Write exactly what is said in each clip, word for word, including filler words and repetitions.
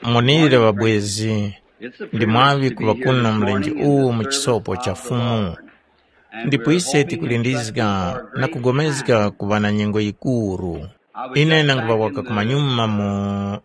Monire ŵabwezi, ndi mwaŵi kuŵa kuno mlenje uwu mu chisopo cha Fumu. Ndipo ise tikulindizga na kugomezga kuŵa na nyengo yikuru. Ine nanguŵa waka kumanyuma mu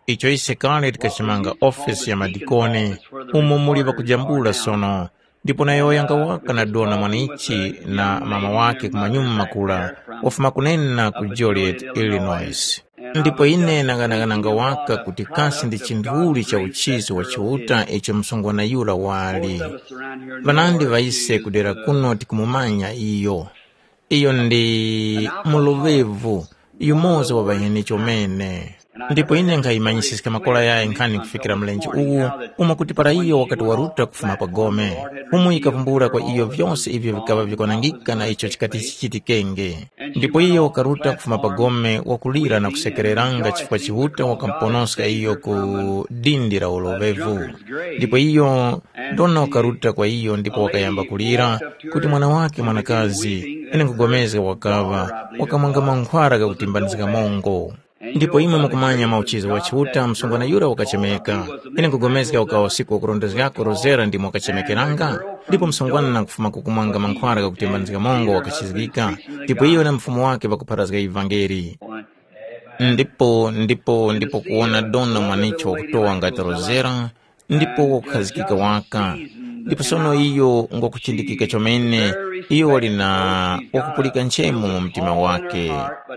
icho ise kale tikachimanga ofesi ya madikoni, umo muli ŵakujambula sono, ndipo nayo yanga waka na dona mwanichi na mama wake kumanyuma kura, wafuma kunena ku Joliet, Illinois. Ndipo ine nanganakananga waka kuti kasi ndi chinduli cha uchizi wa Chiuta icho msungwana yura wali. Ŵanandi ŵa ise kudera kuno tikumumanya iyo. Iyo ndi muloŵevu, yumoza wa ŵaheni chomene. Ndipo ine nkhayimanyiska makora yayi nkhani kufikira mlenje uwu, umo kuti para iyo wakati waruta kufuma pa gome, Fumu yikavumbula kwa iyo vyose ivyo vikaŵa vikwanangika na icho chikati chichitikenge. Ndipo iyo wakaruta kufuma pa gome wakulira na kusekereranga chifukwa Chiuta wakamuponoska iyo ku dindi la uloŵevu. Ndipo iyo Dona wakaruta kwa iyo ndipo wakayamba kulira kuti mwana wake mwanakazi, ine nkupulikana wakaŵa, wakamwanga mankhwara ghakutimbanizga mongo. Ndipo imwe mukumanya mauchizi wa Chiuta, msungwana yura wakachemeka. Ine nkupulikana ukawa usiku wakurondezgako rozera ndimo wakachemekeranga, ndipo msungwana na kufuma kukumwanga mankhwara ghakutimbanizga mongo wakachizgika, ndipo iyo na mfumu wake ŵakupharazga ivangeli. Ndipo ndipo ndipo kuwona dona mwanicho wakutowa ngati rozera, ndipo wakukhazikika waka. Ndipo sono iyo ngwakuchindikika chomene, iyo wali na wakupulika nchemo mu mtima wake.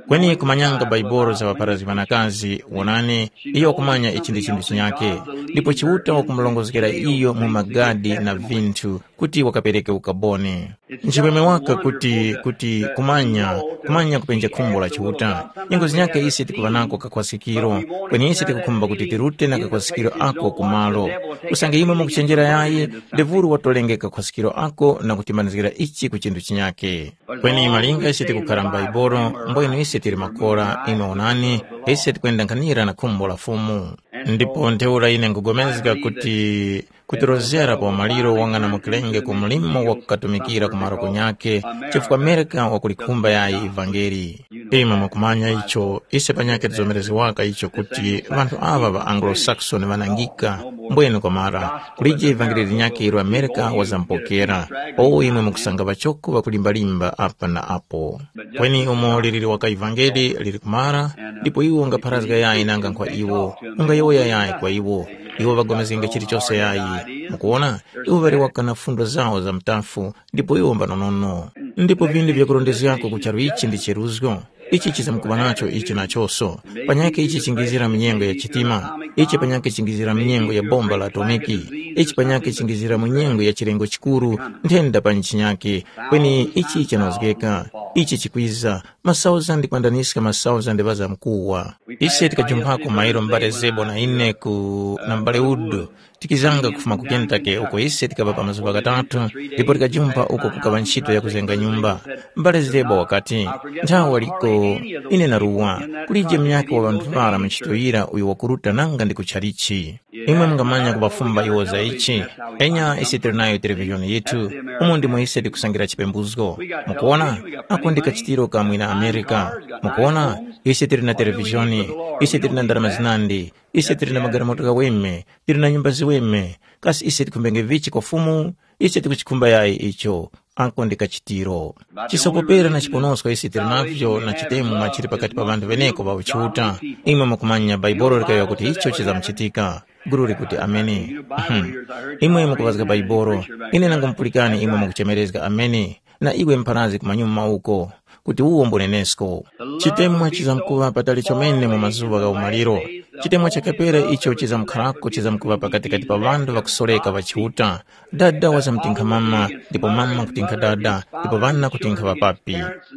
Kweni kumanyanga Baibolo za ŵapharazgi ŵanakazi, wonani, iyo wakumanya ichi ndi chinthu chinyakhe, ndipo Chiuta wakumulongozgera iyo mu magadi na vinthu kuti wakapereke ukaboni. Nchimwemwe waka kuti kuti kumanya kumanya kupenja khumbo la Chiuta. Nyengo zinyakhe ise tikuŵa nako kakhwasikiro, kweni ise tikukhumba kuti tirute na kakhwasikiro ako kumalo. Usange imwe mukuchenjera yayi, ndevuru watolenge kakhwasikiro ako na kutimanizgira ichi ku chinthu chinyakhe. Kweni malinga ise tikukhala m'Baibolo, mbwenu ise tili makora, imwe onani, ise tikwenda nkhanira na khumbo la Fumu. Ndipo ntheura ine nkugomezga kuti kutirozgera pa umaliro wang'anamukirenge ku mlimo wa kukatumikira ku maroko nyakhe, chifukwa Mereka wakulikhumba yayi ivangeli. Imwe mukumanya icho, ise panyakhe tizomerezgewaka icho kuti ŵanthu aŵa ŵa Anglo-Saxon ŵanangika, mbwene kwamara, kulije ivangeli linyakhe ilo Amerika wazamupokera, owo imwe mukusanga ŵachoko ŵakulimbalimba apa na apo. Kweni umo lili liwaka ivangeli lili kumara, ndipo iwo ungapharazga yayi nanga nkhwa iwo, ungayowoya yayi kwa iwo, iwo ŵagomezgenge chilichose yayi. Mukuwona, iwo ŵali waka na fundo zawo za mtafu, ndipo iwo mbanonono. Ndipo vinthu vyakurondezgako ku charu ichi ndi cheruzgo. Ichi chizamkuŵa nacho ichi nachoso. Panyakhe ichi chingizira mu nyengo ya chitima, ichi panyakhe chingizira mu nyengo ya bomba la atomiki, ichi panyakhe chingizira mu nyengo ya chilengo chikuru, nthenda pa nchinyakhe, kweni ichi chanozgeka, ichi chikwiza, masauzandi kwandaniska masauzandi ŵazamkuwa. Ise tikajumphako mairo mbale Zebo na ine ku na mbale Udu, tikizanga kufuma ku Kentucky uko ise tikaŵa pa mazuŵa ghatatu, ndipo tikajumpha uko kukaŵa ntchito ya kuzenga nyumba. Mbale Zebo wakati, nthawe waliko, ine naruwa, kulije munyakhe wa ŵanthu ŵara mu ntchito yira uyo wakuruta nanga ndi ku chalichi. Imwe mungamanya kuŵafumba iwo za ichi. Enya ise tili nayo televizhoni yithu, umo ndimo ise tikusangira chipembuzgo. Mukuona, ako ndi kachitiro ka mwina Amerika. Mukuona, ise tili na televizhoni, ise tili na ndarama zinandi, ise tili na magalimoto ghaweme, tili na nyumba ziweme. Kasi ise tikhumbenge vichi kwa Fumu? Ise tikuchikhumba yayi icho. Ako ndi kachitiro. Chisokopera na chiponosko ise tili navyo na chitemwa chili pakati pa ŵanthu ŵeneko ŵa uchiuta. Imwe mukumanya Baibolo likayowoya kuti icho chizamuchitika. Gulu likuti ameni. Mhm. Imwe mukuŵazga Baibolo. Ine nangomupulikani imwe mukuchemerezga ameni. Na iwe mpharazgi kumanyuma uko, kuti uwo mbunenesko. Chitemwa chizamkuŵa patali chomene mu mazuŵa gha umaliro. Chitemwa cha kapera icho chizamkharako chizamkuŵa pakatikati pa ŵanthu ŵakusoreka ŵa Chiuta. Dada wazamtinkha mama, ndipo mama kutinkha dada, ndipo ŵana kutinkha ŵapapi.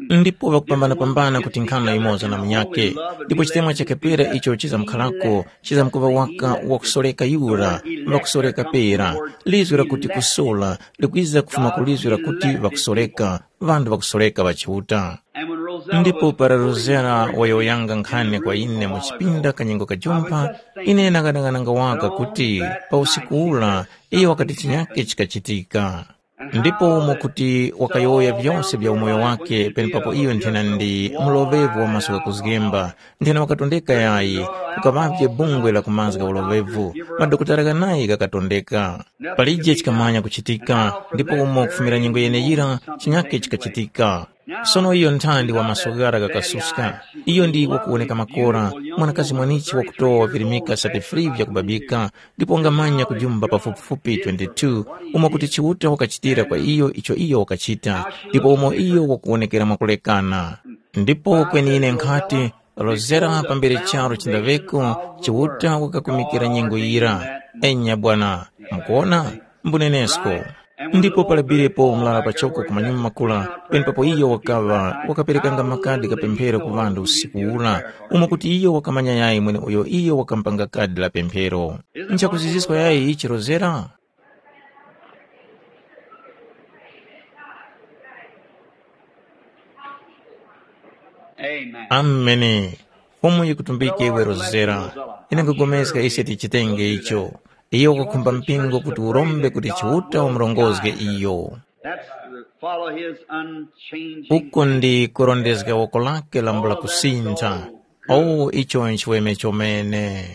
Ndipo ŵakupambanapambana kutinkhana yumoza na munyakhe. Ndipo chitemwa cha kapera icho chizamkharako chizamkuŵa waka wakusoreka yura, ŵakusoreka pera. Lizwi lakuti kusola likwiza kufuma ku lizwi lakuti ŵakusoreka, ŵanthu ŵakusoreka ŵa Chiuta. Ndipo para Rosera wayowoyanga nkhani kwa ine mu chipinda kanyengo kajumpha, ine nakadang'ananga waka kuti pa usiku ura iyo wakati chinyakhe chikachitika. Ndipo umo kuti wakayowoya vyose vya umoyo wake, penepapo iyo nthena ndi muloŵevu wa maso ghakuzgemba, nthena wakatondeka yayi, kukaŵavye bungwe la kumazga uloŵevu, madokotala ghanayi ghakatondeka. Palije chikamanya kuchitika, ndipo umo kufumira nyengo yeneyira, chinyake chikachitika. Sono iyo nthandi wa maso ghara ghakasuska. Iyo ndi wakuwoneka makora, mwanakazi mwanichi wakutowa virimika sate free vyakubabika, ndipo wangamanya kujumba pafupifupi twenty-two, umo kuti Chiuta wakachitira kwa iyo icho iyo wakachita, ndipo umo iyo wakuwonekera mwakulekana. Ndipo kweni ine nkhati, Rozera pambere charo chindaveko, Chiuta wakakumikira nyengo yira. Enya bwana, mukuona? Mbunenesko. Ndipo palabirepo mlala pachoko ku manyuma makula, penepapo iyo wakaŵa wakaperekanga makadi kapemphero ku ŵanthu usiku ura, umo kuti iyo wakamanya yayi mweneuyo iyo wakampanga kadi la pemphero. Nchakuziziska yayi ichi Rozera? Amen. Ameni. Fumu yikutumbike iwe Rozera. Ine nkugomezga ise tichitenge icho. Iyo wakukhumba mpingo kuti urombe kuti Chiuta umurongozge iyo. That's to follow his unchanging. Uko ndi kurondezga woko lake lambula kusintha. Oh, icho nchiweme chomene.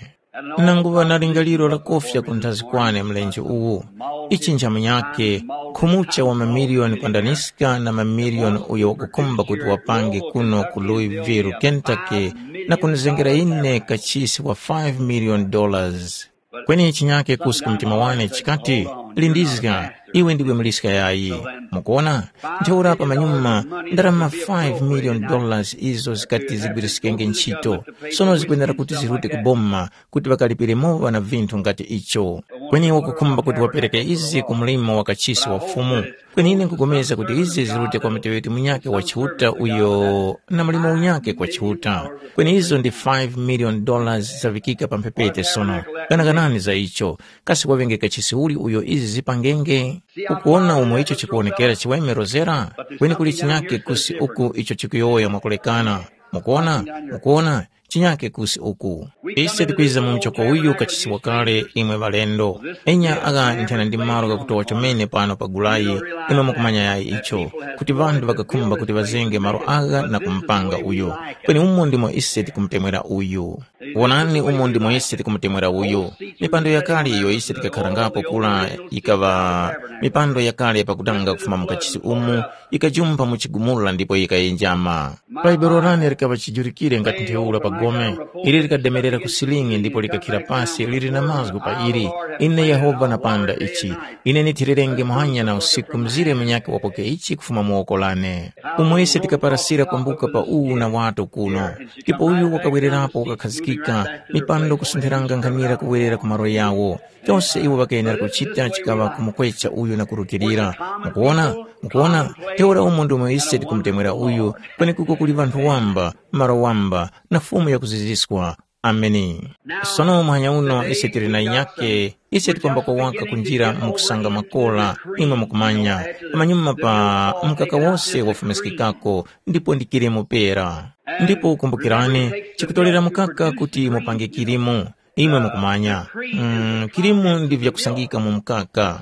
Nanguŵa na lingaliro lakofya kunthazi kwane mlenje uwu. Ichi nchamunyake, khumucha wa mamiliyoni kwandaniska na mamiliyoni uyo wakukhumba kuti wapange kuno ku Louisville, Kentucky, na kunizengera ine kachisi wa five million dollars. Kweni chinyake kusi ku mtima wane chikati, lindizga, iwe ndiwe muliska yayi. Mukuona? Ntheura pamanyuma, ndarama five million dollars izo zikati zigwiriskenge ntchito, sono zikwenera kuti zirute ku boma kuti ŵakalipire mowa na vinthu ngati icho. Kweni wakukhumba kuti wapereke izi ku mlimo wa kachisi wa Fumu, kweni ine nkupulikana kuti izi zirute kwa muteŵeti munyakhe wa Chiuta uyo na mlimo unyakhe kwa Chiuta. Kweni izo ndi five million dollars zavikika pa mphepete sono. Ganaganani za icho. Kasi waŵenge kachisi uli uyo izi zipangenge? Ukuwona umo icho chikuwonekera chiweme Rozera? Kweni kuli chinyakhe kusi uku icho chikuyowoya mwakulekana. Mukuwona? Mukuwona? Chinyakhe kusi uku. Ise tikwiza mu mchoko uyu kachisiwa kale imwe ŵalendo. Enya agha nthena ndi malo ghakutowa chomene pano pa gulayi, imwe mukumanya yayi icho, kuti ŵanthu ŵakakhumba kuti ŵazenge malo agha na kumupanga uyo. Kweni umo ndimo ise tikumutemwera uyu. Wonani umo ndimo ise tikumutemwera uyu. Mipando yakale iyo ise tikakharangapo kula yikaŵa mipando yakale pakutanga kufuma mu kachisi umu, yikajumpha mu chigumula ndipo yikayenjama. Bhaibuli lane likaŵa chijurikire ngati ntheura pa gome. Ili likademerera ku silingi ndipo likakhira pasi lili na mazgu pa ili, ine Yehova napanda ichi. Ine nithirerenge muhanya na usiku mzire munyakhe wapoke ichi kufuma mu woko lane. Umo ise tikaparasira kwambuka pa uwu na wato kuno. Ndipo uyu wakawererapo wakakhazikika, mipando kusuntheranga nkhanira kuwerera ku malo yawo. Chose iwo ŵakayenera kuchita chikaŵa kumukwecha uyu na kurutilira. Mukuwona? Mukuwona? Ntheura umo ndimo ise tikumutemwera uyu, kwenekuko kuli ŵanthu wamba, malo wamba, na Fumu yakuziziswa. Ameni. Sono muhanya uno ise tili na inyake, ise tikwamba kuwaka kunjira mu kusanga makola, imwe mukumanya, pamanyuma pa mkaka wose wafumiskikako, ndipo ndi kilimu pera. Ndipo kumbukirani, chikutolera mukaka kuti mupange kilimu, imwe mukumanya. Mm, kilimu ndi vyakusangika mu mkaka.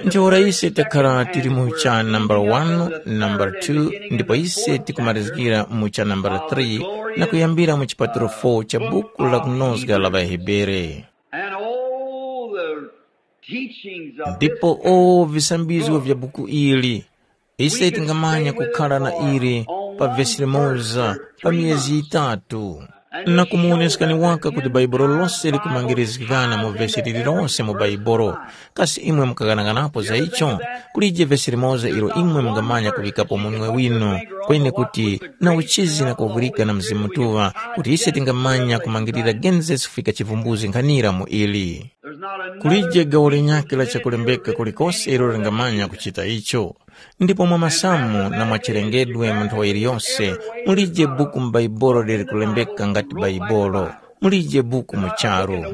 Ntheura ise takhala tili mu cha nambala wanu, nambala two, ndipo ise tikumarizgira mu cha nambala three na kuyambira mu chipatiro four cha buku la kunozga la ŵaHebere. And all the teachings of this ndipo o visambizgo vya buku ili, ise tingamanya kukhala na ili pa vesi limoza pa miyezi yitatu, na kumuwoneskani waka kuti Bhaibuli lose likumangirizgikana mu vesi lililose mu Bhaibuli. Kasi imwe mukaghanaganapo za icho? Kulije vesi limoza ilo imwe mungamanya kuŵikapo munwe winu, kweni kuti na uchizi na kuvwirika na Mzimu Mutuŵa, kuti ise tingamanya kumangirira Genesis kufika Chivumbuzi nkhanira mu ili. Kulije gawo linyakhe la chakulembeka kulikose ilo lingamanya kuchita icho. Ndipo mwa masamu na mwa chilengedwe mu nthowa yiliyose, mulije buku m'Baibulo lili kulembeka ngati Baibulo. Mulije buku mu charu.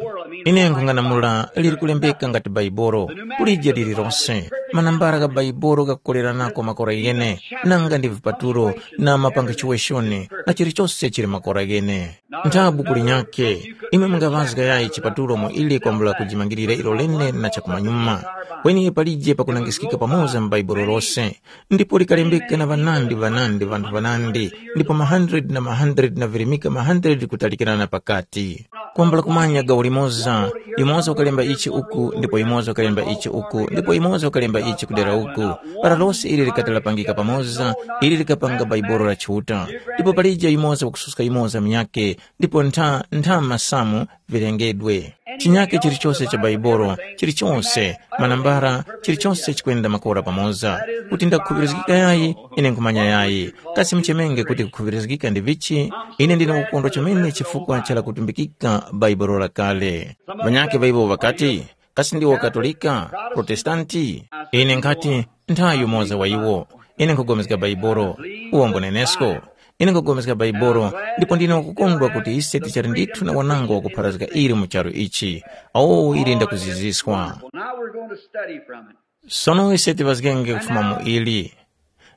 Ine nkhung'anamula liri kulembeka ngati Baibolo, kulije lililonse, manambala gha Baibolo ghakukoleranako makora ghene, nanga ndi vipatulo na mapangichiweshoni na chilichose chili makora ghene. Nthabu kuli nyakhe, imwe mungaŵazga yayi chipatulo mu ili kwambula kujimangirira ilo lene na chakumanyuma. Kweni palije pakunangiskika pamoza mu Baibolo lose, ndipo likalembeka na ŵanandi ŵanandi ŵanthu ŵanandi, ndipo ma hundred na ma hundred na virimika ma hundred kutalikirana pakati. Kwambula kumanya gawo limoza, yumoza wakalemba ichi uku ndipo yumoza wakalemba ichi uku ndipo yumoza wakalemba ichi kudera uku. Para lose ili likati lapangika pamoza, ili likapanga Baibolo la Chiuta. Ndipo palije yumoza wakususka yumoza munyakhe, ndipo ntha ntha masamu vilengedwe. Chinyakhe chilichose cha Baibolo, chilichose, manambara, chilichose chikwenda makora pamoza. Kuti ndakukhuŵirizgika yayi, ine nkhumanya yayi. Kasi muchemenge kuti kukhuŵirizgika ndi vichi? Ine ndine kukondwa chomene chifukwa cha lakutumbikika Baibolo lakale. Ŵanyakhe ŵa iwo ŵakati, kasi ndiwo Katolika, Protestanti? Ine nkhati, nthayi yumoza wa iwo. Ine nkhupulikana Baibolo, uwo mbunenesko. Ine nkhupulikana Baibolo, ndipo ndine wakukondwa kuti ise tichali ndithu na wanango wakupharazga ili mu charu ichi. Awo ili ndakuziziswa. Now we're going to study from it. Sono ise tivazgenge kufuma mu ili.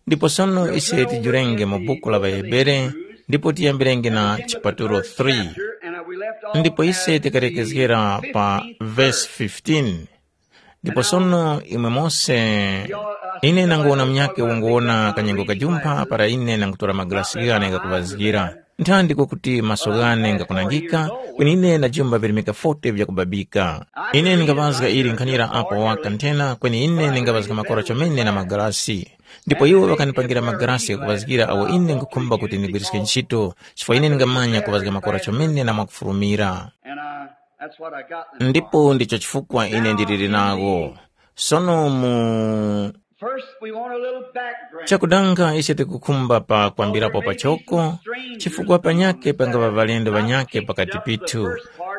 Ndipo sono ise tijurenge mu buku la ŵaHebere, ndipo tiyambirenge na chipatulo three. Ndipo ise tikalekezgera pa vesi fifteen. Ndipo sono imwe mose, ine nanguwona munyakhe unguwona kanyengo kajumpha para ine nangutora magalasi ghane ghakuŵazgira. Nthandiko kuti maso ghane ngakunangika, kweni ine najumba virimika forty vyakubabika. Ine ningaŵazga ili nkhanira apo waka nthena, kweni ine ningaŵazga makora chomene na magalasi. Ndipo iwo ŵakanipangira magalasi ghakuŵazgira agho ine nkhukhumba kuti ndigwiriske ntchito, chifukwa ine ningamanya kuŵazga makora chomene na mwakufurumira. And I, that's what I got this Ndipo ndicho chifukwa ine ndiliri nawo. Sono mu First, we want a little background. Chakudanga ise tikukhumba pa kwambirapo pachoko, chifukwa panyake pangaŵa ŵalendo ŵanyake pakati pithu,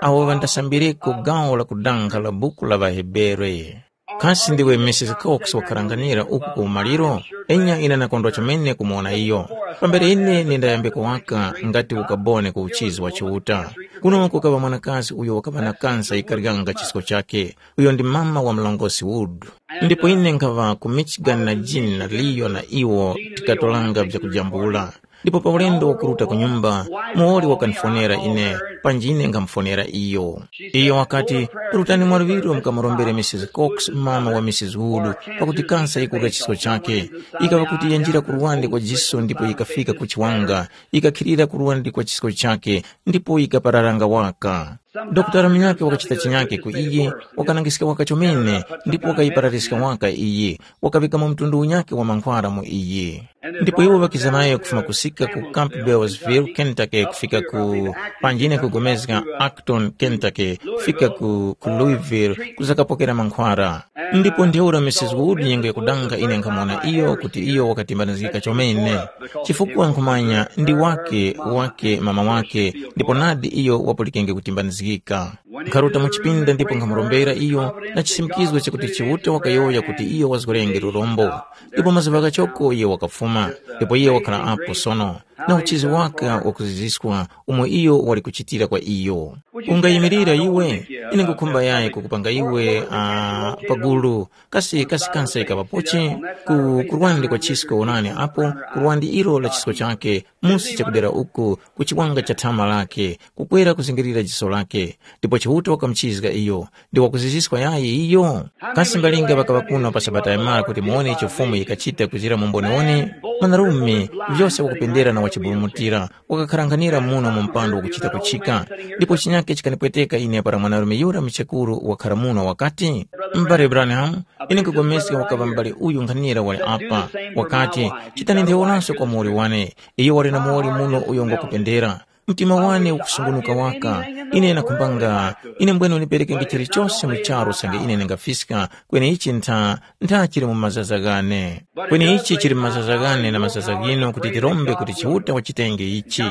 awo ŵandasambireko gawo la kudanga la buku la ŵaHebere. Kasi ndiwe Missus Cox wakharanganira uku ku umaliro? Enya ine nakondwa chomene kumuwona iyo. Pambere ine nindayambeko waka ngati ukabone ku uchizi wa Chiuta. Kuno kukaŵa mwanakazi uyo wakaŵa na kansa yikaryanga chisko chakhe, uyo ndi mama wa mlongosi Wood. Ndipo ine nkhaŵa ku Michigan na Jean na Leo na iwo tikatolanga vyakujambula. Ndipo pa ulendo wakuruta ku nyumba, muwoli wakandifonera ine, panji ine nkhamufonera iyo. Iyo wakati, rutani mwaluŵiro mukamurombere Missus Cox, mama wa Missus Wood, pakuti kansa yikurya chisko chakhe. Yikaŵa kuti yanjira ku luwande kwa jiso ndipo yikafika ku chiwanga, yikakhilira ku luwande kwa chisko chakhe, ndipo yikapararanga waka. Dokotala munyakhe wakachita chinyakhe ku iye, wakanangiska waka chomene, ndipo wakayiparariska waka iye, wakaŵikamo mtundu unyakhe wa mankhwara mu iye. Ndipo iwo ŵakiza nayo kufuma kusika ku Campbellsville, Kentucky, kufika ku panjine kugomezga Acton, Kentucky, kufika ku, ku Louisville, kuzakapokera mankhwara. Ndipo ntheura Missus Wood nyengo yakudanga ine nkhamuwona iyo kuti iyo wakatimbanizgika chomene, chifukwa nkhumanya ndi wake wake mama wake, ndipo nadi iyo wapulikenge kutimbanizgika. Nkharuta mu chipinda ndipo nkhamurombera iyo na chisimikizgo chakuti Chiuta wakayowoya kuti iyo wazgorenge lurombo. Ndipo mazuŵa ghachoko iyo wakafuma, ndipo iyo wakhala apo sono, na uchizi waka wakuziziswa umo iyo wali kuchitira kwa iyo. Ungayimirira iwe? Ine ngukhumba yayi kukupanga iwe uh, pagulu kasi kasi kansa ikapapochi ku kurwandi kwa chisko onani apo kurwandi ilo la chisko chake musi chakudera uku ku chiwanga cha thama lake kukwera kuzingirira jiso lake. Ndipo Chiuta wakamuchizga iyo ndi wakuziziswa yayi iyo. Kasi mbalinga ŵakaŵa kuno pa sabata yamara kuti muwone icho Fumu yikachita kuzira mu mboniwoni? Mwanarume, vyose wakupendera na wachiburumutira, wakakharanghanira muno mu mpando wakuchita kuchika. Ndipo chinyake chikanipweteka ine para mwanarume yura mchekuru wakhara muno wakati, m'bale Branham, ine nkupulikana wakaŵa m'bale uyu nkhanira wali apa, wakati, chitani ntheworanso kwa muwoli wane, iyo wali na muwoli muno uyo ngwakupendera. Mtima wane ukusungunuka waka. Ine nakhumbanga, ine mbwene uniperekenge chilichose mu charu usange ine ndingafiska, kweni ichi ntha, ntha chili mu mazaza ghane. Kweni ichi chili mu mazaza ghane na mazaza ghinu kuti tirombe kuti Chiuta wachitenge ichi.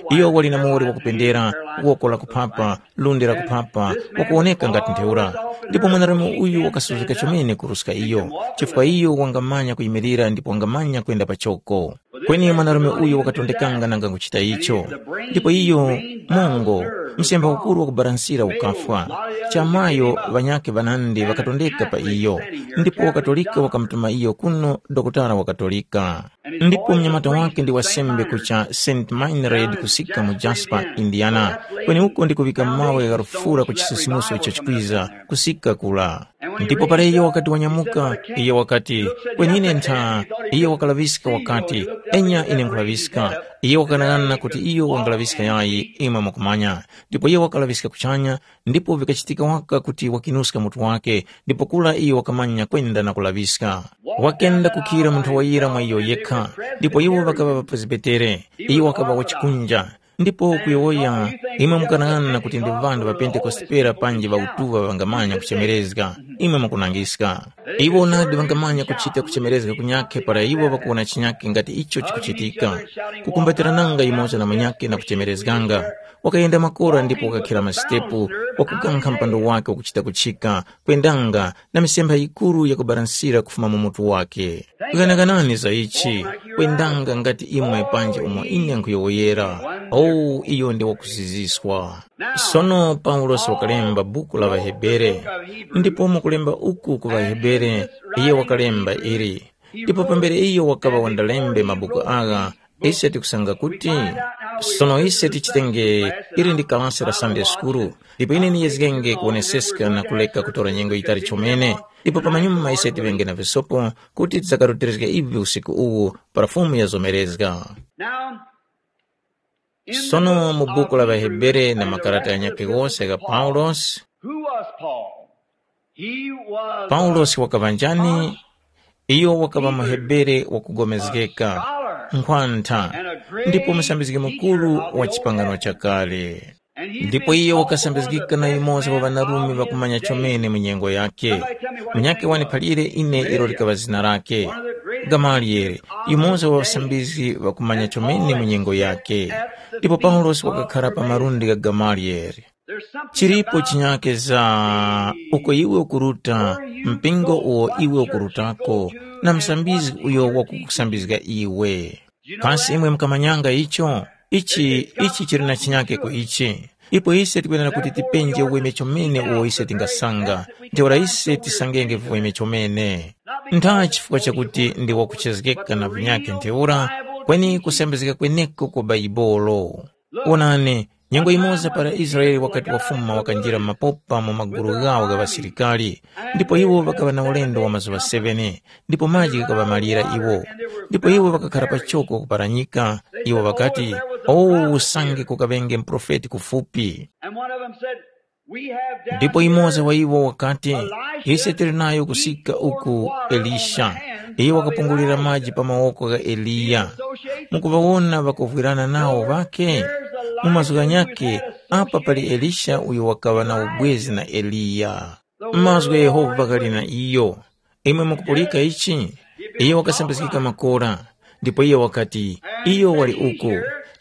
Iyo wali na muwoli wakupendera, woko la kuphapa, lundi la kuphapa, wakuwoneka ngati ntheura. Ndipo mwanarume uyu wakasuzgeka chomene kuruska iyo, chifukwa iyo wangamanya kuyimirira ndipo wangamanya kwenda pachoko. Kweni mwanarume uyu wakatondekanga nanga kuchita icho. Ndipo iyo, mongo, Msemba ukuru wakubalansira ukafwa. Chamayo ŵanyakhe ŵanandi ŵakatondeka pa iyo, ndipo waKatolika wakamutuma iyo kuno dokotala wa Katolika. Ndipo mnyamata wake ndi wasembe ku cha Saint Meinrad kusika mu Jasper, Indiana, kweneuko ndikuŵika mawe gha lufura ku chisisimuso cha chikwiza kusika kula. Ndipo para iyo wakati wanyamuka, iyo wakati, kwenine ntha, iyo wakalaŵiska wakati, enya ine nkhulaŵiska. Iyo wakanang'ana kuti iyo wangalaŵiska yayi, imwe mukumanya. Ndipo iyo wakalaŵiska kuchanya, ndipo vikachitika waka kuti wakinuska mutu wake, ndipo kula iyo wakamanya kwenda na kulaŵiska. Wakenda kukhira munthu wayira mwa iyo yekha, ndipo iwo ŵakaŵa ŵapresbitere, iyo wakaŵa wachikunja. Ndipo kuyowoya, imwe mukanang'ana kuti ndi ŵanthu ŵa Pentekoste pera panji ŵautuŵa ŵangamanya kuchemerezga, imwe mukunangiska. Iwo nadi ŵangamanya kuchita kuchemerezga kunyakhe para iwo ŵakuwona chinyakhe ngati icho chikuchitika, kukumbatirananga yumoza na munyakhe na kuchemerezganga. Wakayenda makora ndipo wakakhira masitepu, wakukankha mpando wake wakuchita kuchika, kwendanga na misempha yikuru yakubalansira kufuma mu mutu wake. Ghanaganani za ichi, kwendanga ngati imwe panji umo ine nkhuyowoyera. Oh, iyo ndi wakuziziswa. Sono Paulosi wakalemba buku la ŵaHebere, ndipo mukulemba uku ku ŵaHebere, iye wakalemba ili. Ndipo pambere iyo wakaŵa wandalembe mabuku agha, ise tikusanga kuti, sono ise tichitenge ili ndi kalasi la Sunday School, ndipo ine niyezgenge kuwoneseska na kuleka kutora nyengo yitali chomene, ndipo pamanyuma ise tiŵenge na visopo kuti tidzakarutilizge ivi usiku uwu para Fumu yazomerezga. Now, in the Sono mu book buku la of Hebrews, ŵaHebere na makarata ghanyakhe ghose gha Paulosi, who was Paul? He was Paulosi wakaŵa njani? Iyo wakaŵa muHebere wakugomezgeka, nkhwantha, ndipo musambizgi mukuru wa chipangano chakale. Ndipo iyo wakasambizgika na yumoza wa ŵanarume ŵakumanya chomene mu nyengo yakhe. Munyakhe waniphalire ine ilo likaŵa zina lakhe. Gamaliyele, yumoza wa ŵasambizgi ŵakumanya chomene mu nyengo yakhe. Ndipo Paulosi wakakhara pa malundi gha Gamaliyele. Chilipo chinyake za uko iwe ukuruta, mpingo uwo iwe ukurutako, na musambizgi uyo wakukusambizga iwe. Kasi imwe mukamanyanga icho? Ichi, ichi chili na chinyake ku ichi. Ipo ise tikwenera kuti tipenje uweme chomene uwo ise tingasanga, ntheura ise tisangenge viweme chomene. Ntha chifukwa chakuti ndi wakuchezgeka na vinyake ntheura, kweni kusambizgika kweneko kwa Baibolo. Wonani, nyengo yimoza para Israele wakati wafuma wakanjira mapopa mu magulu ghawo gha ŵasilikari, ndipo iwo ŵakaŵa na ulendo wa mazuŵa seven, ndipo maji ghakaŵamalira iwo. Ndipo iwo ŵakakhara pachoko kuparanyika, iwo ŵakati, “O, usange kukaŵenge muprofeti kufupi!” And one of them said, "We have down Ndipo here imoza wa iwo wakati, Elisha ise tili nayo kusika uku Elisha. Iye wakapungulira maji pa mawoko gha Eliya. Mukuŵawona ŵakuvwirana nawo ŵakhe? Mu mazgu ghanyakhe, apa pali Elisha uyo wakaŵa na ubwezi na Eliya. Mazgu gha Yehova ghali na iyo. Imwe mukupulika ichi?” Iyo wakasambizgika makora, ndipo iyo wakati, “Iyo wali uku.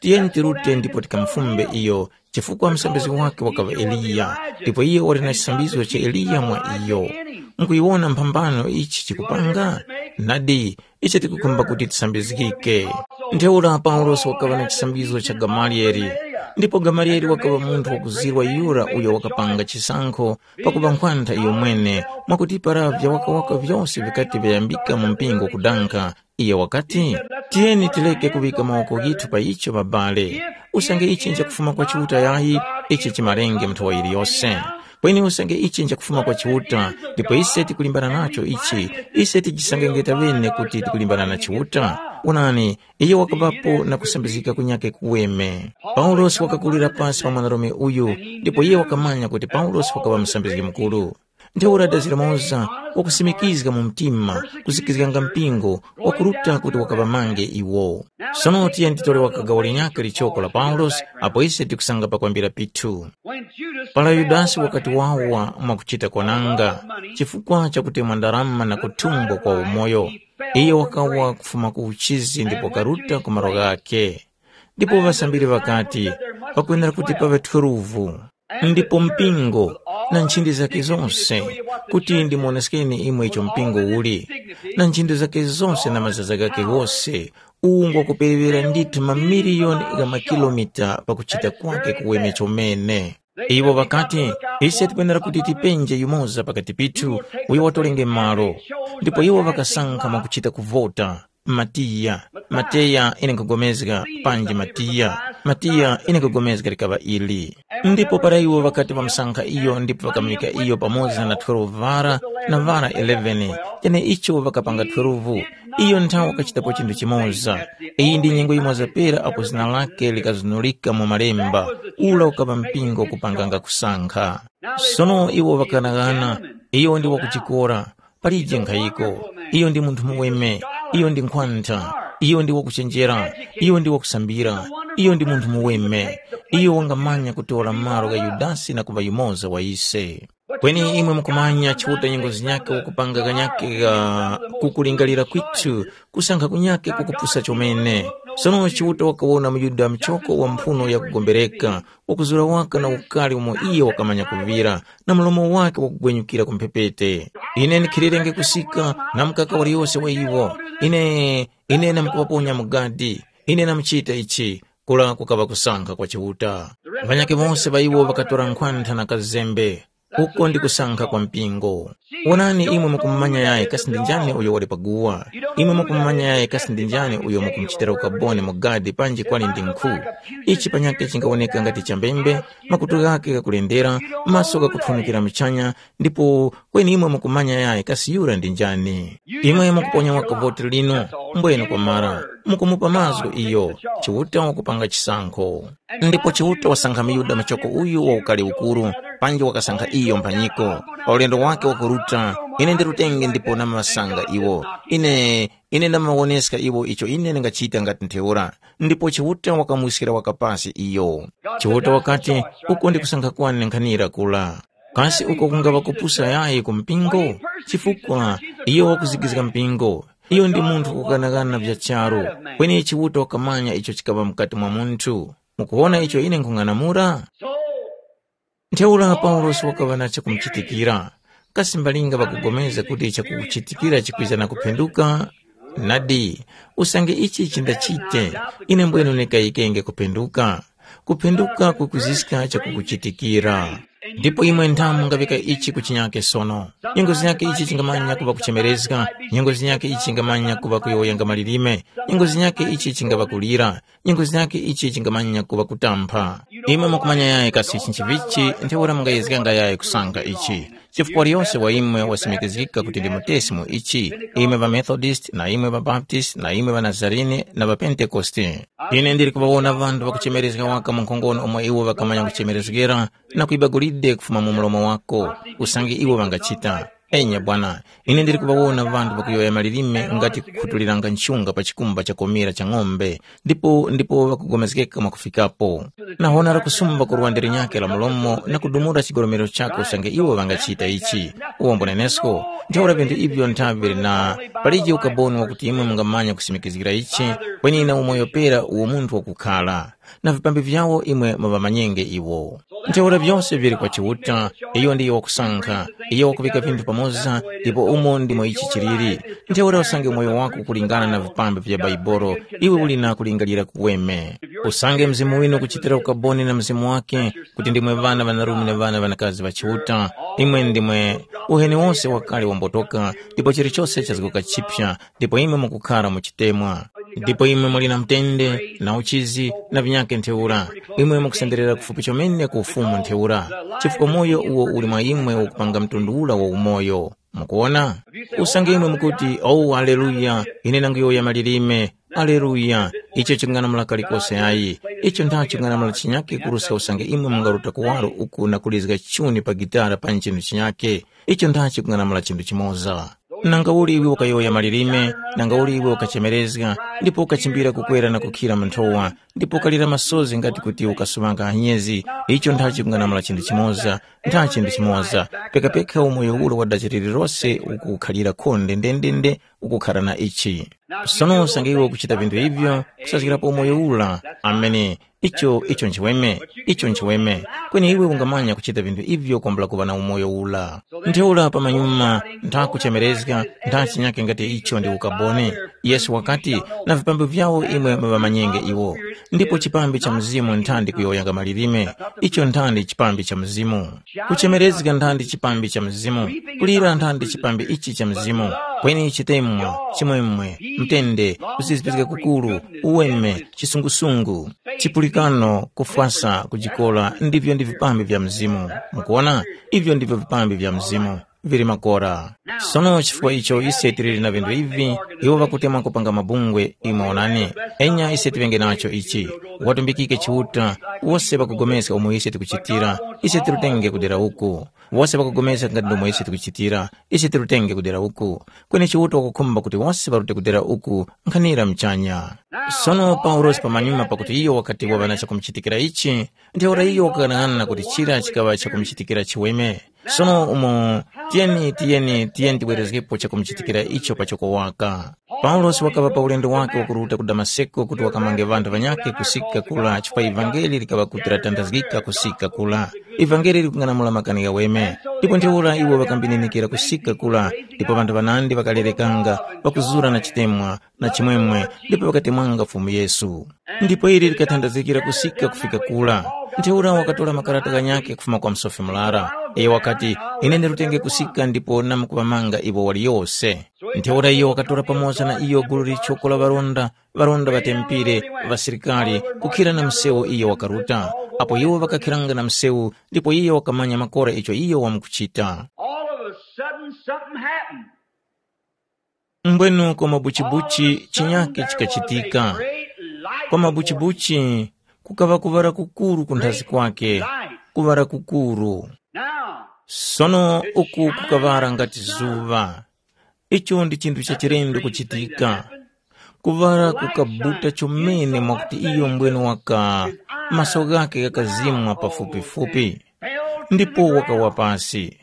Tiyeni tirute ndipo tikamufumbe iyo, chifukwa msambizgi wake wakaŵa Eliya, ndipo iyo wali na chisambizo cha Eliya mwa iyo. Mukuyiwona mphambano ichi chikupanga? Nadi, ise tikukhumba kuti tisambizgike.” Ntheura Paulosi wakaŵa na chisambizo cha Gamaliyeli, ndipo Gamaliyeli wakaŵa munthu wakuzirwa yura uyo wakapanga chisankho pakuŵa nkhwantha iyomwene, mwakuti para vyawakawaka vyose vikati vyayambika mu mpingo kudankha, iyo wakati, “Tiyeni tireke kuŵika mawoko ghithu pa icho, ŵabale. Usange ichi nchakufuma kwa Chiuta yayi, ichi chimalenge mu nthowa yiliyose. Kweni usange ichi nchakufuma kwa Chiuta, ndipo ise tikulimbana nacho ichi, ise tijisangenge taŵene kuti tikulimbana na Chiuta? Onani, iyo wakaŵapo na kusambizgika kunyakhe kuweme.” Paulosi wakakulira pasi pa mwanarume uyu, ndipo iye wakamanya kuti Paulosi wakaŵa musambizgi mukuru. Ntheura dazira Moza wakusimikizga mu mtima, kuzikizganga mpingo, wakuruta kuti wakaŵamange iwo. Sono tiyeni titore wakagawo linyakhe lichoko la Paulosi, apo ise tikusanga pakwambira pithu. Para Yudasi wakati wawa mwakuchita kwananga, chifukwa chakutemwa ndarama na kuthumbwa kwa umoyo, iyo wakawa kufuma ku uchizi ndipo karuta ku malo ghakhe. Ndipo ŵasambiri ŵakati, pakwenera kuti paŵe twelve, ndipo mpingo na nchindi zakhe zose, kuti ndimuwoneskeni imwe icho mpingo uli, na nchindi zakhe zose na mazaza ghakhe ghose, Uwu ngwakuperewera ndithu mamiliyoni gha makilomita pakuchita kwake kuweme chomene. Iwo ŵakati, ise tikwenera kuti tipenje yumoza pakati pithu uyo watolenge malo. Ndipo iwo ŵakasankha mwakuchita kuvota. Matiya, Mateya ine nkugomezga, panji Matiya, Matiya ine nkugomezga likaŵa ili. Ndipo para iwo ŵakati ŵamusankha iyo ndipo ŵakamuyika iyo pamoza na twelve ŵara na ŵara eleven, cheneicho ŵakapanga twelve. Iyo nthawe wakachitapo chinthu chimoza. Iyi ndi nyengo yimoza pera apo zina lake likazunulika mu malemba, ula ukaŵa mpingo kupanganga kusankha. Sono iwo ŵakanaghana, iyo ndi wakuchikora, palije nkhayiko, iyo ndi munthu muweme, iyo ndi nkhwantha, iyo ndi wakuchenjera, iyo ndi wakusambira, iyo ndi munthu muweme, iyo wangamanya kutora malo gha Yudasi na kuŵa yumoza wa ise. Kweni imwe mukumanya Chiuta nyengo zinyakhe wakupanga kanyakhe ga kukulingalira kwithu, kusankha kunyakhe kukupusa chomene. Sono Chiuta wakawona muYuda mchoko wa mphuno yakugombereka, wakuzura waka na ukali umo iyo wakamanya kuŵira, na mlomo wake wakugwenyukira ku mphepete. Ine ndikhilirenge kusika na mukaka waliyose wa iwo. Ine, ine namkuŵaponya mu gadi. Ine namuchita ichi, kula kukaŵa kusankha kwa Chiuta. Ŵanyakhe wose ŵa iwo ŵakatora nkhwantha na kazembe. Uko ndi kusankha kwa mpingo. Wonani imwe mukumumanya yayi kasi ndi njani uyo wali paguwa. Imwe mukumumanya yayi kasi ndi njani uyo mukumuchitira ukaboni mu gadi panji kwali ndi nkhu. Ichi panyakhe chingawoneka ngati chambembe, makutu ghakhe ghakulendera, maso ghakuthunukira muchanya, ndipo kweni imwe mukumanya yayi kasi yura ndi njani. Imwe mukuponya waka voti linu, mbwene kwamara, mukumupa mazgu iyo, Chiuta wakupanga chisankho. Ndipo Chiuta wasankha muyuda machoko uyu wa ukali ukuru, panji wakasankha iyo mphanyiko. Pa ulendo wake wakuruta, ine ndirutenge ndipo namaŵasanga iwo. Ine, ine ndamaŵawoneska iwo icho ine ndingachita ngati ntheura. Ndipo Chiuta wakamuwiskira waka pasi iyo. Chiuta wakati, uko ndi kusankha kwane nkhanira kula. Kasi uko kungaŵa kupusa yayi ku mpingo? Chifukwa iyo wakuzigizga mpingo. Iyo ndi munthu kukanakana vya charu, kweni Chiuta wakamanya icho chikaŵa mukati mwa munthu. Mukuwona icho ine nkhung'anamula? Ntheura Paulosi wakaŵa na chakumuchitikira. Kasi mbalinga ŵakupulikana kuti chakuchitikira chikwiza na kuphenduka? Nadi, usange ichi chindachite, ine mbwenu ndikayikenge kuphenduka. Kuphenduka kukuziska chakukuchitikira. Ndipo imwe nthamu mungaŵika ichi ku chinyake sono. Nyengo zinyake ichi chingamanya kuŵa kuchemerezga, nyengo zinyake ichi chingamanya kuŵa kuyowoyanga malilime, nyengo zinyake ichi chingaŵa kulira, nyengo zinyake ichi chingamanya kuŵa kutampha. Imwe mukumanya yayi kasi chinchivichi, ntheura mungayezganga yayi kusankha ichi. Chifukwa waliyose wa imwe wasimikizgika kuti ndi mutesi mu ichi, imwe ŵaMethodist na imwe ŵaBaptist na imwe ŵaNazarene na ŵaPentekoste. Ine ndili kuŵawona ŵanthu ŵakuchemerezga waka mu nkhongono umo iwo ŵakamanya kuchemerezgera na kuyiba golide kufuma mu mlomo wako, usange iwo ŵangachita. Enya bwana, ine ndili kuŵawona ŵanthu ŵakuyowoya malilime ngati kukhutuliranga nchunga pa chikumba cha komera cha ng'ombe, ndipo ndipo ŵakugomezgeka mwakufikapo. Nahonera kusumba ku lwande linyakhe la mlomo na kudumula chigolomero chakhe usange iwo ŵangachita ichi. Uwombo nenesko, ntheura vinthu ivyo nthavi vili na palije ukaboni wakuti imwe mungamanya kusimikizgira ichi, kweni na umoyo pera uwo munthu wakukhala. Na vipambi vyawo imwe muŵamanyenge iwo. Ntheura vyose vili kwa Chiuta, iyo ndiyo wakusankha, iyo wakuŵika vinthu pamoza, ndipo umo ndimo ichi chiliri. Ntheura usange umoyo wako ukulingana na vipambi vya Baibolo, iwe uli na kulingalira kuweme. Usange mzimu winu ukuchitira ukaboni na mzimu wake, kuti ndimwe ŵana ŵanarume na ŵana ŵanakazi ŵa Chiuta, imwe ndimwe uheni wose wakale wambotoka, ndipo chilichose chazguka chipya, ndipo imwe mukukhara mu chitemwa. Ndipo imwe muli na mutende, na uchizi, na vinyakhe ntheura. Imwe mukusenderera kufupi chomene ku ufumu ntheura, chifukwa moyo uwo uli mwa imwe ukupanga mtundu ura wa umoyo. Mukuwona? Usange imwe mukuti, "Oh, aleluya, ine nanguyowoya malilime, aleluya," icho ching'anamula kalikose ayi. Icho nthachi ching'anamula chinyakhe kuruska usange imwe mungaruta kuwaro uku na kulizga chuni pa gitara panji chinthu chinyakhe. Icho nthachi kung'anamula chinthu chimoza. Nangauli iwe ukayowoya malilime, nangauli iwe ukachemerezga, ndipo ukachimbira kukwera na kukhira mu nthowa, ndipo ukalira masozi ngati kuti ukasuŵanga anyezi, icho nthachi kung'anamula chinthu chimoza, ntha chinthu chimoza, pekapeka umoyo ule wa dachi lililose ukukhalira khonde ndendende ukukhara na ichi. Sono usange iwe ukuchita vinthu ivyo, kusazgirapo umoyo ula, amene, icho, icho nchiweme, icho nchiweme, kweni iwe ungamanya kuchita vinthu ivyo kwambula kuŵa na umoyo ula. Ntheura pamanyuma, ntha kuchemerezga, ntha chinyake ngati icho ndi ukaboni. Yesu wakati, na vipambi vyawo imwe muŵamanyenge iwo. Ndipo chipambi cha Mzimu nthandi kuyowoyanga malilime, icho nthandi chipambi cha Mzimu. Kuchemerezga nthandi chipambi cha Mzimu, kulira nthandi chipambi ichi cha Mzimu, kweni chitemwa, chimwemwe, mtende, kusizipizga kukuru, uweme, chisungusungu, chipulikano, kufwasa, kujikola, ndivyo ndi vipambi vya Mzimu. Mukuona? Ivyo ndivyo vipambi vya Mzimu. Vili makora. Sono chifukwa icho ise tiliri na vinthu ivi, iwo ŵakutemwa kupanga mabungwe, imwe onani. Enya ise tiŵenge nacho ichi. Watumbikike Chiuta, wose ŵakupulikana umo ise tikuchitira, ise tirutenge kudera uku. Wose ŵakupulikana ngati ndomwe ise tikuchitira, ise tirutenge kudera uku. Kweni Chiuta wakukhumba kuti wose ŵarute kudera uku nkhanira mchanya. Sono Paulosi pamanyuma pakuti iyo wakati waŵa na chakumuchitikira ichi, ntheura iyo wakaghanaghananga kuti chira chikaŵa chakumuchitikira chiweme. Sono umo tiyeni tiyeni tiyeni tibwerezgepo chakumuchitikira icho pachoko waka. Paulosi wakaŵa pa ulendo wake wakuruta ku Damaseko kuti wakamange ŵanthu ŵanyakhe kusika kula chifukwa ivangeli likaŵa kuti latandazgika kusika kula. Ivangeli likung'anamula makani ghaweme. Ndipo ntheura iwo ŵakambininikira kusika kula, ndipo ŵanthu ŵanandi ŵakalerekanga, ŵakuzura na chitemwa, na chimwemwe, ndipo ŵakatemwanga Fumu Yesu. Ndipo ili likathandazikira kusika kufika kura. Ntheura wakatora makarata ghanyakhe kufuma kwa msofi murara. Iyo wakati, ine ndirutenge kusika ndipo namkuŵamanga iwo waliyose. Ntheura iyo wakatora pamoza na iyo gulu lichoko la ŵaronda, ŵaronda ŵa tempire, ŵasilikari, kukhira na msewu iyo wakaruta. Apo iwo ŵakakhiranga na msewu, ndipo iyo wakamanya makora icho iyo wamkuchita. All of a sudden, something happened. Mbwenu kwa mabuchibuchi chinyakhe chikachitika. Kwa mabuchibuchi kukaŵa kuŵala kukuru kunthazi kwake, kuŵala kukuru. Sono uku kukaŵala ngati zuŵa. Icho ndi chinthu cha chilendo kuchitika. Kuŵala kukabuta chomene mwakuti iyo mbwenu waka, maso ghake ghakazimwa pafupifupi. Ndipo wakawa pasi.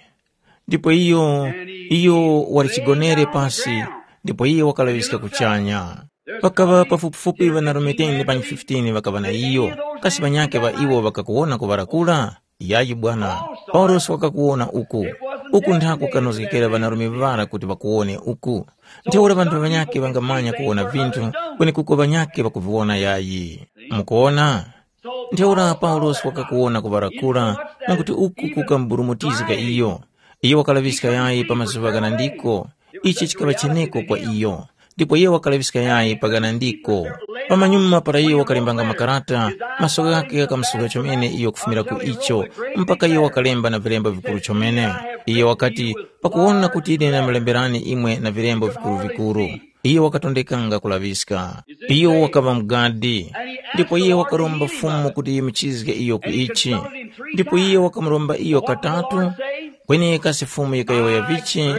Ndipo iyo, iyo wali chigonere pasi, ndipo iyo wakalaŵiska kuchanya. Pakaŵa pafupifupi ŵanarume ten panyi fifteen ŵakaŵa na iyo, kasi ŵanyakhe ŵa iwo ŵakakuwona kuŵala kura? Yayi bwana, Paulosi wakakuwona uku. Uku nthako kanozgekera ŵanarume ŵara kuti ŵakuwone uku. Ntheura ŵanthu ŵanyakhe ŵangamanya kuwona vinthu, kwenekuko ŵanyakhe ŵakuviwona yayi. Mukuwona? Ntheura Paulosi wakakuwona kuŵala kura, mwakuti uku kukamburumutizga iyo. Iyo wakalaŵiska yayi pa mazuŵa ghanandiko. Ichi chikaŵa cheneko kwa iyo. Ndipo iyo wakalaŵiska yayi pa ghanandiko. Pamanyuma para iyo wakalembanga makarata, maso ghakhe ghakamusuka chomene iyo kufumira ku icho, mpaka iyo wakalemba na vilembo vikuru chomene. Iyo wakati, pakuwona kuti ine ndamalemberani imwe na vilembo vikuru-vikuru. Iyo wakatondekanga kulaŵiska. Iyo wakaŵa mugadi, ndipo iyo wakaromba Fumu kuti yimuchizge iyo ku ichi. Ndipo iyo wakamuromba iyo katatu, kweni kasi Fumu yikayowoya vichi,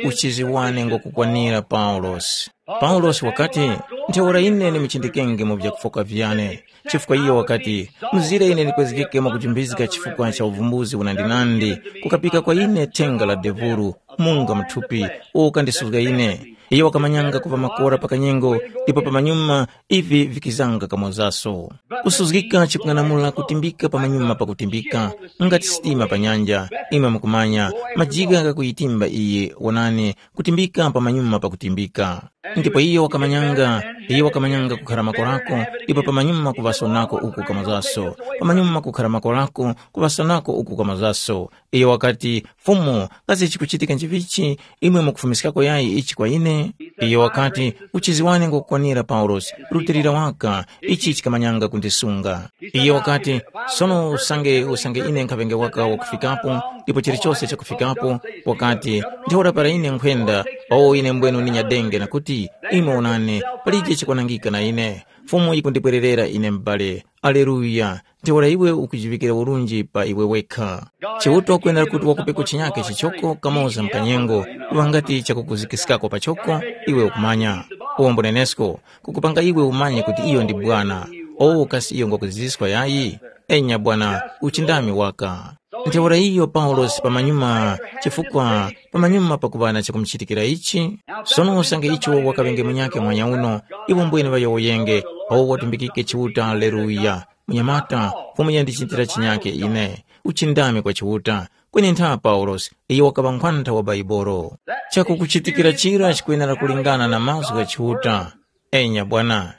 uchizi wane ngwakukwanira Paulosi. Paulosi wakati, ntheura ine ndimuchindikenge mu vyakufoka vyane. Chifukwa iyo wakati, mzire ine ndikwezgeke mwakujumbizga chifukwa cha uvumbuzi unandinandi, kukapika kwa ine thenga la devuru, munga muthupi, uwo ukandisuzga ine. Iyo wakamanyanga kuŵa makora pa kanyengo, ndipo pamanyuma ivi vikizanga kamozaso. Kusuzgika chikung'anamula kutimbika pamanyuma pakutimbika, ngati sitima pa nyanja, imwe mukumanya, majigha ghakuyitimba iyi, wonani, kutimbika pamanyuma pakutimbika. Ndipo iyo wakamanyanga, iyo wakamanyanga kukhara makorako, ndipo pamanyuma kuŵasonako uku kamozaso, pamanyuma kukhara makorako, kuŵasonako uku kamozaso. Iyo wakati, Fumu, kasi chikuchitika nchivichi, imwe mukufumiskako yayi ichi kwa ine? Iyo wakati, uchizi wane ngwakukwanira Paulosi, rutilira waka, ichi chikamanyanga kundisunga. Iyo wakati, sono usange usange ine nkhaŵenge waka wakufikapo, ndipo chilichose chakufikapo, wakati, ntheura para ine nkhwenda, owo ine mbwenu ndinyadenge na kuti, imwe onani, palije chikwanangika na ine. Fumu yikundibwererera ine m'bale. Aleluya! Ntheura iwe ukujiŵikira urunji pa iwe wekha. Chiuta wakwenera kuti wakupeko chinyake chichoko kamoza mkanyengo, kuŵa ngati chakukuzikiskako pachoko, iwe ukumanya. Uwo mbunenesko, kukupanga iwe umanye kuti iyo ndi Bwana. O kasi iyo ngwakuziziskwa yayi? Enya Bwana, uchindami waka. Ntheura iyo Paulosi pamanyuma, chifukwa pamanyuma pakuŵa na chakumuchitikira ichi, sono usange icho wakaŵenge munyakhe mwanya uno, iwo mbwene ŵayowoyenge, awo watumbikike Chiuta. Aleluya! Munyamata, Fumu yandichitira chinyakhe ine. Uchindami kwa Chiuta. Kweni ntha Paulosi, iyo wakaŵa nkhwantha wa Baibolo. Chakukuchitikira chira chikwenera kulingana na mazgu gha Chiuta. Enya bwana,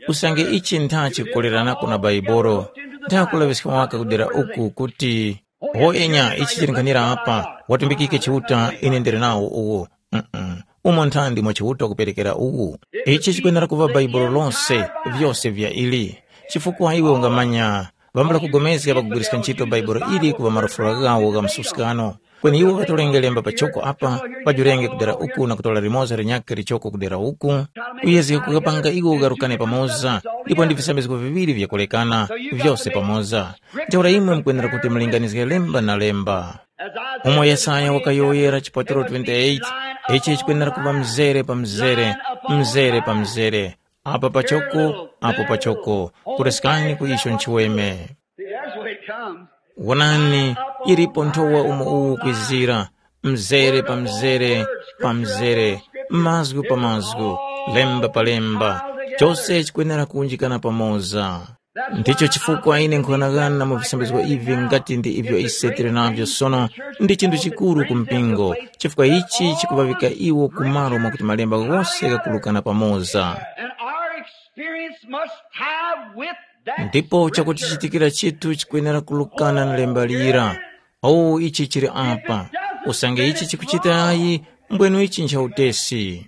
usange ichi ntha chikukoleranako na Baibolo, ntha kulaŵiska waka kudera uku kuti, ho enya ichi chili nkhanira apa, watumbikike Chiuta ine ndili nawo uwu. Mm-mm. Umo ntha ndimo Chiuta wakuperekera uwu. Ichi chikwenera kuŵa Baibolo lose, vyose vya ili. Chifukwa iwe ungamanya, ŵambula kugomezga pakugwiriska ntchito Baibolo ili kuŵa marufula ghawo gha msuskano. Kweni iwo ŵatolenge lemba pachoko apa, ŵajurenge kudera uku na kutora limoza linyakhe lichoko kudera uku, kuyezga kukapanga iwo ugharukane pamoza, ndipo ndi visambizgo viŵiri vyakulekana, vyose pamoza. Ntheura imwe mukwenera kuti mulinganizge lemba na lemba. Umo Yesaya wakayowoyera chipaturo twenty-eight, ichi chikwenera kuŵa mzere pa mzere, mzere pa mzere, apa pachoko, apo pachoko, kureskani ku icho nchiweme. See, there's where it comes. Wonani, ilipo nthowa umo uwu ukwizira, mzere pa mzere pa mzere, mazgu pa mazgu, lemba pa lemba, chose chikwenera kunjikana pamoza. Ndicho chifukwa ine nkhughanaghana mu visambizgo ivi ngati ndi ivyo ise tili navyo sono, ndi chinthu chikuru ku mpingo, chifukwa ichi chikuŵavika iwo ku malo mwakuti malemba ghose ghakurukana pamoza. And our experience must tie with that. Ndipo chakuti chitikira chithu chikwenera kulukana na lemba lira. Owu ichi chili apa. Usange ichi chikuchitayi, mbwenu ichi ncha utesi.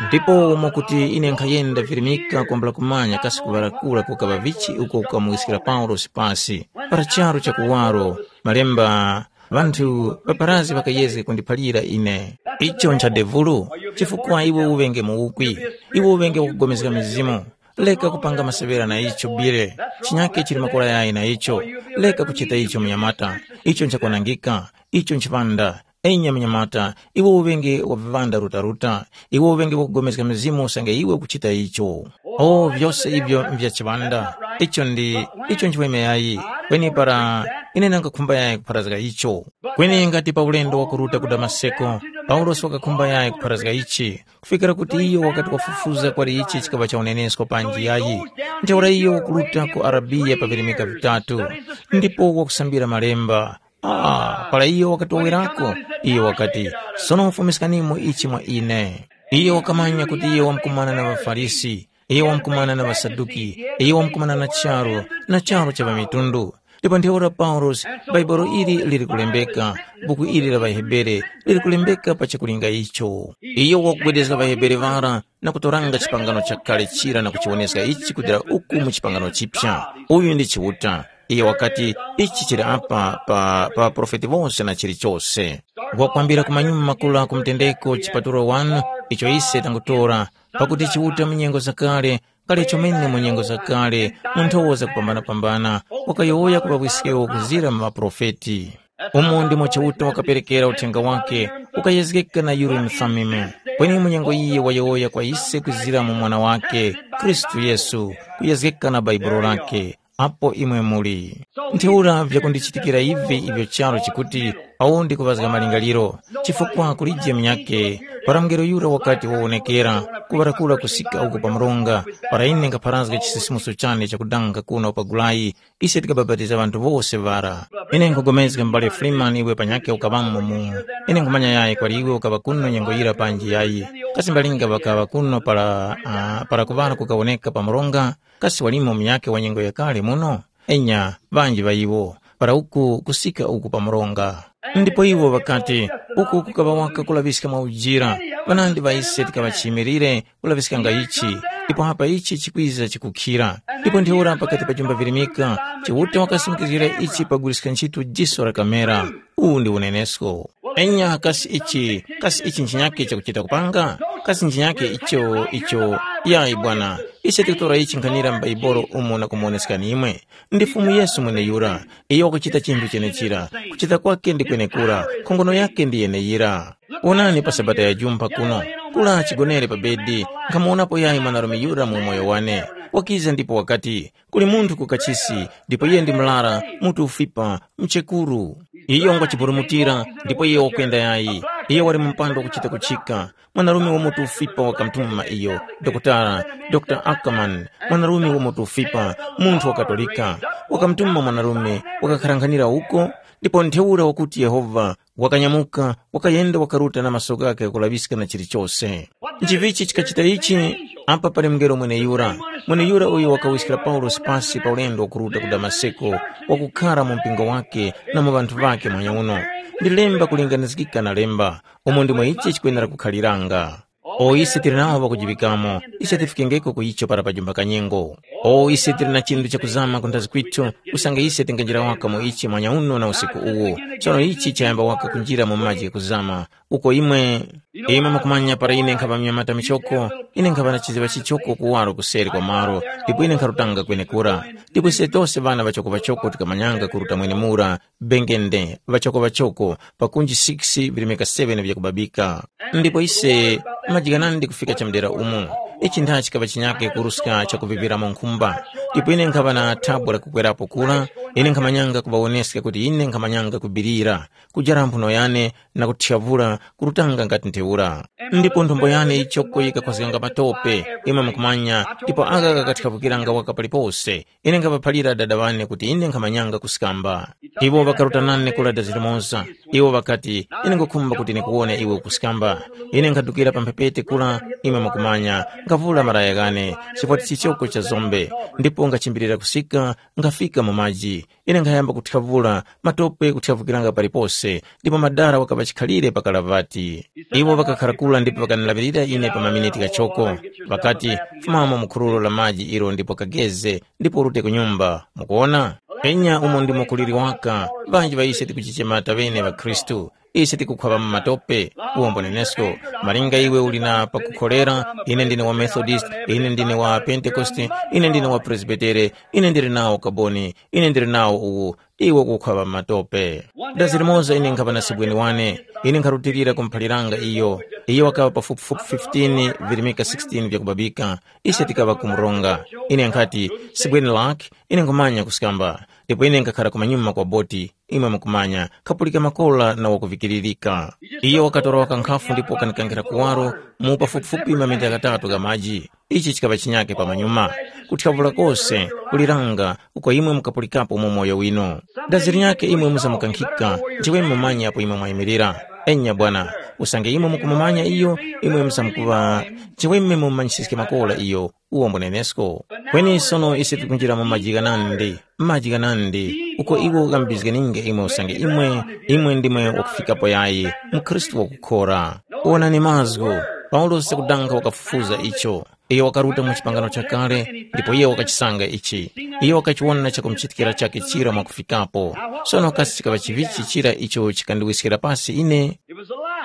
Ndipo umo kuti ine nkhayenda virimika kwambula kumanya kasi kuŵarakura kukaŵa vichi uko kukamuwiskira Paulosi pasi para charu cha kuwaro, malemba, ŵanthu ŵaparazi ŵakayezge kundiphalira ine. Icho ncha devulu, chifukwa iwe uŵenge muwukwi, iwe uŵenge wakugomezga mizimu. Leka kupanga maseŵera na icho bile. Chinyake chili makora yayi na icho. Leka kuchita icho munyamata. Icho nchakwanangika. Icho nchipanda. Enya munyamata, iwe uŵenge wa viŵanda rutaruta. Iwe uŵenge wakugomezga mizimu usange iwe ukuchita icho. O vyose ivyo nvya chiŵanda. Icho ndi icho nchiweme yayi. Kweni para ine nanga khumba yayi kupharazga icho. Kweni ngati pa ulendo wakuruta ku Damaseko, Paulosi wakakhumba yayi kupharazga ichi, kufikira kuti iyo wakati wafufuza kwali ichi chikaŵa cha unenesko panji yayi. Ntheura iyo wakuruta ku Arabiya pa virimika vitatu, ndipo wakusambira malemba. Ah, para iyo wakatowerako, iyo wakati, sono fumiskanimo ichi mwa ine. Iyo wakamanya kuti iyo wamkumana na ŵaFarisi, iyo wamkumana na ŵaSaduki, iyo wamkumana na charu, na charu cha ŵamitundu. Ndipo ntheura Paulosi, Bhaibuli ili liri kulembeka, buku ili la ŵaHebere liri kulembeka pa chakulinga icho. Iyo wakugwedezga ŵaHebere ŵara na kutoranga chipangano chakale chira na kuchiwoneska ichi kutira uku mu chipangano chipya. Uyu ndi Chiuta. Iyo wakati, ichi chili apa pa, pa ŵaprofeti wose na chilichose. Wakwambira ku manyuma makuru a ku mtendeko chipatulo wanu, icho ise tangutora, pakuti Chiuta mu nyengo zakale, kale chomene mu nyengo zakale, mu nthowa zakupambanapambana, wakayowoya ku ŵawiskewo kuzira mu ŵaprofeti. Umo ndimo Chiuta wakaperekera uthenga wake, ukayezgeka na Urim Thummim. Kweni mu nyengo iyi wayowoya kwa ise kuzira mu Mwana wake, Khristu Yesu, kuyezgeka na Bhaibuli lake, apo imwe muli. Ntheura vyakundichitikira ivi ivyo charu chikuti, awo ndikuŵazga malingaliro, chifukwa kulije munyakhe, para mungelo yura wakati wawonekera, kuŵarakura kusika uko pa mronga, para ine nkapharazga chisisimuso chane chakudanga kuno pa Gulayi, ise tikabapatiza ŵanthu wose ŵara. Ine nkhupulikana m'bale Freeman iwe panyakhe ukaŵamo mu. Ine nkhumanya yayi kwali iwe ukaŵa kuno nyengo yira panji yayi. Kasi mbalinga ŵakaŵa kuno para, ah, para kuŵala kukawoneka pa mronga? Kasi walimo munyakhe wa nyengo yakale muno? Enya, ŵanji ŵa iwo, para uku kusika uku pa mronga. Ndipo iwo ŵakati, uku kukaŵa waka kulaŵiska mwa ujira, ŵanandi ŵa ise tikaŵa chiyimirire, kulaŵiskanga ichi, ndipo apa ichi chikwiza chikukhira. Ndipo ntheura pakati pa jumba virimika, Chiuta wakasimikizgira ichi pakuguliska ntchito jiso la kamera. Uwu ndi unenesko. Enya kasi ichi, kasi ichi nchinyake chakuchita kupanga? Kasi nchinyake icho, icho, yayi bwana, ise tikutora ichi nkhanira m'Baibolo umo na kumuwoneskani imwe. Ndi Fumu Yesu mweneyura, iyo wakuchita chinthu chenechira, kuchita kwake ndi kwenekura, nkhongono yake ndi yeneyira. Wonani pa Sabata ya Jumpa kuno, kula chigonere pa bedi, nkhamuwonapo yayi mwanarume yura mu umoyo wane. Wakiza ndipo wakati, kuli munthu ku kachisi, ndipo iye ndi murara, mutu ufipa, mchekuru. Iyo ngwachiburumutira, ndipo iyo wakwenda yayi. Iyo wali mu mpando wakuchita kuchika. Mwanarume wamutu ufipa wakamutuma iyo, Dokotala, Dr Ackerman, mwanarume wamutu ufipa, munthu wa Katolika. Wakamutuma mwanarume, wakakharankhanira uko, ndipo ntheura wakuti Yehova wakanyamuka, wakayenda wakaruta na maso ghakhe kulaŵiska na chilichose. Nchivichi chikachita ichi? Apa pali mngelo mweneyura, mweneyura uyo wakawiskira Paulosi pasi pa ulendo wakuruta ku Damaseko, wakukhara mu mpingo wake na mu ŵanthu ŵakhe muhanya uno. Ndi lemba kulinganizgika na lemba, umo ndimo ichi chikwenera kukhaliranga. O ise tili nawo ŵakujiŵikamo, ise tifikengeko ku icho para pajumba kanyengo. O ise tili na chinthu chakuzama kundazi kwithu, usange ise tinganjira waka mu ichi mwanya uno na usiku uwu. Tsono ichi chayamba waka kunjira mu maji ghakuzama, uko imwe, imwe mukumanya para ine nkhapa mnyamata michoko, ine nkhapa na chiziŵa chichoko kuwaro kuseri kwa malo, ndipo ine nkharutanga kwenekura. Ndipo ise tose ŵana ŵachoko-ŵachoko tikamanyanga kuruta mwenemura, bengende, ŵachoko-ŵachoko, pakunji six virimika seven vyakubabika. Ndipo ise, majikanani ndi kufika chamudera umu. Ichi ntha chikaŵa chinyake kuruska chakuviviramo nkhumba. Ndipo ine nkhaŵa na thabwa lakukwerapo kura, ine nkhamanyanga kuŵawoneska kuti ine nkhamanyanga kubirira, kujara mphuno yane na kuthyavula kurutanga ngati ntheura. Ndipo nthombo yane yichoko yikakhwazganga matope, imwe mukumanya, ndipo aka kakathyavukiranga waka palipose. Ine nkhaŵaphalira dada wane kuti ine nkhamanyanga kuskamba. Iwo ŵakaruta nane kula dazi limoza. Iwo ŵakati, ine nkhukhumba kuti ndikuwone iwe ukuskamba. Ine nkhadukira pa mphepete kula, imwe mukumanya, nkhavula maraya ghane, chifukwa chichoko cha zombe, ndipo ngachimbirira kusika, nkhafika mu maji. Ine nkhayamba kuthyavula, matope kuthyavukiranga palipose, ndipo madara wakaŵa chikhalire pa kalavati. Iwo ŵakakhara kula ndipo ŵakandilaŵirira ine pa maminiti ghachoko. Ŵakati, fumamo mu khururo la maji ilo ndipo kageze, ndipo urute ku nyumba. Mukuwona? Enya umo ndimo kuliri waka, ŵanji ŵa ise tikuchichema taŵene ŵakhristu. Ise tikukhwaŵa mu matope, uwombo nenesko. Malinga iwe uli na pakukholera, ine ndine wa Methodist, ine ndine wa Pentekoste, ine ndine wa Presbitere, ine ndili nawo ukaboni, ine ndili nawo uwu, iwe ukukhwaŵa mu matope. Dazi limoza ine nkhaŵa na sibweni wane, ine nkharutilira kumuphaliranga iyo. Iyo wakaŵa pafupifupi fifteen virimika sixteen vyakubabika. Ise tikaŵa kumuronga. Ine nkhati, sibweni lake, ine nkhumanya kuskamba. Ndipo ine nkhakhara kumanyuma kwa boti, imwe mukumanya, khapulika makola na wakuvikiririka. Iyo wakatora waka nkhafu ndipo wakanikankhira kuwaro mu pafupifupi mamita ghatatu gha maji. Ichi chikaŵa chinyake pamanyuma. Kuthyavula kose, kuliranga, uko imwe mukapulikapo mu moyo winu. Dazi linyakhe imwe muzamukankhika, nchiweme mumanye apo imwe mwayimirira. Enya bwana, usange imwe mukumumanya iyo, imwe muzamkuŵa, nchiweme mumumanyisiske makola iyo, uwo mbunenesko. Kweni sono ise tikunjira mu maji ghanandi, maji ghanandi, uko iwo ghambizganinge imwe usange imwe, imwe ndimwe wakufikapo yayi, mukhristu wakukhora. Wonani mazgu, Paulosi kudankha wakafufuza icho. Iyo wakaruta mu chipangano chakale, ndipo iyo wakachisanga ichi. Iyo wakachiwona chakumuchitikira chakhe chira mwakufikapo. Sono kasi chikaŵa chivichi chira icho chikandiwiskira pasi ine?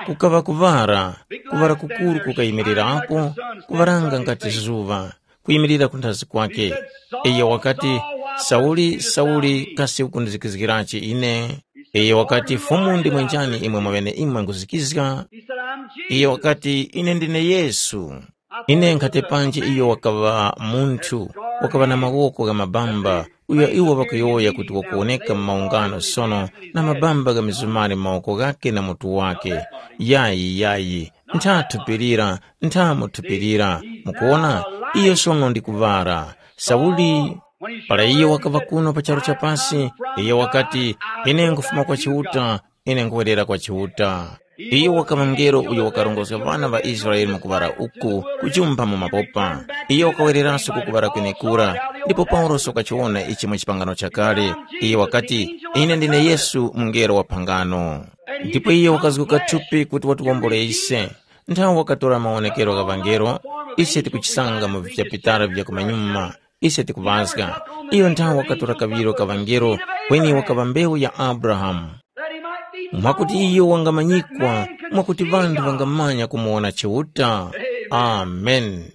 Kukaŵa kuŵara, kuŵara kukuru kukayimirirapo, kuŵaranga ngati zuŵa, kuyimirira kunthazi kwake. Iyo wakati, Sauli, Sauli, kasi ukundizikizgirachi ine? Iyo wakati, Fumu ndimwe njani imwe mwaŵeneimwe nkhuzikizga? Iyo wakati, Ine ndine Yesu. Ine nkhatepanji iyo wakaŵa munthu, wakaŵa na mawoko gha mabamba, uyo iwo ŵakuyowoya kuti wakuwoneka mu maungano sono na mabamba gha mizumari mu mawoko ghakhe na mutu wakhe. Yayi, yayi, ntha thupi lira, ntha mu thupi lira. Mukuwona, iyo sono ndi kuŵara. Sauli, para iyo wakaŵa kuno pa charu cha pasi, iyo wakati, ine nkufuma kwa Chiuta, ine nkhuwerera kwa Chiuta. Iyo wakaŵa mngelo uyo wakarongozga ŵana ŵa Israele mu kuŵala uku, kujumpha mu mapopa. Iyo wakawereranso ku kuŵala kwenekura, ndipo Paulosi wakachiwona ichi mu chipangano chakale. Iyo wakati, ine ndine Yesu mungelo wa phangano. Ndipo iyo wakazguka thupi kuti watiwombole ise. Nthawi wakatora mawonekero gha ŵangelo, ise tikuchisanga mu vipitala vya kumanyuma. Ise tikuŵazga, iyo nthawe wakatora kaŵiro ka ŵangelo, kweni wakaŵa mbewu ya Abrahamu. Mwakuti iyo wangamanyikwa, mwakuti ŵanthu ŵangamanya kumuwona Chiuta. Amen.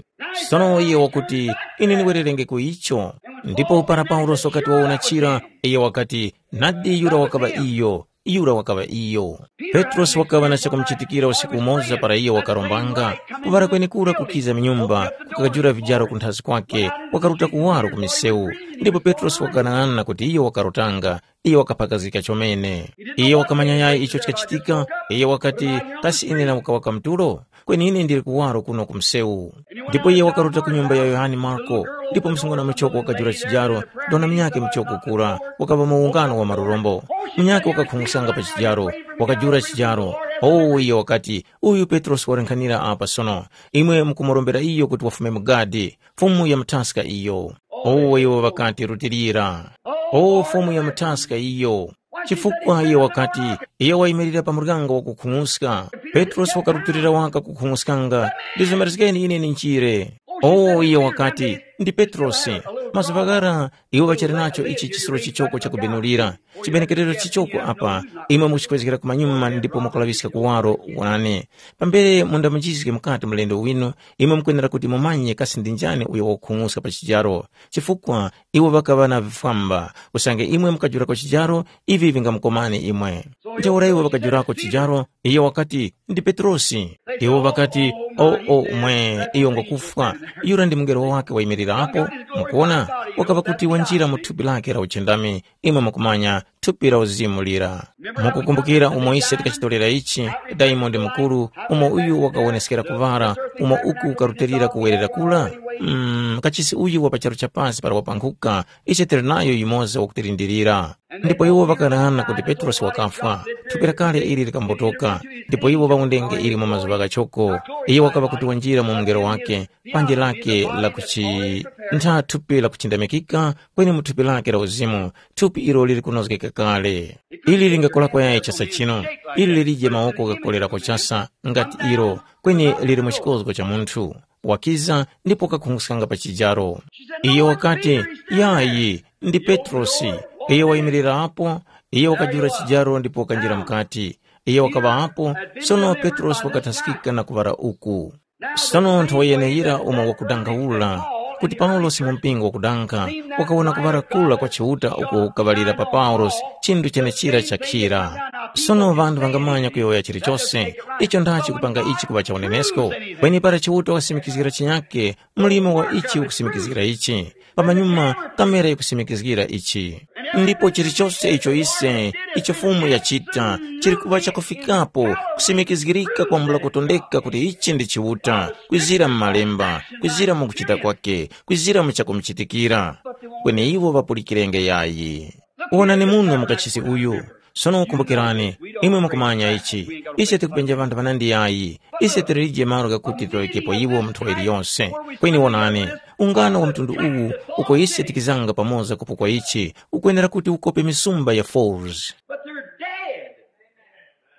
Sono iyo wakuti, ine ndiwererengeko icho. Ndipo para Paulosi wakati wawona chira, iyo wakati, nadi yura wakaŵa iyo. yura wakaŵa iyo. Petrosi wakaŵa na chakumuchitikira usiku umoza para iyo wakarombanga, kuŵala kwenekura kukiza mu nyumba, kukajula vijaro kunthazi kwake, wakaruta kuwaro ku misewu. Ndipo Petrosi wakang'anang'ana kuti iyo wakarotanga, iyo wakaphakazgika chomene. Iyo wakamanya yayi icho chikachitika, iyo wakati, kasi ine na ukaŵa kamtulo? Kweni ine ndili kuwaro kuno ku msewu. Ndipo iye wakaruta ku nyumba ya Yohane Marko, ndipo msungwana muchoko wakajula chijaro, ndona munyakhe muchoko kura, wakaŵa mu ungano wa marurombo. Munyakhe wakakhung'uskanga pa chijaro, wakajula chijaro. Owu iyo wakati, uyu Petrosi walenkhanira apa sono. Imwe mukumurombera iyo kuti wafume mu gadi, Fumu ya muthaska iyo. Owu iwo ŵakati rutilira. O Fumu ya muthaska iyo. Chifukwa iyo wakati, iyo wayimirira pa muryango wakukhung'uska. Petrosi wakarutilira waka kukhung'uskanga, ndizomerezgeni ine ninjire. O iyo wakati, ndi Petrosi. Mazuŵa ghara iwo ŵachali nacho ichi chisiro chichoko chakubenulira. Chibenekerero chichoko apa, imwe mukuchikwezgera kumanyuma ndipo mukulaŵiska kuwaro. Wonani, pambere mundamuchizge mukati mlendo winu, imwe mukwenera kuti mumanye kasi ndi njani uyo wakukhung'uska pa chijaro, chifukwa iwo ŵakaŵa na vifwamba. Usange imwe mukajurako chijaro, ivi vingamukomani imwe. Ntheura iwo ŵakajurako chijaro, iyo wakati, ndi Petrosi. Iwo ŵakati, o o mwe, iyo ngwakufwa. Yura ndi mungelo wake wayimirirapo. Mukuona, wakaŵa kuti wanjira mu thupi lake la uchindami. Imwe mukumanya, thupi la uzimu lira. Mukukumbukira umo ise tikachitorera ichi, Diamond mukuru, umo uyu wakawoneskera kuŵara, umo uku karutelira kuwerera kura? Mm, kachisi uyu wa pa charu cha pasi para wapankhuka, ise tili nayo yumoza wakutilindirira. Ndipo iwo ŵakanana kuti Petrosi wakafwa, thupi lakale ili likambotoka, ndipo iwo ŵawundenge ili mu mazuŵa ghachoko. Iye wakaŵa kuti wanjira mu mungelo wake, panje lake la kuchi ntha thupi la kuchindamikika, kweni mu thupi lake la uzimu, thupi ilo lili kunozgeka kale. Ili lingakolako yayi chasa chino, ili lilije mawoko ghakolerako chasa ngati ilo, kweni lili mu chikozgo cha munthu wakiza ndipo kakhunguskanga pa chijaro. Iyo wakati, yayi, ndi Petrosi. Iyo wayimirira apo, iyo wakajula chijaro ndipo wakanjira mukati. Iyo wakaŵa apo, sono Petrosi wakathaskika na kuŵara uku. Sono nthowa yeneyira umo wakudangawula kuti Paulosi mu mpingo wakudanga, wakawona kuŵala kura kwa Chiuta uko kukaŵalira pa Paulosi chinthu chenechira chakhira. Sono ŵanthu ŵangamanya kuyowoya chilichose, icho ndachi kupanga ichi kuŵa cha unenesko? Kweni para Chiuta wasimikizgira chinyake, mlimo wa ichi ukusimikizgira ichi. Pamanyuma kamera yikusimikizgira ichi. Ndipo chilichose icho ise, icho Fumu yachita, chili kuŵa chakufikapo kusimikizgirika kwambula kutondeka kuti ichi ndi Chiuta, kwizira mu Malemba, kwizira mu kuchita kwake, kwizira mu chakumuchitikira. Kweni iwo ŵapulikirenge yayi. Wonani muno mukachisi uyu. Sono kumbukirani, imwe mukumanya ichi, ise tikupenja ŵanthu ŵanandi yayi. Ise tilije malo ghakuti tiŵaŵikepo iwo mu nthowa iliyonse. Kweni wonani, ungano wa mtundu uwu uko ise tikizanga pamoza kupo kwa ichi, ukwenera kuti ukope misumba ya Forbes. But they're dead.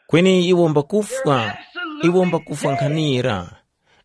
Kweni iwo mbakufwa, iwo mbakufwa nkhanira.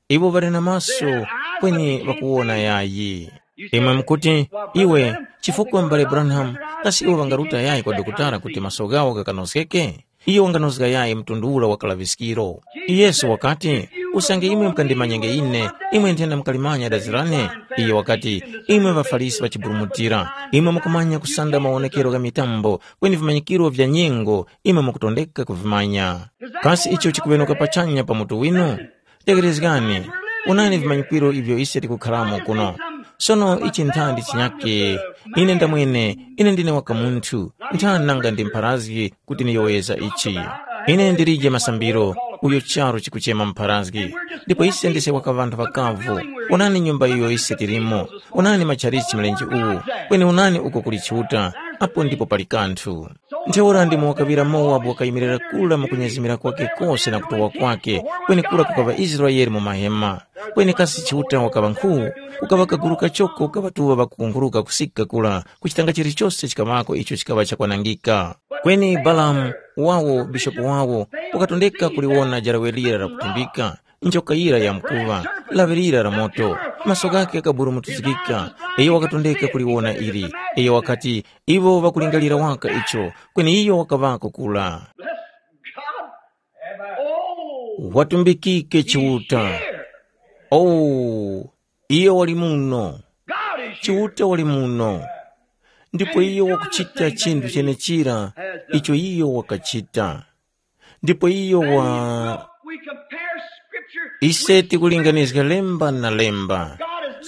Iwo ŵali na maso, kweni ŵakuwona yayi. Imwe mukuti, iwe, chifukwa m'bale Branham, kasi iwo ŵangaruta yayi kwa dokotala kuti maso ghawo ghakanozgeke? Iyo wanganozga yayi mtundu ura wa kalaŵiskiro. Yesu wakati, usange imwe mukandimanyenge ine, imwe nthenda mukalimanya dazi lane. Iyo wakati, imwe ŵaFarisi ŵachiburumutira, imwe mukumanya kusanda mawonekero gha mitambo, kweni vimanyikiro vya nyengo imwe mukutondeka kuvimanya. Kasi icho chikuŵenuka pachanya pa mutu winu? Tegherezgani, onani vimanyikiro ivyo ise tikukharamo kuno. Sono ichi nthandi chinyake, ine ndamwene, ine ndine waka munthu, nthani nanga ndi mpharazgi kuti niyoweza ichi. Ine ndilije masambiro, uyo charu chikuchema mpharazgi. Ndipo ise ndise waka ŵanthu ŵakavu. Onani nyumba iyo ise tilimo, onani matchalichi mlenje uwu, kweni onani uko kuli Chiuta, apo ndipo pali kanthu. Ntheura ndimo wakaŵira Mowabu wakayimirira kura mu kunyezimira kwake kose na kutowa kwake, kwenekura kukaŵa Israele mu mahema. Kweni kasi Chiuta wakaŵa nkhu, kukaŵa kaguru kachoko ka ŵatuŵa ŵakukunghuruka kusika kura, kuchitanga chilichose chikaŵako icho chikaŵa chakwanangika. Kweni Balamu wawo, bishopu wawo, wakatondeka kuliwona jarawe lira lakutimbika, njoka yira yamkuŵa, laŵe lira la moto, maso ghakhe ghakaburumutizgika, iyo wakatondeka kuliwona ili, iyo wakati, iwo ŵakulingalira waka icho, kweni iyo wakaŵako kura. Bless God. Oh, watumbikike Chiuta. Here. Oh, iyo wali muno. God is here. Chiuta wali muno. Ndipo iyo wakuchita chinthu chenechira icho iyo wakachita. Ndipo iyo wa We compare scripture. Ise tikulinganizga lemba na lemba.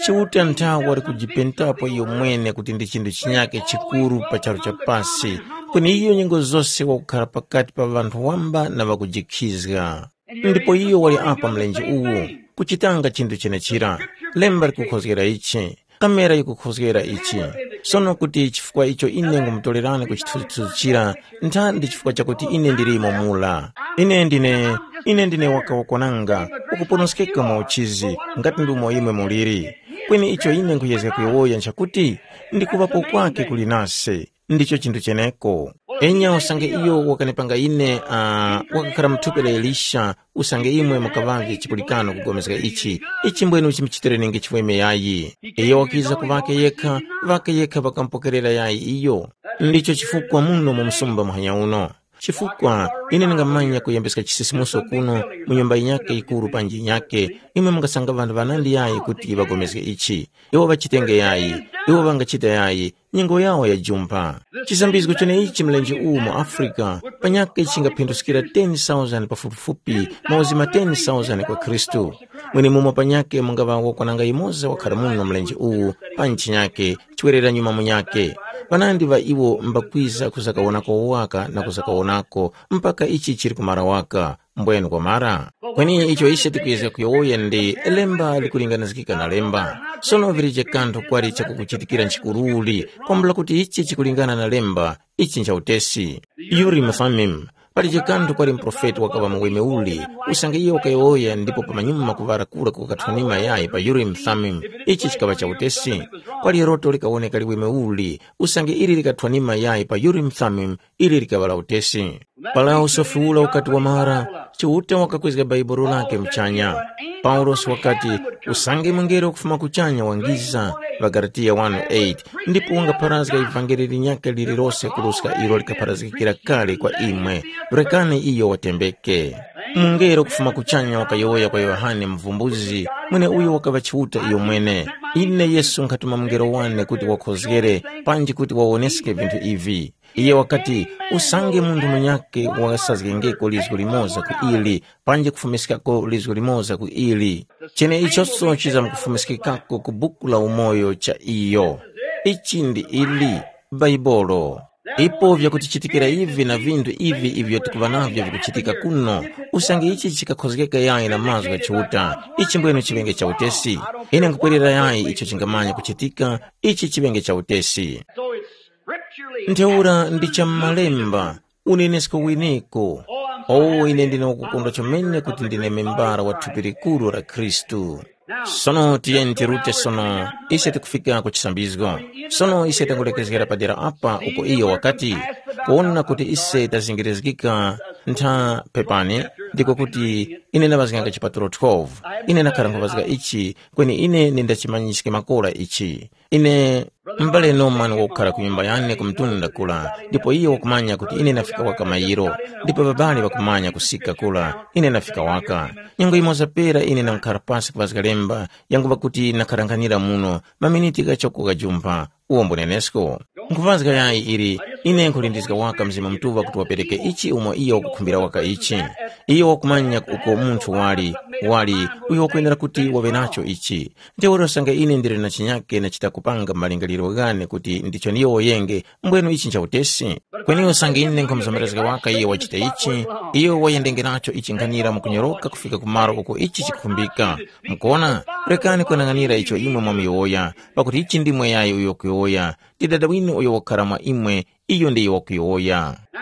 Chiuta nthawe wali kujipentapo iyo mwene kuti ndi chinthu chinyake chikuru pa charu cha pasi, kweni iyo nyengo zose wakukhala pakati pa ŵanthu wamba na ŵakujikhizga. Ndipo iyo wali apa mlenje uwu, kuchitanga chinthu chenechira. Lemba likukhozgera ichi, kamera yikukhozgera ichi. Sono kuti chifukwa icho ine ngumutorerani ku chithunzithunzi chira, nthandi chifukwa chakuti ine ndilimo mula. Ine ndine, ine ndine wakawakwananga, ukuponoskeka mwa uchizi, ngati ndi umo imwe muliri. Kweni icho ine nkhuyezga kuyowoya nchakuti, ndi kuŵapo kwake kuli nase. Ndicho chinthu cheneko. Enya usange iyo wakanipanga ine, uh, wakakhala muthupi la Elisha, usange imwe mukaŵavye chipulikano kugomezga ichi, ichi mbwenu chimuchitirenenge chimweme yayi. Iyo wakiza ku ŵake yekha, ŵake yekha ŵakamupokerera yayi iyo. Ndicho chifukwa muno mu msumba muhanya uno. Chifukwa ine ndingamanya kuyembeska chisisimuso kuno mu nyumba yinyakhe yikuru panji yinyakhe, imwe mungasanga ŵanthu ŵanandi yayi kuti ŵagomezge ichi. Iwo ŵachitenge yayi, iwo ŵangachita yayi, nyengo yawo yajumpha. Chisambizgo chenechi mlenje uwu mu Afrika panyakhe chingaphinduskira ten thousand pafupifupi mauzima ten thousand kwa Khristu. Mwenemumo panyakhe mungaŵa wakwananga yumoza wakhala muno mlenje uwu pa ntchinyakhe, chiwerera nyuma munyakhe. Ŵanandi ŵa iwo mbakwiza kuzakawonako waka na kuzakawonako mpaka ichi chili kumara waka. Mbwenu kwamara? Kweni icho ise tikuyezga kuyowoya ndi lemba likulinganizgika na lemba. Sono vilije kanthu kwali chakukuchitikira nchikuruli, kwambula kuti ichi chikulingana na lemba, ichi ncha utesi. Urim Thummim, palije kanthu kwali muprofeti wakaŵa mu weme uli, usange iyo wakayowoya ndipo pamanyuma kuŵala kura kukathwanima yayi pa Urim Thummim, ichi chikaŵa cha utesi. Kwali loto likawoneka liweme uli, usange ili likathwanima yayi pa Urim Thummim, ili likaŵa la utesi. Para usofi ura ukati wamara, Chiuta wakakwezga Baibuli lake muchanya. Paulosi wakati, usange mungelo kufuma kuchanya wangiza, ŵaGalatiya one eight, ndipo wangapharazga ivangeli linyakhe lililose kuruska ilo likapharazgikira kale kwa imwe, rekani iyo watembeke. Mungelo kufuma kuchanya wakayowoya kwa Yohane Muvumbuzi, mweneuyo wakaŵa Chiuta iyo mwene, ine Yesu nkhatuma mungelo wane kuti wakhozgere, panji kuti wawoneske vinthu ivi. Iye wakati, usange munthu munyakhe wasazgengeko lizgu limoza ku ili, panji kufumiskako lizgu limoza ku ili. Cheneichoso chizamkufumiskikako ku buku la umoyo cha iyo. Ichi ndi ili, Baibolo. Ipo vyakutichitikira ivi na vinthu ivi ivyo tikuŵa navyo vikuchitika kuno, usange ichi chikakhozgeka yayi na mazgu gha Chiuta, ichi mbwenu chiŵenge cha utesi. Ine nkupwerera yayi icho chingamanya kuchitika, ichi chiŵenge cha utesi. So it's scripturally. Ntheura ndi cha m'malemba, unenesko winiko. Oh, ine ndine wakukondwa chomene kuti ndine membara wa thupi likuru la Khristu. Sono tiyeni tirute sono, ise tikufika ku chisambizgo. Sono ise tangulekezgera padera apa uko iyo wakati, kuwona kuti ise tazingirizgika ntha pepani, ndiko kuti ine ndavazganga chipatulo twelve. Ine ndakhara nkhuvazga ichi, kweni ine nindachimanyiske makora ichi. Ine, m'bale Norman wakukhala ku nyumba yane ku mtunda kula, ndipo iyo wakumanya kuti ine nafika waka mayiro, ndipo ŵabali ŵakumanya kusika kula, ine nafika waka. Nyengo yimoza pera ine nankhara pasi kuvazga lemba, yanguŵa kuti nakharanghanira muno, maminiti ghachoko ghajumpha, uwo mbunenesko. Nkhuvazga yayi ili, ine nkhulindizga waka Mzimu Mutuŵa kuti wapereke ichi umo iyo wakukhumbira waka ichi. Iyo wakumanya uko munthu wali, wali, uyo wakwenera kuti waŵe nacho ichi. Ntheura usange ine ndili na chinyake nachita kupanga malingaliro ghane kuti ndicho ndiyowoyenge, mbwenu ichi ncha utesi. Kweni usange ine nkhumuzomerezga waka iyo wachita ichi, iyo wayendengeracho ichi nkhanira mukunyoroka kufika ku malo uko ichi chikukhumbika. Mukuwona, rekani kweneng'anira icho imwe mwamuyowoya, pakuti ichi ndi mweyayo uyo wakuyowoya, ndi Dada winu uyo wakukhala mwa imwe, iyo ndiyo wakuyowoya. Now,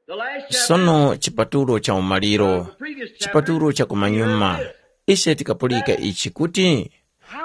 the last chapter, sono chipatulo cha umaliro, the previous chapter, chipatulo cha kumanyuma, ise tikapulika ichi kuti,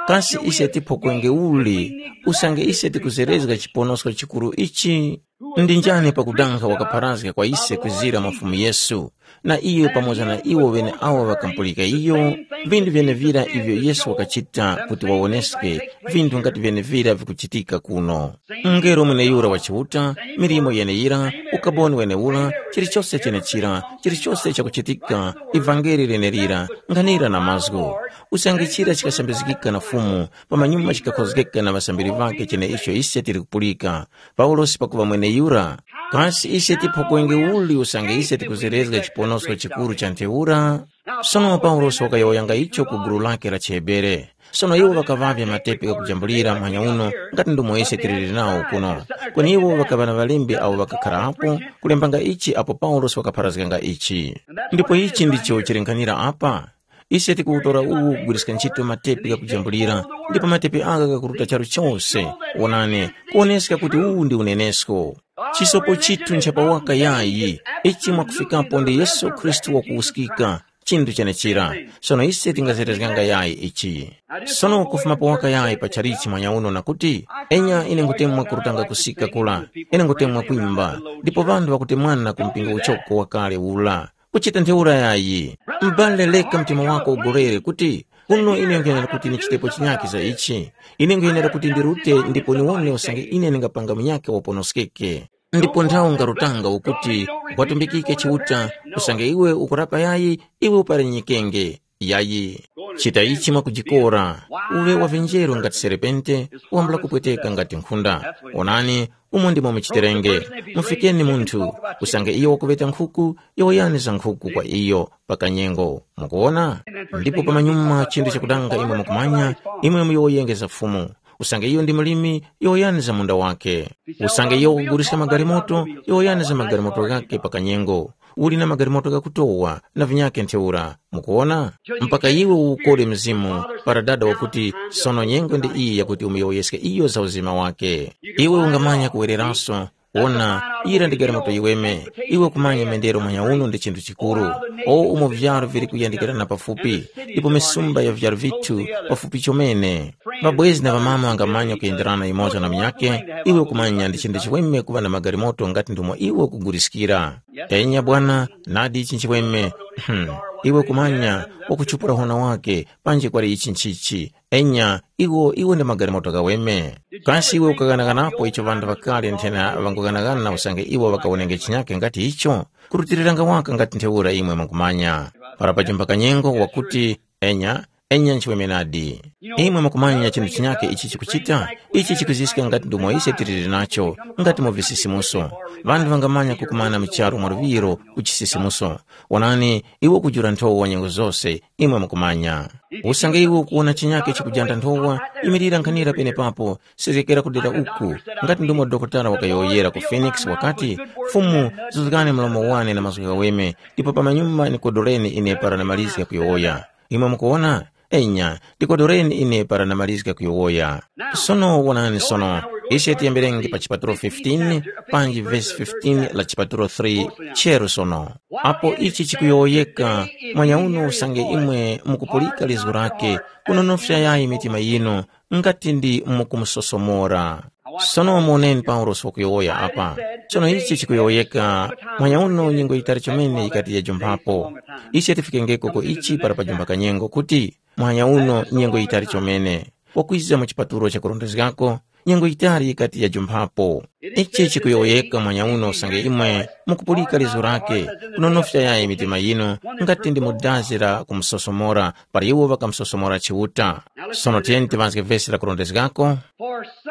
kasi ise tiphokwenge uli, usange ise tikuzerezga chiponosko chikuru ichi? Ndi njani pakudanga wakapharazga kwa ise kwizira mwa Fumu Yesu, na iyo pamoza na iwo ŵeneawo ŵakamupulika iyo, vinthu vyenevira ivyo Yesu wakachita kuti wawoneske vinthu ngati vyenevira vikuchitika kuno. Mngelo mweneyura wa Chiuta, milimo yeneyira, ukaboni wenewura, chilichose chenechira, chilichose chakuchitika, ivangeli lenelira, nkhanira na mazgu. Usange chira chikasambizgika na Fumu, pamanyuma chikakhozgeka na ŵasambiri ŵakhe cheneicho ise tili kupulika. Paulosi pakuŵa mweneyura, kasi ise tiphokwenge uli usange ise tikuzerezga chiponosko chikuru cha ntheura? Sono Paulosi wakayowoyanga icho ku gulu lake la chiHebere. Sono iwo ŵakaŵavya matepi ghakujambulira mhanya uno ngati ndomwe ise tiliri nawo kuno. Kweni iwo ŵakaŵa na ŵalembi awo ŵakakharapo kulembanga ichi apo Paulosi wakapharazganga ichi. Ndipo ichi ndicho chili nkhanira apa. Ise tikuwutora uwu kugwiriska ntchito matepi ghakujambulira, ndipo matepi agha ghakuruta charu chose. Wonani, kuwoneska kuti uwu ndi unenesko. Chisopo chithu nchapawaka yayi, ichi mwakufikapo ndi Yesu Khristu wakuwuskika, chinthu chenechira. Sono ise tingazerezganga yayi ichi. Sono kufuma pawaka yayi pa chalichi mwanyauno na kuti, enya ine ngutemwa kurutanga kusika kula, ine ngutemwa kwimba, ndipo ŵanthu ŵakutemwana ku mpingo uchoko wakale ula. Kuchita ntheura yayi, m'bale leka mtima wako ugorere kuti, kuno ine nkwenera kuti ndichitepo chinyakhe za ichi. Ine nkwenera kuti ndirute ndipo niwone usange ine ndingapanga munyakhe waponoskeke. Ndipo nthawi ungarutanga ukuti, watumbikike Chiuta, usange iwe ukurapa yayi, iwe uparenyekenge. Yayi. Chita ichi mwakujikora, uŵe wa vinjero ngati serepente, wambula kupweteka ngati nkhunda. Onani, umo ndimo muchiterenge. Mufikeni munthu, usange iyo wakuŵeta nkhuku, yowoyani za nkhuku kwa iyo pa kanyengo. Mukuwona? Ndipo pamanyuma chinthu chakudanga imwe mukumanya, imwe muyowoyenge za Fumu. Usange iyo ndi mulimi, yowoyani za munda wake. Usange iyo wakuguliska magalimoto, yowoyani za magalimoto ghake pa kanyengo. Uli na magalimoto ghakutowa na vinyakhe ntheura. Mukuwona? Mpaka iwe ukole mzimu para dada wakuti, sono nyengo ndi iyi yakuti umuyowoyeske iyo za uzima wake. Iwe ungamanya kuwereraso. Wona, yira ndi galimoto yiweme. Iwe kumanya mendero muhanya uno ndi chinthu chikuru. O umo vyaro vili kuyandikirana pafupi, ndipo misumba ya vyaro vithu pafupi chomene. Ŵabwezi na ŵamama ŵangamanya kuyenderana yumoza na munyakhe. Iwe kumanya ndi chinthu chiweme kuŵa na magalimoto ngati ndumo iwe ukuguliskira. Enya bwana, nadi ichi nchiweme. Hmm. Iwe kumanya, wakuchupura hona wake, panji kwali ichi nchichi. Enya, iwo iwe ndi magalimoto ghaweme. Kasi iwe ukaghanaganapo icho ŵanthu ŵakale nthena ŵangughanaghana usange iwo ŵakawonenge chinyakhe ngati icho? Kurutiriranga waka ngati ntheura imwe mukumanya. Para pajimba kanyengo wakuti, enya, enya nchiweme nadi. Imwe mukumanya chinthu chinyakhe ichi chikuchita? Ichi chikuziska ngati ndumo ise tiliri nacho, ngati mu visisimuso. Ŵanthu ŵangamanya kukumana mu charu mwa luŵiro ku chisisimuso. Wonani, iwe ukujula nthowa nyengo zose, imwe mukumanya. Usange iwe ukuwona chinyakhe chikujanda nthowa, imirira nkhanira penepapo, sezgekera kudera uku. Ngati ndumo dokotala wakayowoyera ku Phoenix wakati, Fumu, zuzgani mlomo wane na mazgu ghaweme, ndipo pamanyuma nikodoleni ine para namalizga kuyowoya. Imwe mukuwona? Enya, ndikodoreni ine para namalizga kuyowoya. Sono wonani sono, ise tiyemberenge pa chipatulo fifteen, panji vesi fifteen la chipatulo three, cheru sono. Apo ichi chikuyowoyeka, mwanyauno usange imwe mukupulika lizgu lake, kunonofya yayi mitima yinu, ngati ndi mukumusosomora. Sono muwoneni Paulosi wakuyowoya apa. Sono ichi chikuyowoyeka, mwanyauno nyengo yitali chomene yikati yajumphapo. Ise tifikengeko ku ichi para pajumba kanyengo kuti, mwanyauno nyengo yitali chomene. Wakwiza mu chipatulo chakurondezgako, nyengo yitali yikati yajumphapo. Ichi chikuyowoyeka mwanyauno usange imwe mukupulika lizo lake, kunonofya yayi mitima yinu, ngati ndi mu dazi la kumusosomora, para iwo ŵakamusosomora Chiuta. Sono tiyeni tiŵazge vesi lakurondezgako,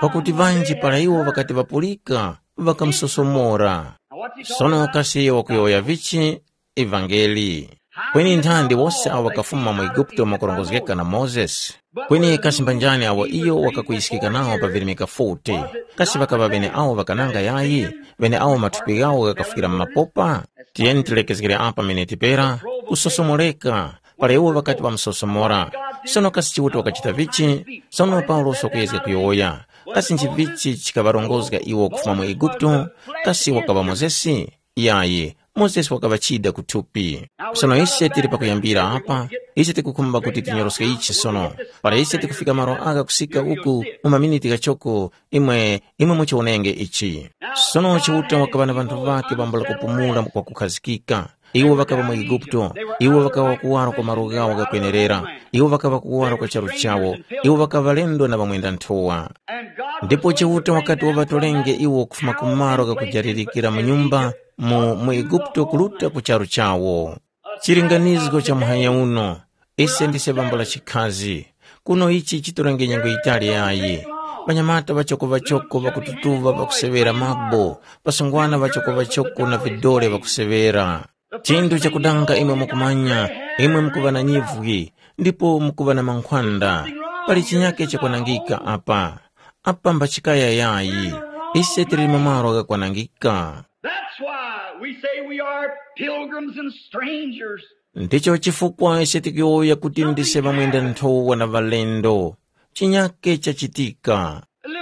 pakuti ŵanji para iwo ŵakati ŵapulika, ŵakamusosomora. Sono kasi wakuyowoya vichi? Ivangeli. Kweni nthandi wose awo ŵakafuma mu Eguputo mwakurongozgeka na Mozesi? Kweni kasi mbanjani awo iyo wakakuyiskika nawo pa virimika forty? Kasi ŵakaŵa ŵeneawo ŵakananga yayi, ŵeneawo mathupi ghawo ghakafwira mu mapopa? Tiyeni tilekezgere apa miniti pera, kusosomoreka, para iwo ŵakati ŵamusosomora. Sono kasi Chiuta wakachita vichi? Sono Paulosi wakuyezga kuyowoya. Kasi nchivichi chikaŵarongozga iwo kufuma mu Eguputo? Kasi wakaŵa Mozesi? Yayi, Mozesi wakaŵa chida kuthupi. Sono ise tili pakuyambira apa, ise tikukhumba kuti tinyoroske ichi sono. Para ise tikufika malo agha kusika uku, mu maminiti ghachoko, imwe imwe muchiwonenge ichi. Sono Chiuta wakaŵa na ŵanthu ŵakhe pambula kupumula kwakukhazikika. Iwo ŵakaŵa mu Eguputo, iwo ŵakaŵa kuwaro kwa malo ghawo ghakwenerera, iwo ŵakaŵa kuwaro kwa charu chawo, iwo ŵakaŵa ŵalendo na ŵamwenda-nthowa. Ndipo Chiuta wakati waŵatolenge iwo kufuma ku malo ghakujalirikira mu nyumba mu, mu Eguputo kuruta ku charu chawo. Chilinganizgo cha muhanya uno, ise ndise bambo la chikhazi. Kuno ichi chitorenge nyengo yitali yayi. Ŵanyamata ŵachoko-ŵachoko ŵakututuŵa ŵakuseŵera mabo, ŵasungwana ŵachoko-ŵachoko na vidole ŵakuseŵera. Chinthu chakudanga imwe mukumanya, imwe mukuŵa na nyivwi, ndipo mukuŵa na mankhwanda. Pali chinyake chakwanangika apa. Apa mbachikaya yayi. Ise tili mu malo ghakwanangika. That's why we say we are pilgrims and strangers. Ndicho chifukwa ise tikuyowoya kuti ndise ŵamwenda-nthowa na ŵalendo. Chinyake chachitika.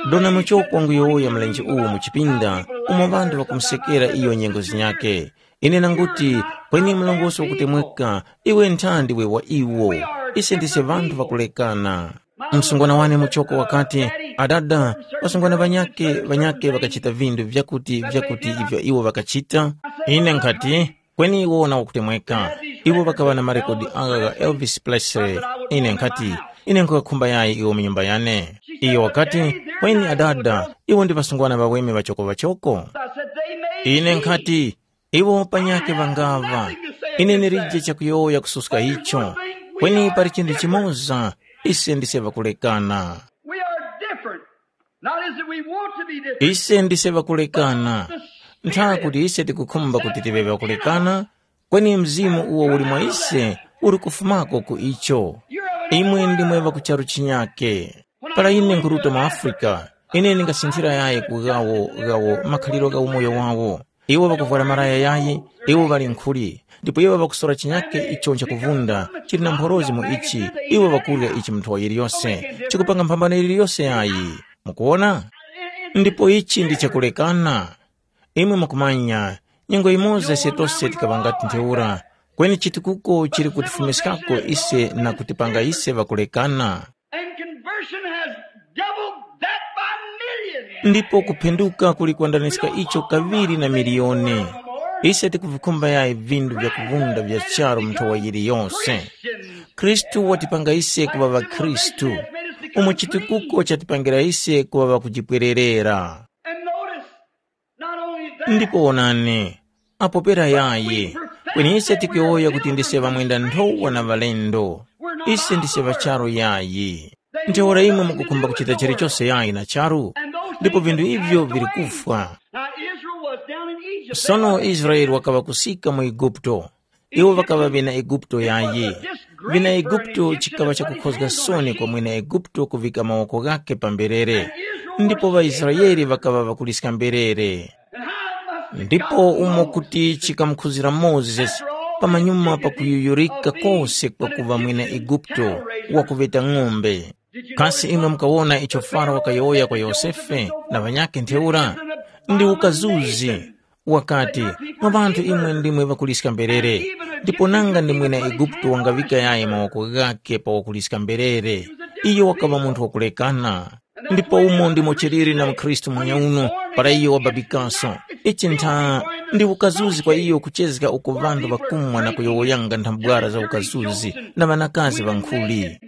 Dona muchoko wanguyowoya mlenje uwu mu chipinda, umo ŵanthu ŵakumusekera iyo nyengo zinyake. Ine nanguti, kweni mlongosi wakutemweka, iwe ntha ndiwe wa iwo. Ise ndise ŵanthu ŵakulekana. Msungwana wane muchoko wakati, adada, ŵasungwana ŵanyake ŵanyake ŵakachita vindu vyakuti vyakuti ivyo iwo ŵakachita. Ine nkhati, kweni iwo na wakutemweka. Iwo ŵakaŵa na marekodi agha gha Elvis Presley. Ine nkhati, ine nkhuŵakhumba yayi iwo mu nyumba yane. Iyo wakati, kweni adada, iwo ndi ŵasungwana ŵaweme ŵachoko-ŵachoko. Ine nkhati, iwo panyakhe ŵangaŵa. Ine ndilije chakuyowoya kususka icho. Kweni pali chinthu chimoza, ise ndise ŵakulekana. We are different. Not as if we want to be different. Ise ndise ŵakulekana. Ntha kuti ise tikukhumba kuti tive ŵakulekana, kweni mzimu uwo uli mwa ise uli kufumako ku icho. Imwe ndimwe ŵakucharu chinyake. Para ine nkhuruta mu Afrika, ine ndingasinthira yayi ku ghawo ghawo makhaliro gha umoyo wawo. Iwo ŵakuvwara malaya yayi, iwo ŵali nkhuli, ndipo iwo ŵakusora chinyake icho nchakuvunda, chili na mphorozi mu ichi, iwo ŵakurya ichi mu nthowa yiliyose, chikupanga mphambano yiliyose yayi. Mukuwona? Ndipo ichi ndi chakulekana. Imwe mukumanya, nyengo yimoza ise tose tikaŵa ngati ntheura, kweni chitukuko chili kutifumiskako ise na kutipanga ise ŵakulekana. And conversion has doubled that by millions. Ndipo kuphenduka kuli kwandaniska icho kaŵiri na miliyoni. Ise tikuvikhumba yayi vindu vya kuvunda vya charu mu nthowa yiliyose. Khristu watipanga ise kuŵa ŵakhristu, umo chitukuko chatipangira ise kuŵa ŵakujipwererera. And notice, not only that, ndipo wonani, apo pera yayi, kweni ise tikuyowoya kuti ndise ŵamwenda nthowa na ŵalendo. Ise ndise ŵa charu yayi. Ntheura imwe mukukhumba kuchita chilichose yayi na charu, ndipo vinthu ivyo vili kufwa. Now Israel was down in Egypt. Sono Israele wakaŵa kusika mu Eguputo. Iwo ŵakaŵa ŵena Eguputo yayi. Ŵena Eguputo chikaŵa chakukhozga soni kwa mwene Eguputo kuvika mawoko ghakhe pa mberere, ndipo ŵaIsraele ŵakaŵa ŵakuliska mberere. Ndipo umo kuti chikamukhuzira Mozesi, pamanyuma pakuyuyurika kose kwakuŵa mwene Eguputo wakuŵeta ng'ombe. Kasi imwe mukawona icho Faro wakayowoya kwa Yosefe na ŵanyakhe ntheura? Ndi ukazuzi. Wakati, mwa ŵanthu imwe ndimwe ŵakuliska mberere, ndipo nanga ndi mwene Eguputo wangaŵika yayi mawoko ghakhe pa wakuliska mberere? Iyo wakaŵa munthu wakulekana. Ndipo umo ndimo chiliri na mukhristu muhanya uno, para iyo wababikaso. Ichi ntha ndi ukazuzi kwa iyo kuchezga uko ŵanthu ŵakumwa na kuyowoyanga nthambwara za ukazuzi na ŵanakazi ŵankhuli.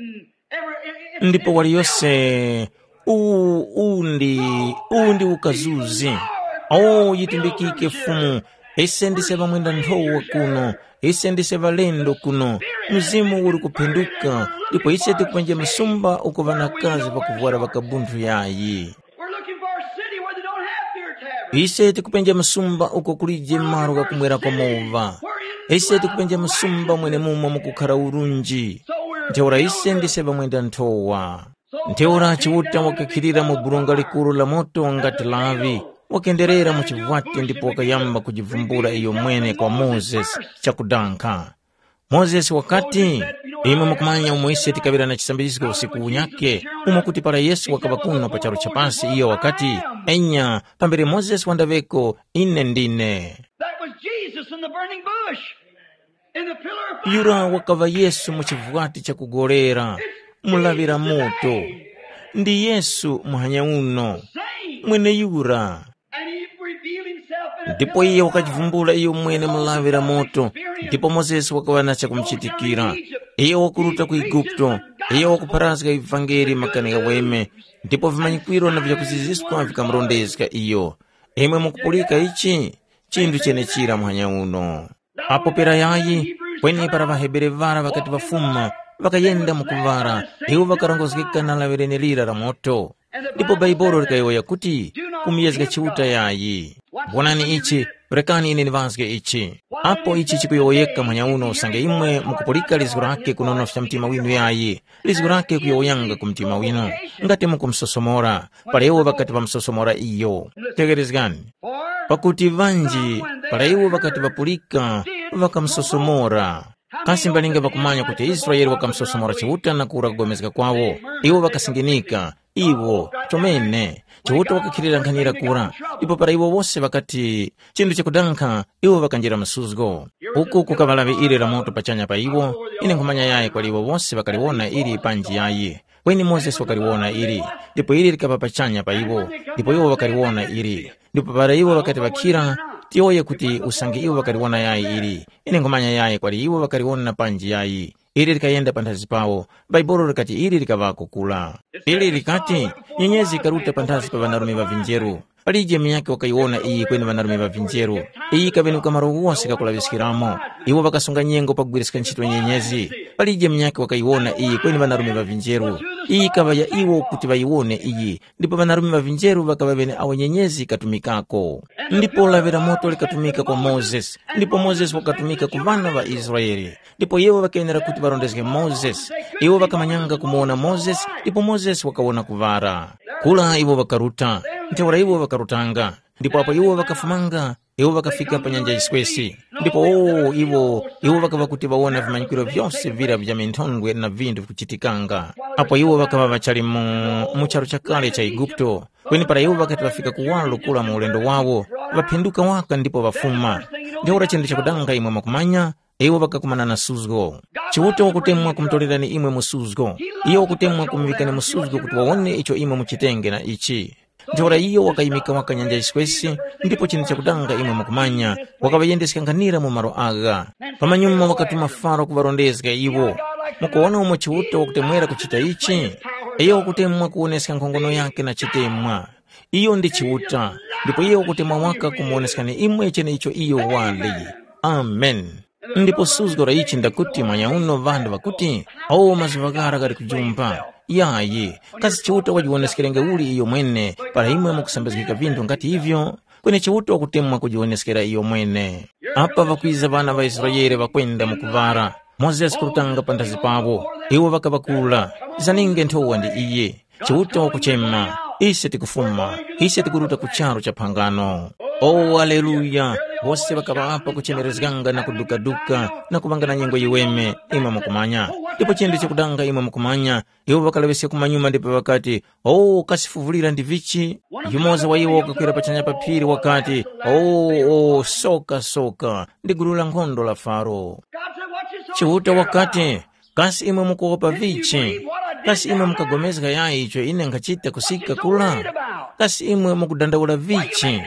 Ndipo waliyose, uwu uwu ndi uwu ndi ukazuzi. O yitumbikike Fumu, ise ndise ŵamwenda nthowa kuno, ise ndise ŵalendo kuno. Mzimu uli kuphenduka, ndipo ise tikupenja msumba uko ŵanakazi ŵakuvwara ŵakabunthu yayi. We're looking for a city where they don't have beer taverns. Ise tikupenja msumba uko kulije malo ghakumwera kwa mova. Ise tikupenja msumba mwene mumo mukukhara urunji. Ntheura ise ndise ŵamwenda nthowa. Ntheura Chiuta wakakhilira mu burunga likuru la moto ngati lavi, wakenderera mu chivwati ndipo wakayamba kujivumbula iyo mwene kwa Mozesi chakudankha. Mozesi wakati, imwe mukumanya umo ise tikaŵira na chisambizgo usiku unyake, umo kuti para Yesu wakaŵa kuno pa charu cha pasi iyo wakati, enya, pambere Mozesi wandaŵeko, ine ndine. That was Jesus in the The burning bush. In the pillar of fire. Yura wakaŵa Yesu mu chivwati chakugolera, mu lawi la moto. Ndi Yesu muhanya uno. Same. Mweneyura. And he revealed himself in a ndipo pillar iye of fire. Wakachivumbula iyo mwene mu lawi la moto. Ndipo mozesi wakaŵa na chakumuchitikira. Iye wakuruta ku Igupto. Iye wakupharazga ivangeli makani ghaweme. Ndipo vimanyikwiro na vyakuziziska vikamurondezga iyo. Imwe mukupulika ichi? Chinthu chenechira muhanya uno. Apo pera yayi, kweni para ŵaHebere ŵara ŵakati ŵafuma, ŵakayenda mu kuŵara, iwo ŵakarongozgeka na laŵirene lira la moto. Ndipo Baibolo likayowoya kuti, kumuyezga Chiuta yayi. Wonani ichi, rekani ine ndiŵazge ichi. Apo ichi chikuyowoyeka muhanya uno usange imwe mukupulika lizgu lake kunonofya mtima winu yayi, lizgu lake kuyowoyanga ku mtima winu, ngati mukumusosomora, para iwo ŵakati ŵamusosomora iyo. Tegherezgani. Pakuti ŵanji para iwo ŵakati ŵapulika, ŵakamusosomora. Kasi mbalinga ŵakumanya kuti Israele wakamusosomora Chiuta na kura kugomezga kwawo? Iwo ŵakasinginika, iwo, chomene, Chiuta wakakhilira nkhanira kura. Ndipo para iwo wose ŵakati, chinthu chakudankha, iwo ŵakanjira msuzgo. Uku kukaŵa lawi ili la moto pachanya pa iwo, ine nkhumanya yayi kwali iwo wose ŵakaliwona ili panji yayi. Kweni Mozesi wakaliwona ili, ndipo ili likaŵa pachanya pa iwo, ndipo iwo ŵakaliwona ili. Ndipo para iwo ŵakati ŵakhira, tiyowoye kuti usange iwo ŵakaliwona yayi ili, ine nkhumanya yayi kwali iwo ŵakaliwona panji yayi. Ili likayenda panthazi pawo, Bhaibuli likati ili likaŵako kula. Ili likati, nyenyezi ikaruta panthazi pa ŵanarume ŵa vinjeru. Palije munyakhe wakayiwona iyi kweni ŵanarume ŵa vinjeru. Iyi yikaŵenuka malo ghose ghakulaŵiskiramo. Iwo ŵakasunga nyengo pakugwiriska ntchito nyenyezi. Palije munyakhe wakayiwona iyi kweni ŵanarume ŵa vinjeru. Iyi yikaŵa ya iwo kuti ŵayiwone iyi, ndipo ŵanarume ŵa vinjeru ŵakaŵa ŵeneawo nyenyezi yikatumikako. Ndipo lawi la moto likatumika kwa Mozesi, ndipo Mozesi wakatumika ku ŵana ŵa Israele. Ndipo iwo ŵakenera kuti ŵarondezge Mozesi. Iwo ŵakamanyanga kumuwona Mozesi, ndipo Mozesi wakawona kuŵala. Kura iwo ŵakaruta, ntheura iwo ŵakarutanga. Ndipo apo iwo ŵakafumanga, iwo ŵakafika pa nyanja yiswesi. Ndipo o iwo, iwo ŵakaŵa kuti ŵawona vimanyikiro vyose vira vya minthondwe na vinthu vikuchitikanga. Apo iwo ŵakaŵa ŵachali mu, mu charu chakale cha Eguputo, kweni para iwo ŵakati ŵafika kuwaro kura mu ulendo wawo, ŵaphinduka waka ndipo ŵafuma. Ntheura chinthu chakudanga imwe mwakumanya, iwo ŵakakumana na suzgo. Chiuta wakutemwa kumutorerani imwe mu suzgo. Iyo wakutemwa kumuŵikani mu suzgo kuti wawone icho imwe muchitenge na ichi. Ntheura iyo wakayimika waka nyanja yiswesi, ndipo chinthu chakudanga imwe mukumanya, wakaŵayendeska nkhanira mu malo agha. Pamanyuma wakatuma Faro kuŵarondezga iwo. Mukuwona umo Chiuta wakutemwera kuchita ichi? Iyo wakutemwa kuwoneska nkhongono yakhe na chitemwa. Iyo ndi Chiuta, ndipo iyo wakutemwa waka kumuwoneskani imwe cheneicho iyo wali. Amen. Ndipo suzgo la ichi ndakuti mwanyauno ŵanthu ŵakuti, “O mazuŵa ghara ghali kujumpa.” Yayi, kasi Chiuta wajiwoneskerenge uli iyo mwene para imwe mukusambizgika vinthu nga ti ivyo? Kweni Chiuta wakutemwa kujiwoneskera iyo mwene. Apa ŵakwiza ŵana ŵa Israele ŵakwenda mu kuŵara. Mozesi kurutanga panthazi pawo, iwo ŵakaŵa kura, zaninge nthowa ndi iye. Chiuta wakuchema, ise tikufuma, ise tikuruta ku charu cha phangano. O aleluya! Wose ŵakaŵa apa kuchemerezganga na kudukaduka na kuŵanga na nyengo yiweme, imwe mukumanya. Ndipo chinthu chakudanga imwe mukumanya, iwo ŵakalaŵiska kumanyuma ndipo ŵakati, “O, kasi fuvulira ndi vichi?” Yumoza wa iwo wakakwera pachanya pa phiri wakati, “O, o, soka, soka, ndi gulu la nkhondo la Faro.” Chiuta wakati, “Kasi imwe mukuwopa vichi? Kasi imwe mukagomezga yayi icho ine nkhachita kusika kura? Kasi imwe mukudandaula vichi?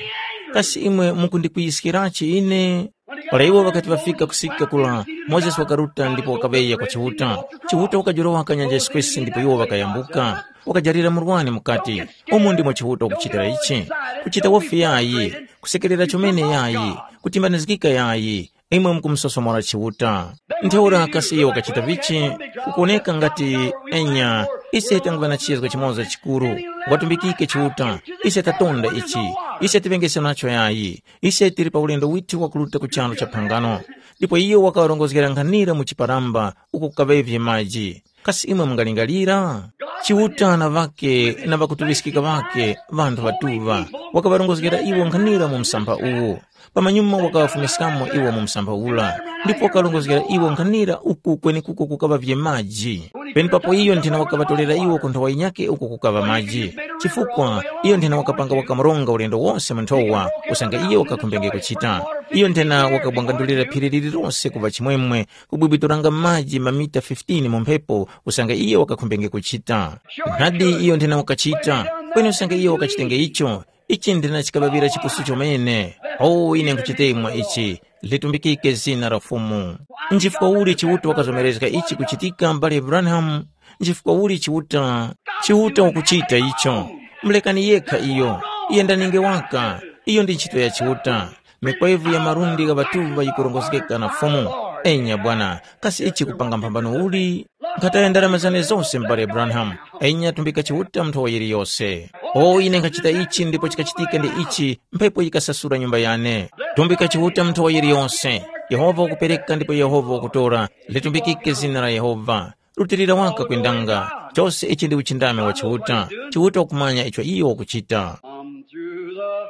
Kasi imwe mukundikwiyiskirachi ine?” Para iwo ŵakati ŵafika kusika kura, Mozesi wakaruta ndipo wakaŵeya kwa Chiuta. Chiuta wakajorowa nyanja yiswesi ndipo iwo ŵakayambuka. Wakajarira murwani mukati, “Umu ndimo Chiuta wakuchitira ichi? Kuchita wofi yayi, kusekerera chomene yayi, kutimbanizgika yayi, imwe mukumusosomora Chiuta.” Ntheura kasi iyo wakachita vichi? Kukuwoneka ngati, enya, ise tanguŵa na chizgo chimoza chikuru. Watumbikike Chiuta, ise tatonda ichi, ise tiŵengese nacho yayi, ise tili pa ulendo withu wakuruta ku charu cha phangano. Ndipo iyo wakaŵarongozgera nkhanira mu chiparamba uko kukaŵavye maji. Kasi imwe mungalingalira? Chiuta na ŵake na ŵakutuŵiskika ŵake, ŵanthu ŵatuŵa, wakaŵarongozgera iwo nkhanira mu msampha uwu. Pamanyuma wakaŵafumiskamo iwo mu msampha ura, ndipo wakarongozgera iwo nkhanira uku kwenekuko kukaŵavye maji. Penepapo iyo nthena wakaŵatorera iwo ku nthowa yinyakhe uko kukaŵa maji, chifukwa iyo nthena wakapanga wakamuronga ulendo wose mu nthowa usange iyo wakakhumbenge kuchita. Iyo nthena wakabwangandulira phiri lililose kuŵa chimwemwe, kubwibwituranga maji mamita fifteen mu mphepo usange iyo wakakhumbenge kuchita. Nadi iyo nthena wakachita, kweni usange iyo wakachitenge icho, ichi nthena chikaŵaŵira chipusu chomene. O ine nkhuchitemwa ichi, litumbikike zina la Fumu. Nchifukwa uli Chiuta wakazomerezga ichi kuchitika m'bale Branham? Nchifukwa uli Chiuta? Chiuta wakuchita icho. Mulekani yekha iyo. Yendaninge waka. Iyo ndi ntchito ya Chiuta. Mikwevu ya malundi gha ŵatuŵa yikurongozgeka na Fumu. Enya bwana, kasi ichi kupanga mphambano uli? Nkhataya ndarama zane zose m'bale Branham. Enya tumbika Chiuta mu nthowa yiliyose. O ine nkhachita ichi ndipo chikachitika ndi ichi, mphepo yikasasula nyumba yane. Tumbika Chiuta mu nthowa yiliyose. Yehova wakupereka ndipo Yehova wakutora. Litumbikike zina la Yehova. Rutilira waka kwendanga. Chose ichi ndi uchindami wa Chiuta. Chiuta wakumanya icho iyo wakuchita. Some through the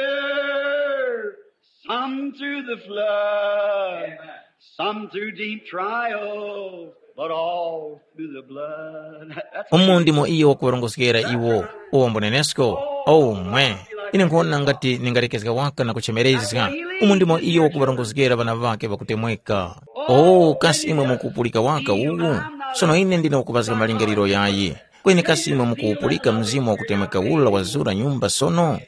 water, some through the flood, some through deep trials, but all through the blood. That's Umu ndimo iyo wakuŵarongozgera iwo, uwombo nenesko. Oh mwe, ine nkhona ngati ningalekezga waka na kuchemerezga. Umu ndimo iyo wakuŵarongozgera ŵana ŵake ŵakutemweka. Oh kasi imwe mukupulika waka uwu? Sono ine ndine wakuŵazga malingaliro yayi. Kweni kasi imwe mukuwupulika mzimu wakutemweka ula wazura nyumba sono?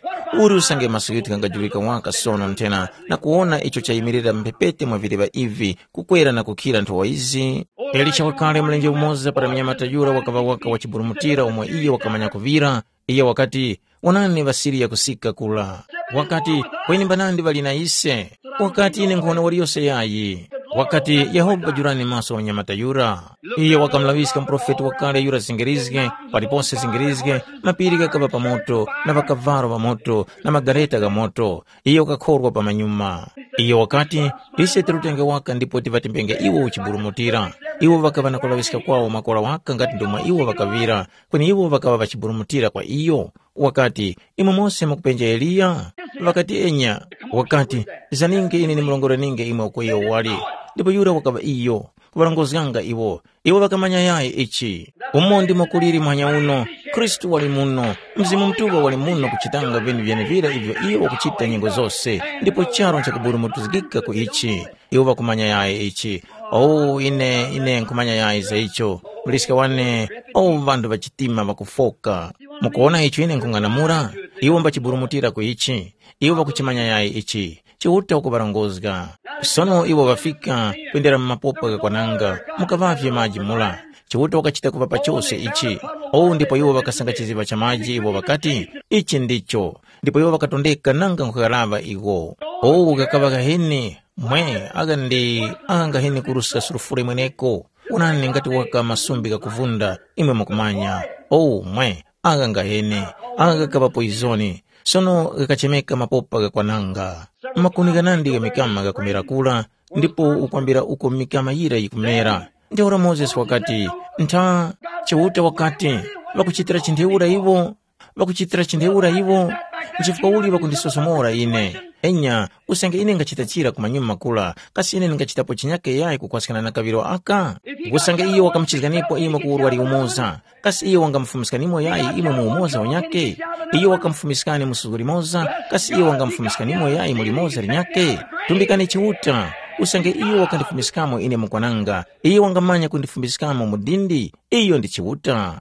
Uri usange maso ghithu ghangajurika waka sono nthena na kuwona icho chayimirira mphepete mwa vileŵa ivi kukwera na kukhira nthowa izi? Elisha wakale mlenje umoza para munyamata yura wakaŵa waka wachiburumutira umo iyo wakamanya kuŵira, iyo wakati, “Wonani ŵaSiriya kusika kula.” Wakati, “Kweni mbanandi ŵali na ise?” Wakati, “Ine nkhona waliyose yayi.” Wakati, “Yehova jurani maso gha munyamata yura.” Iyo wakamulaŵiska muprofeti wakale yura zingirizge, palipose zingirizge, mapiri ghakaŵa pa moto, na ŵakavalo ŵa moto, na magareta gha moto. Iyo wakakhorwa pamanyuma. Iyo wakati, “Ise tirutenge waka ndipo tiŵatembenge iwo uchiburumutira.” Iwo ŵakaŵa na kulaŵiska kwawo makora waka ngati ndomwe iwo ŵakaŵira, kweni iwo ŵakaŵa ŵachiburumutira kwa iyo. Wakati, “Imwe mose mukupenja Eliya?” Ŵakati, “Enya.” Wakati, “Zaninge ine ndimurongorenienge imwe uko iyo wali.” Ndipo yura wakaŵa iyo, kuŵarongozganga iwo. Iwo ŵakamanya yayi ichi. Umo ndimo kuliri muhanya uno, Khristu wali muno, Mzimu Mutuŵa wali muno kuchitanga vinhu vyenevira ivyo iyo wakuchita nyengo zose, ndipo charu nchakuburumutizgika ku ichi. Iwo ŵakumanya yayi ichi. Oh, ine, ine nkhumanya yayi za icho. Muliska wane, oh, ŵanthu ŵa chitima ŵakufoka. Mukuwona icho ine nkhung'anamula? Iwo mbachiburumutira ku ichi. Iwo ŵakuchimanya yayi ichi. Chiuta wakuŵarongozga. Sono iwo ŵafika, kwendera mu mapopa ghakwananga, mukaŵavye maji mura. Chiuta wakachita kuŵapa chose ichi. Oh, ndipo iwo ŵakasanga chiziŵa cha maji, iwo ŵakati, “Ichi ndicho.” Ndipo iwo ŵakatondeka nanga nkhughalaŵa iwo. Oh, ghakaŵa ghaheni, mwe, agha ndi agha ngaheni kuruska sulufure mweneko. Wonani ngati waka masumbi ghakuvunda, imwe mukumanya. Oh, mwe, agha ngaheni, agha ghakaŵa poizoni. Sono ghakachemeka mapopa ghakwananga. Makuni ghanandi gha mikama ghakumera kura, ndipo ukwambira uko mikama yira yikumera. Ntheura Mozesi wakati, “Ntha, Chiuta wakati, ŵakuchitira chinthu iwo, ŵakuchitira chinthu iwo, nchifukwa uli ŵakundisosomora ine? Enya, usange ine ngachita chira ku manyuma kura, kasi ine ndingachitapo chinyake yayi kukwaskana na kaŵiro aka? Usange iyo wakamuchizganipo imwe ku urwari umoza, kasi iyo wangamufumiskanimo yayi imwe mu umoza unyake? Iyo wakamufumiskani mu suzgo limoza, kasi iyo wangamufumiskanimo yayi mu limoza linyake? Tumbikani Chiuta, usange iyo wakandifumiskamo ine mukwananga, iyo wangamanya kundifumiskamo mu dindi. Iyo ndi Chiuta.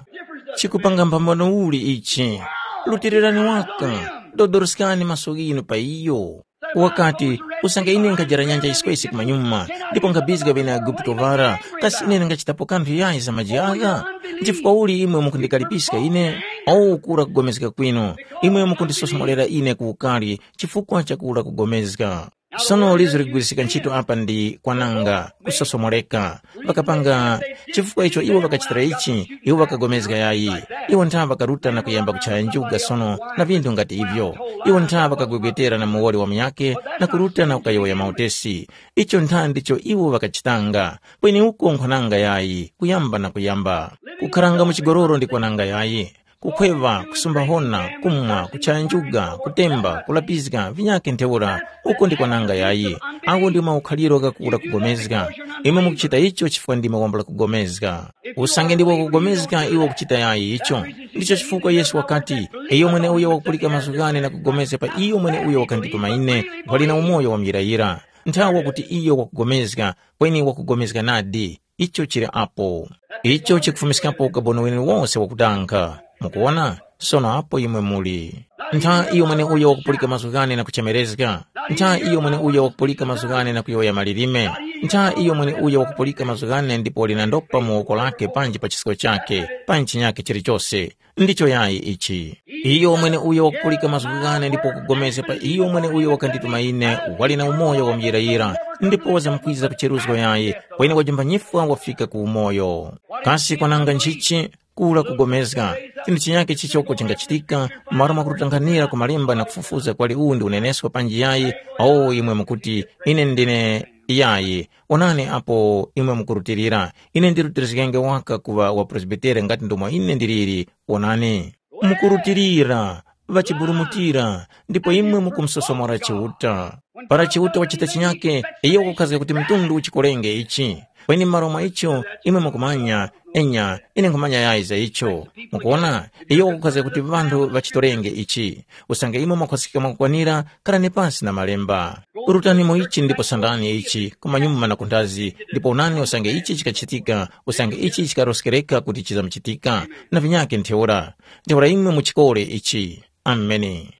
Chikupanga mphambano uli ichi? Rutilirani waka, dodoroskani maso ghinu pa iyo. Wakati, usange ine nkhajara nyanja yiswesi kumanyuma, ndipo nkhabizga ŵene Aigupto ŵara, kasi ine ndingachitapo kanthu yayi za maji agha? Nchifukwa uli imwe mukundikalipiska ine? Owu kura kugomezga kwinu, imwe mukundisosomorera ine ku ukari chifukwa cha kura kugomezga. Sono lizo ligwirisika ntchito apa ndi kwananga, kusosomoreka. Ŵakapanga, chifukwa icho iwo ŵakachitira ichi, iwo ŵakagomezga yayi. Iwo ntha ŵakaruta na kuyamba kuchaya njuga sono na vinthu ngati ivyo. Iwo ntha ŵakagwegwetera na muwoli wa munyakhe na kuruta na kukayowoya mautesi. Icho ntha ndicho iwo ŵakachitanga. Kweni uko nkhwananga yayi, kuyamba na kuyamba. Kukharanga mu chigololo ndi kwananga yayi. kukhweŵa, kusumba hona, kumwa, kuchaya njuga, kutemba, kulapizga, vinyakhe ntheura, uko ndi kwananga yayi. Agho ndi maukhaliro ghakura kugomezga. Imwe mukuchita icho chifukwa ndimwe wambula kugomezga. Usange ndiwe wakugomezga iwe ukuchita yayi icho. Ndicho chifukwa Yesu wakati, iyo mweneuyo wakupulika mazgu ghane na kugomezga pa iyo mweneuyo wakandituma ine, wali na umoyo wa muyirayira. Nthawi wakuti iyo wakugomezga, kweni wakugomezga nadi. Icho chili apo. Icho chikufumiskapo ukaboni wenewose wakudanga. Mukuwona? Sono apo imwe muli. Ntha iyo mweneuyo wakupulika mazgu ghane na kuchemerezga. Ntha iyo mweneuyo wakupulika mazgu ghane na kuyowoya malilime. Ntha iyo mweneuyo wakupulika mazgu ghane ndipo wali na ndopa mu woko lake panji pa chisko chake, panji chinyakhe chilichose. Ndicho yayi ichi. Iyo mweneuyo wakupulika mazgu ghane ndipo wakugomezga pa iyo mweneuyo wakandituma ine, wali na umoyo wa muyirayira, ndipo wazamkwiza kucheruzgo yayi, kweni wajimba nyifwa wafika ku umoyo. Kasi kwananga nchichi? Kura kugomezga. Chinthu chinyakhe chichoko chingachitika, malo mwakurutanghanira ku malemba na kufufuza kwali uwu ndi unenesko panji yayi, awo imwe mukuti, ine ndine yayi. Onani apo imwe mukurutilira. Ine ndirutirizgenge waka kuŵa wa Presbitere ngati ndomwe ine ndiliri. Onani. Mukurutilira, ŵachiburumutira, ndipo imwe mukumusosomora Chiuta. Para Chiuta wachita chinyake, iyo wakukhazga kuti mtundu uchikorenge ichi. Kweni m'malo mwa icho, imwe mukumanya, enya, ine nkhumanya yayi za icho. Mukuwona, iyo wakukhazga kuti ŵanthu ŵachitorenge ichi. Usange imwe mwakhwaskika mwakukwanira, kharani pasi na malemba. Rutani mu ichi ndipo sandani ichi, kumanyuma na kunthazi, ndipo onani usange ichi chikachitika, usange ichi chikaroskereka kuti chizamuchitika, na vinyakhe ntheura. Ntheura imwe muchikore ichi. Ameni.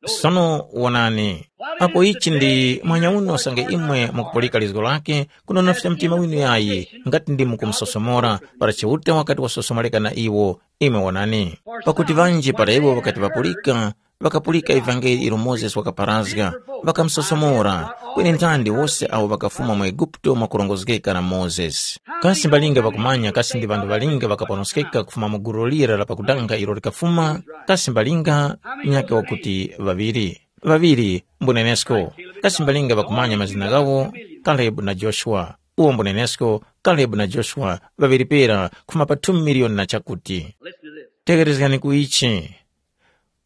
Sono wonani, apo ichi ndi mwanyauno usange imwe mukupulika lizgo lake, kunonofya mtima winu yayi, ngati ndi mukumusosomora, para Chiuta wakati wasosomoreka na iwo, imwe wonani. Pakuti ŵanji para iwo ŵakati ŵapulika, ŵakapulika ivangeli ilo Mozesi wakaparazga, ŵakamusosomora, kweni ntandi wose awo ŵakafuma mu Eguputo mwakurongozgeka na Mozesi. Kasi mbalinga ŵakumanya kasi ndi ŵanthu ŵalinga ŵakaponoskeka kufuma mu gulu lira la pakudanga ilo likafuma? Kasi mbalinga nyakhe wakuti ŵaŵiri. Ŵaŵiri mbunenesko. Kasi mbalinga ŵakumanya mazina ghawo? Kalebu na Joshua. Uwo mbunenesko, Kalebu na Joshua ŵaŵiri pera kufuma pa two miliyoni na chakuti. Tegherezgani ku ichi.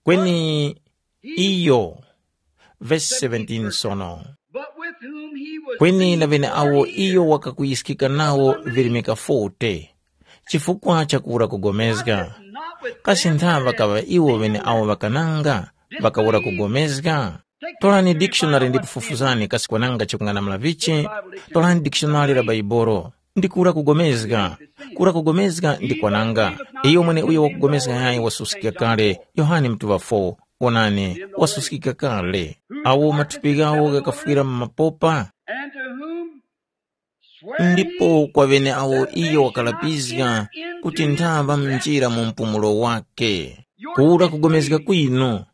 Kweni iyo, vesi seventeen sono. But with whom he was kweni na pleased ŵeneawo for iyo years, wakakuyiskika nawo virimika forty, chifukwa chakura kugomezga. Not with kasi them ntha that ŵakaŵa iwo ŵeneawo ŵakananga, ŵakawura kugomezga? Torani dictionary ndipo fufuzani kasi kwananga chikung'anamula vichi. Torani dictionary la Baibolo. Ndi kura kugomezga. Kura kugomezga ndi kwananga. Iyo mwene uyo wakugomezga yayi wasuskika kale. Yohane mutuŵa four. Wonani, wasuskika kale. Awo mathupi ghawo ghakafwira mu mapopa. And to whom swear ndipo kwa ŵene awo iyo wakalapizga kuti nthaŵa mnjira mu mpumulo wake. Kura kugomezga kwinu.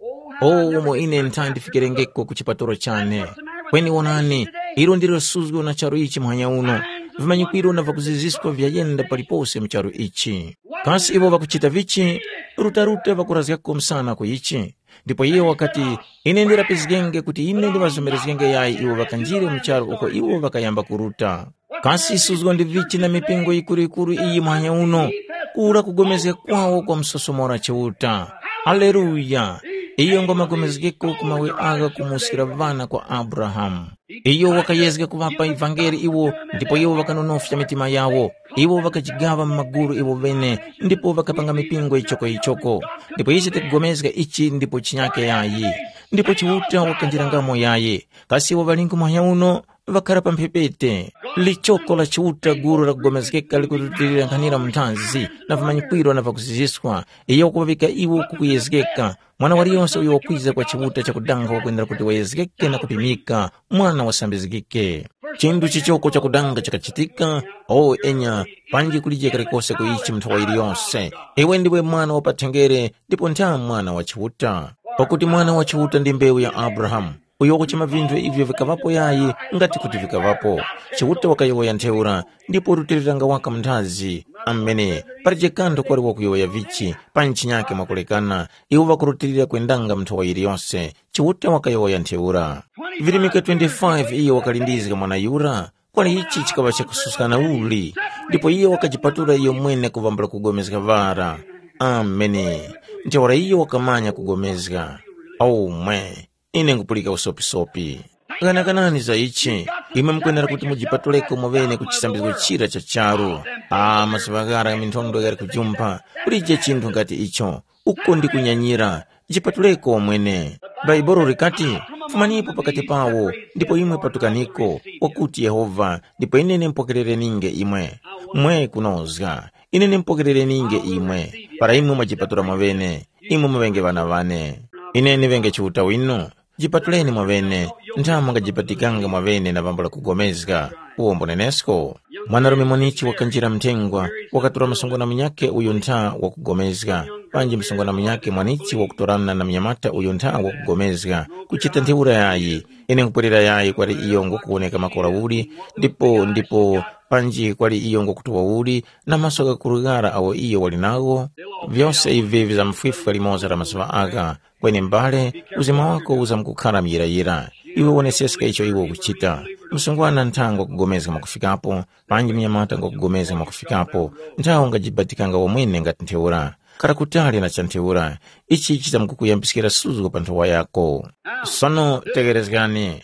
O umo ine ntha ndifikerengeko ku chipatalo chane. Kweni wonani, ilo ndilo suzgo na charu ichi muhanya uno. Vimanyikwiro na vakuziziskwa vyayenda palipose mu charu ichi. Kasi iwo ŵakuchita vichi? Rutaruta ŵakurazgako msana ku ichi. Ndipo iye wakati, ine ndilapizgenge kuti ine ndiŵazomerezgenge yayi iwo ŵakanjire mu charu uko iwo ŵakayamba kuruta. Kasi suzgo ndi vichi na mipingo yikuru-yikuru iyi muhanya uno? Kura kugomezga kwawo kwa msosomora Chiuta. Aleluya! Iyo ngwa magomezgeko ku mawe agha kumuskira ŵana kwa Abrahamu. Iyo wakayezga kuŵapa ivangeli iwo, ndipo iwo ŵakanonofya mitima yawo. Iwo ŵakajigaŵa mu magulu iwo ŵene, ndipo ŵakapanga mipingo yichoko-yichoko. Ndipo ise tikugomezga ichi ndipo chinyake yayi. Ndipo Chiuta wakanjirangamo yayi. Kasi iwo ŵalingi muhanya uno? Ŵakhara pa mphepete. Lichoko la Chiuta gulu lakugomezgeka likurutilira nkhanira mu nthanzi, na vimanyikwiro na vakuziziswa. Iyo wakuŵavika iwo ku kuyezgeka. Mwana waliyonse uyo wakwiza kwa Chiuta chakudanga wakwenera kuti wayezgeke na kupimika, mwana wasambizgike. Chinthu chichoko chakudanga chikachitika, o enya, panji kulije kalikose ku ichi mu nthawa yiliyonse. Iwe ndiwe mwana wa pathenngere ndipo ntha mwana wa Chiuta. Pakuti mwana wa Chiuta ndi mbewu ya Abrahamu, uyo wakuchema vinthu ivyo vikaŵapo yayi ngati kuti vikaŵapo. Chiuta wakayowoya ntheura, ndipo rutiliranga waka mu nthazi. Amene, palije kanthu kwali wakuyowoya vichi, pa ntchinyake mwakulekana, iwo ŵakurutilira kwendanga mu nthowa yiliyose. Chiuta wakayowoya ntheura. Virimika twenty-five iyo wakalindizga mwana yura, kwali ichi chikaŵa chakususkana uli, ndipo iyo wakajipatula iyo mwene kuvambula kugomezga ŵara. Ameni. Ntheura iyo wakamanya kugomezga. Omwe, ine nkupulika usopisopi. Ghanakanani za ichi, imwe mukwenera kuti mujipatuleko mwaŵene ku chisambizgo chira cha charu. Ah, mazuŵa ghara gha minthondwe ghali kujumpha, kulije chinthu ngati icho. Uko ndi kunyanyira, jipatuleko mwene. Bhaibuli likati, fumanipo pakati pawo, ndipo imwe patukaniko, wakuti Yehova, ndipo ine nimpokerereninge imwe. Mwe kunozga, ine nimpokerereninge imwe, para imwe mwajipatula mwaŵene, imwe muŵenge ŵana ŵane. Ine niŵenge Chiuta winu, jipatuleni mwaŵene, ntha mungajipatikanga mwaŵene na pambula kugomezga. Uwo mbunenesko. Mwanarume mwenichi wakanjira mthengwa, wakatora msungwana munyakhe uyo ntha wakugomezga, panji msungwana munyakhe mwanichi wakutorana na munyamata uyo ntha wakugomezga, kuchita ntheura yayi. Ine nkupwerera yayi kwali iyo ngokuwoneka makora uli, ndipo ndipo panji kwali iyo ngokutuwa uli, na maso ghakurughala awo iyo wali nagho. Vyose ivi vizamfwifwa limoza la mazuŵa agha. Kweni m'bale, uzima wako uzamkukhara muyirayira. Iwe woneseska icho iwe ukuchita. Msungwana ntha ngwakugomezga mwakufikapo, panji munyamata ngwakugomezga mwakufikapo, nthawe ungajibatikanga wamwene ngati ntheura. Kara kutali na cha ntheura, ichi chitamkukuyambiskira suzgo pa nthowa yako. Sono tegherezgani.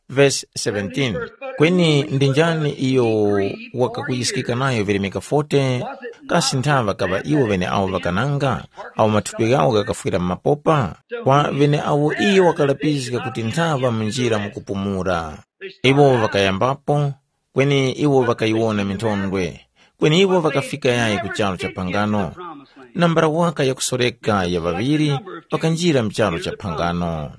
Verse seventeen. Kweni ndi njani iyo wakakuyiskika nayo virimika forty? Kasi ntha ŵakaŵa iwo ŵeneawo ŵakananga, awo mathupi ghawo ghakafwira mu mapopa? Kwa ŵeneawo iyo wakalapizga kuti ntha ŵa mu njira mu kupumula. Iwo ŵakayambapo, kweni iwo ŵakayiwona minthondwe, kweni iwo ŵakafika yayi ku charu cha phangano. Nambala waka yakusoreka ya ŵaŵiri ŵakanjira mu charu cha phangano.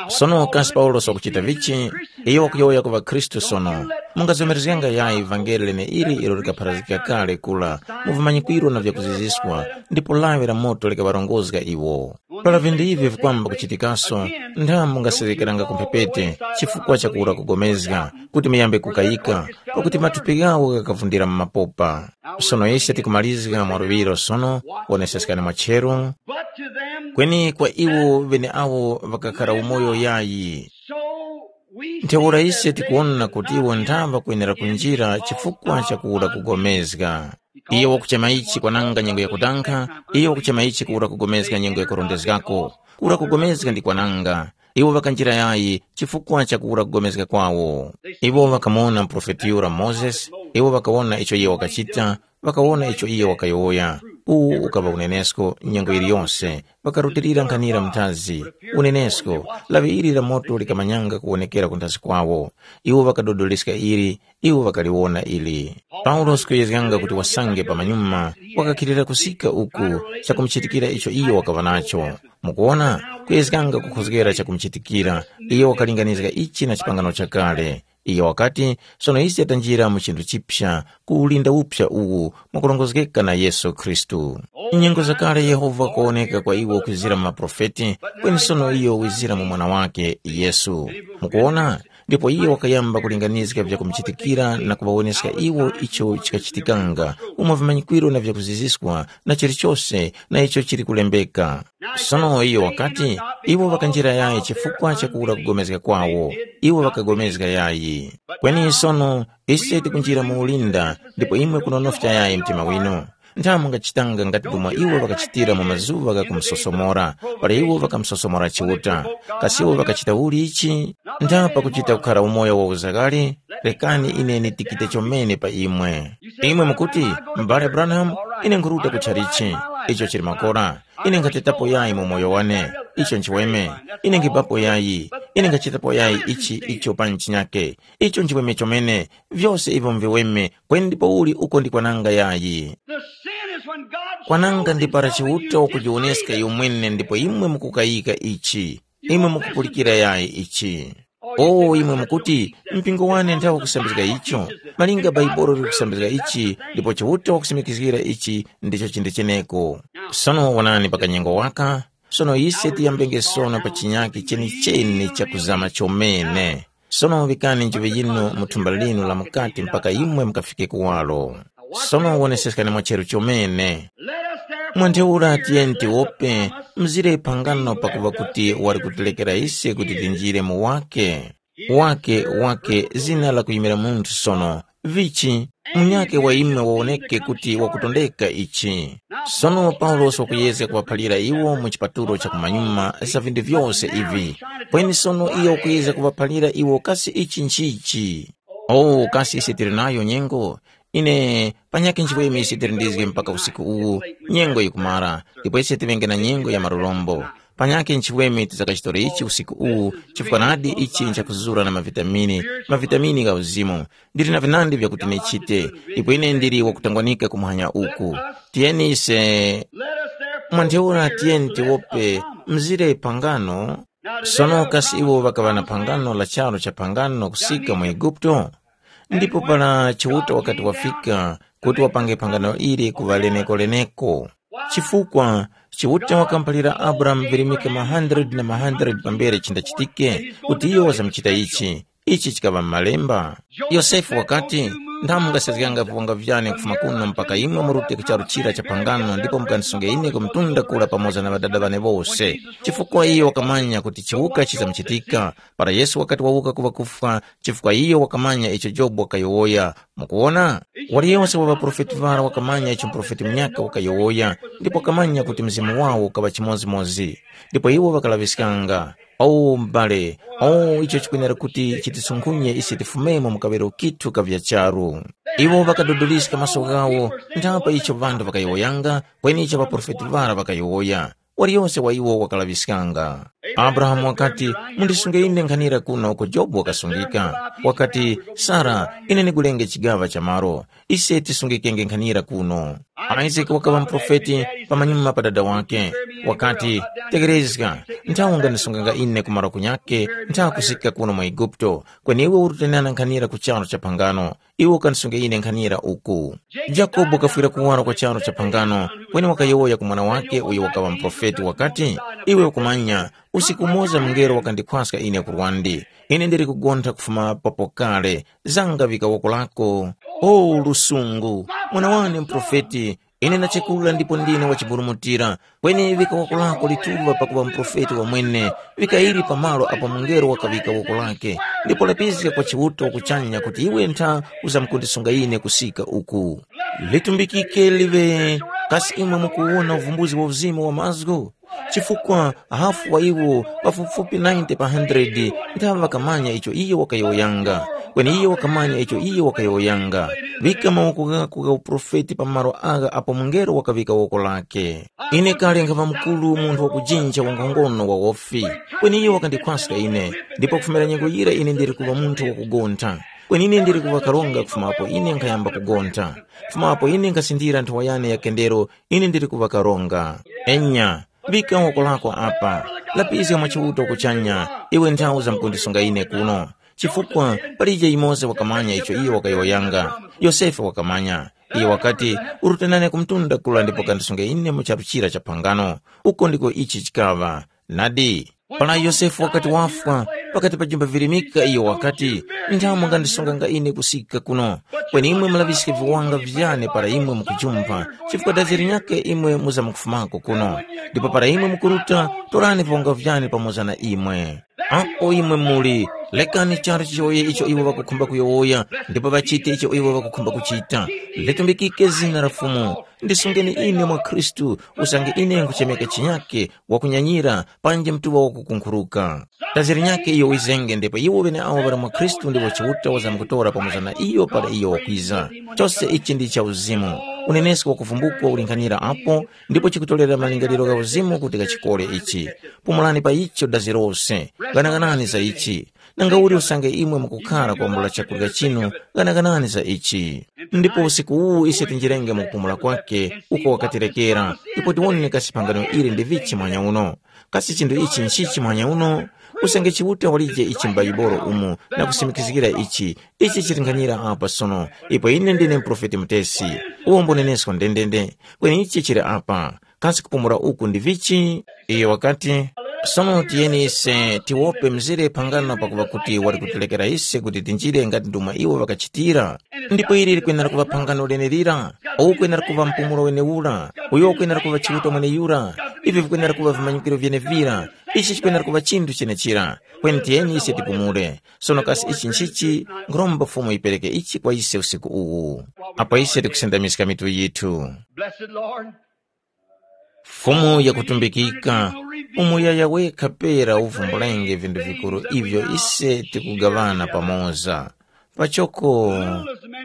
Sono kasi Paulosi wakuchita vichi? Iyo wakuyowoya ku ŵakhristu sono. Mungazomerezganga yayi vangeli leneili ilo likapharazgika kale kula mu vimanyikwiro na vyakuziziswa, ndipo lawi la moto likaŵarongozga iwo. Para vinthu ivi vikwamba kuchitikaso, ntha mungaserekeranga ku mphepete chifukwa cha kuwura kugomezga, kuti muyambe kukayika, pakuti mathupi ghawo ghakavundira mu mapopa. Sono ise tikumalizga mwa luŵiro sono, woneseskani mwa cheru. But to them kweni kwa iwo ŵeneawo ŵakakhara umoyo yayi. So we ntheura see ise that they tikuwona kuti iwo ntha ŵakwenera kunjira chifukwa cha kuwura kugomezga. Iye wakuchema ichi kwananga nyengo yakutankha, iye wakuchema ichi kuwura kugomezga nyengo yakurondezgako. Kuwura kugomezga ndi kwananga. Iwo ŵakanjira yayi chifukwa cha kuwura kugomezga kwawo. Iwo ŵakamuwona muprofeti yura Mozesi, iwo ŵakawona icho iye wakachita, ŵakawona icho iye wakayowoya. Uwu ukaŵa unenesko nyengo yiliyose, ŵakarutilira nkhanira muthazi. Unenesko, lawi ili la moto likamanyanga kuwonekera ku nthazi kwawo. Iwo ŵakadodoleska ili, iwo ŵakaliwona ili. Paulosi kuyezganga kuti wasange pamanyuma, wakakhilira kusika uku chakumuchitikira icho iyo wakaŵa nacho. Mukuwona, kuyezganga kukhozgera chakumuchitikira, iyo wakalinganizga ichi na chipangano chakale. Iyo wakati, sono ise tanjira mu chinthu chipya, ku ulinda upya uwu mwakurongozgeka na Yesu Khristu. Nyengo zakale Yehova wakawoneka kwa iwo kwizira mu maprofeti, kweni sono iyo wizira mu Mwana wake, Yesu. Mukuwona? Ndipo iye wakayamba kulinganizga vyakumuchitikira na kuŵawoneska iwo icho chikachitikanga, umo vimanyikwiro na vyakuziziswa na chilichose na icho chili kulembeka. Sono iyo wakati, iwo ŵakanjira yayi chifukwa cha kuwura kugomezga kwawo, iwo ŵakagomezga yayi. Kweni sono ise tikunjira mu ulinda, ndipo imwe kunonofya yayi mtima winu. Ntha mungachitanga ngati ndomwe iwo ŵakachitira mu mazuŵa gha kumusosomora, para iwo ŵakamusosomora Chiuta. Kasi iwo ŵakachita uli ichi? Ntha pakuchita kukhara umoyo wa uzakale, rekani ine nditikite chomene pa imwe. Imwe mukuti, m'bale Branham, ine nkhuruta ku tchalichi. Icho chili makora. Ine nkhatetapo yayi mu moyo wane. Icho nchiweme. Ine nkhibapo yayi. Ine nkhachitapo yayi ichi icho pa nchinyake. Icho nchiweme chomene. Vyose ivyo mviweme, kweni ndipouli uko ndi kwananga yayi. The sin is when God kwananga shows ndi para himself and Chiuta you wakujiwoneska disbelieve it. Iyo mwene ndipo imwe mukukayika ichi. Imwe mukupulikira yayi ichi. O imwe mukuti, mpingo wane nthawi kusambizga icho, malinga Baibolo likusambizga ichi, ndipo Chiuta wakusimikizgira ichi ndicho chindi cheneko. Sono wonani pa kanyengo waka, sono ise tiyambenge sono pa chinyaki chenicheni chakuzama chomene. Sono vikani nchiŵe yinu mu thumba linu la mukati mpaka imwe mukafike kuwaro. Sono woneseskani mwacheru chomene. Mwa ntheura tiyeni tiwope mzire phangano pakuŵa kuti wali kutilekera ise kuti tinjire mu wake. Wake, wake, zina lakuyimira munthu sono, Vichi, munyakhe wa imwe wawoneke kuti wakutondeka ichi. Sono Paulosi wakuyezga kuŵaphalira iwo mu chipatulo cha kumanyuma za vinthu vyose ivi. Kweni sono iyo wakuyezga kuŵaphalira iwo kasi ichi nchichi? Oh, kasi ise tili nayo nyengo? Ine panyakhe nchifukwa ise tili ndizge mpaka usiku uwu, nyengo yikumara, ndipo ise tiŵenge na nyengo ya marorombo. Panyakhe nchifukwa ise tizakachitore ichi usiku uwu, chifukwa nadi ichi nchakuzura na mavitamini, mavitamini gha uzimu. Ndili na vinandi vyakuti ndichite, ndipo ine ndili wakutangwanika kumuhanya uku. Tiyeni ise mwa ntheura tiyeni tiwope mzire pangano. Sono kasi iwo ŵakaŵa na phangano la charu cha phangano kusika mu Eguputo? Ndipo para Chiuta wakati wafika kuti wapange phangano ili kuŵa leneko-leneko. Chifukwa Chiuta wakamuphalira Abrahamu virimika ma hundred na ma hundred pambere chindachitike kuti iyo wazamuchita ichi. Ichi chikaŵa m'Malemba. Yosefe wakati, ndamwe mungasezganga viwanga vyane kufuma kuno mpaka imwe murute ku charu chira cha phangano ndipo mukandisunge ine ku mtunda kura pamoza na ŵadada ŵane wose. Chifukwa iyo wakamanya kuti chiwuka chizamuchitika, para Yesu wakati wawuka ku ŵakufwa, chifukwa iyo wakamanya icho Jobu wakayowoya. Mukuwona? Waliyose wa ŵaprofeti ŵara wakamanya icho muprofeti munyaka wakayowoya, ndipo wakamanya kuti mzimu wawo ukaŵa chimodzimodzi. Ndipo iwo ŵakalaŵiskanga. O m'bale, o icho chikwenera kuti chitisunkhunye ise tifumemo mu kaŵero kithu ka vya charu. Iwo ŵakadodoliska maso ghawo, nthapo icho ŵanthu ŵakayowoyanga, kweni icho ŵaprofeti ŵara ŵakayowoya. Waliyose wa iwo wakalaŵiskanga. Abrahamu wakati, mundisunge ine nkhanira kuno uko Jobu wakasungika. Wakati, Sara, ine ndigulenge chigaŵa cha malo. Ise tisungikenge nkhanira kuno. Isake wakaŵa muprofeti pamanyuma pa dada wake. Wakati, tekerezga, nthawi ungandisunganga ine ku malo kunyakhe nthawi kusika kuno mu Eguputo, kweni iwe urutenana nkhanira ku charu cha phangano, iwe ukandisunge ine nkhanira uku. Yakobo wakafwira kuwaro kwa charu cha phangano, kweni wakayowoya ku mwana wake uyo wakaŵa muprofeti wakati, iwe ukumanya, usiku umoza mungelo wakandikhwaska ine ku lwandi. Ine ndili kugontha kufuma papo kale, zanga vika woko lako. O lusungu, mwana wane muprofeti, ine ndachekulira ndipo ndine wachiburumutira, kweni vika woko lako lituŵa pakuŵa muprofeti wamwene, vika ili pamalo apo mungelo wakaŵika woko lake, ndipo lapizga kwa Chiuta kuchanya kuti iwe ntha uzamkundisunga ine kusika uku. Litumbikike liŵe, kasi imwe mukuwona uvumbuzi wa uzimu wa mazgu? Chifukwa hafu wa iwo pafupifupi ninety pa hundred nthawe ŵakamanya icho iyo wakayowoyanga, kweni iyo wakamanya icho iyo wakayowoyanga. Ŵika mawoko ghako gha uprofeti pa malo agha apo mungelo wakaŵika woko lake. Ine kale nkhaŵa mukuru munthu wakujinja wankhongono wa wofi, kweni iyo wakandikhwaska ine, ndipo kufumira nyengo yira ine ndili kuŵa munthu wakugontha. Kweni ine ndili kuŵa karonga kufuma apo ine nkhayamba kugontha. Kufuma apo ine nkhasindira nthowa yane ya kendero, ine ndili kuŵa karonga. Enya, vika woko lako apa, lapizga mwa Chiuta kuchanya, iwe nthawi zamkundisunga ine kuno. Chifukwa palije yumoza wakamanya icho iyo wakayowoyanga. Yosefe wakamanya. Iyo wakati, urutanane ku mtunda kula ndipo kandisunge ine mu charu chira cha phangano. Uko ndiko ichi chikaŵa. Nadi, para Yosefe wakati wafwa, pakati pa jumba virimika iyo wakati, nthamu ngandisunganga ine kusika kuno, kweni imwe mulaŵiske viwanga vyane para imwe mukujumpha, chifukwa dazi linyakhe imwe muzamkufumako kuno. Ndipo para imwe mukuruta, torani viwanga vyane pamoza na imwe. Apo imwe muli, lekani charu chiyowoye icho iwo ŵakukhumba kuyowoya, ndipo ŵachite icho iwo ŵakukhumba kuchita. Litumbikike zina la Fumu. Ndisungeni ine mwa Khristu, usange ine nkhuchemeka chinyakhe, wakunyanyira, panji mtuŵa wakukunkhuruka. Dazi linyakhe iyo wizenge ndipo iwo ŵeneawo ŵali mwa Khristu ndiwo Chiuta wazamkutora pamoza na iyo para iyo wakwiza. Chose ichi ndi cha uzimu. Unenesko wakuvumbukwa ulinkhanira apo, ndipo chikutorera malingaliro gha uzimu kuti ghachikore ichi. Pumulani pa icho dazi lose, ghanaghanani za ichi. Nangauli usange imwe mukukhara kwambula chakurya chinu, ghanaghanani za ichi. Ndipo usiku uwu ise tinjirenge mu kupumula kwake uko wakatirekera, ndipo tiwone kasi phangano ili ndi vichi muhanya uno. Kasi chinthu ichi nchichi muhanya uno? Usange Chiuta walije ichi m'Baibolo umu na kusimikizgira ichi, ichi chilinganyira apa sono, ipo ine ndine muprofeti mutesi, uwo mbunenesko ndendende, kweni ichi chili apa. Kasi kupumula uku ndi vichi? Iyo wakati, Sono tiyeni ise tiwope mzire phangano pakuŵa kuti wali kutilekera ise kuti tinjire ngati ndomwe iwo ŵakachitira. Ndipo ili likwenera kuŵa phangano lenelira, uwu ukwenera kuŵa mpumulo wenewura, uyo ukwenera kuŵa Chiuta mweneyura, ivi vikwenera kuŵa vimanyikiro vyenevira, ichi chikwenera kuŵa chinthu chenechira. Kweni tiyeni ise tipumule. Sono kasi ichi nchichi? Nkhuromba Fumu yipereke ichi kwa ise usiku uwu. Apo ise tikusendamiska mitu yithu. Blessed Lord, Fumu yakutumbikika, umuyaya wekha pera uvumbulenge vintu vikuru ivyo ise tikugaŵana pamoza. Pachoko,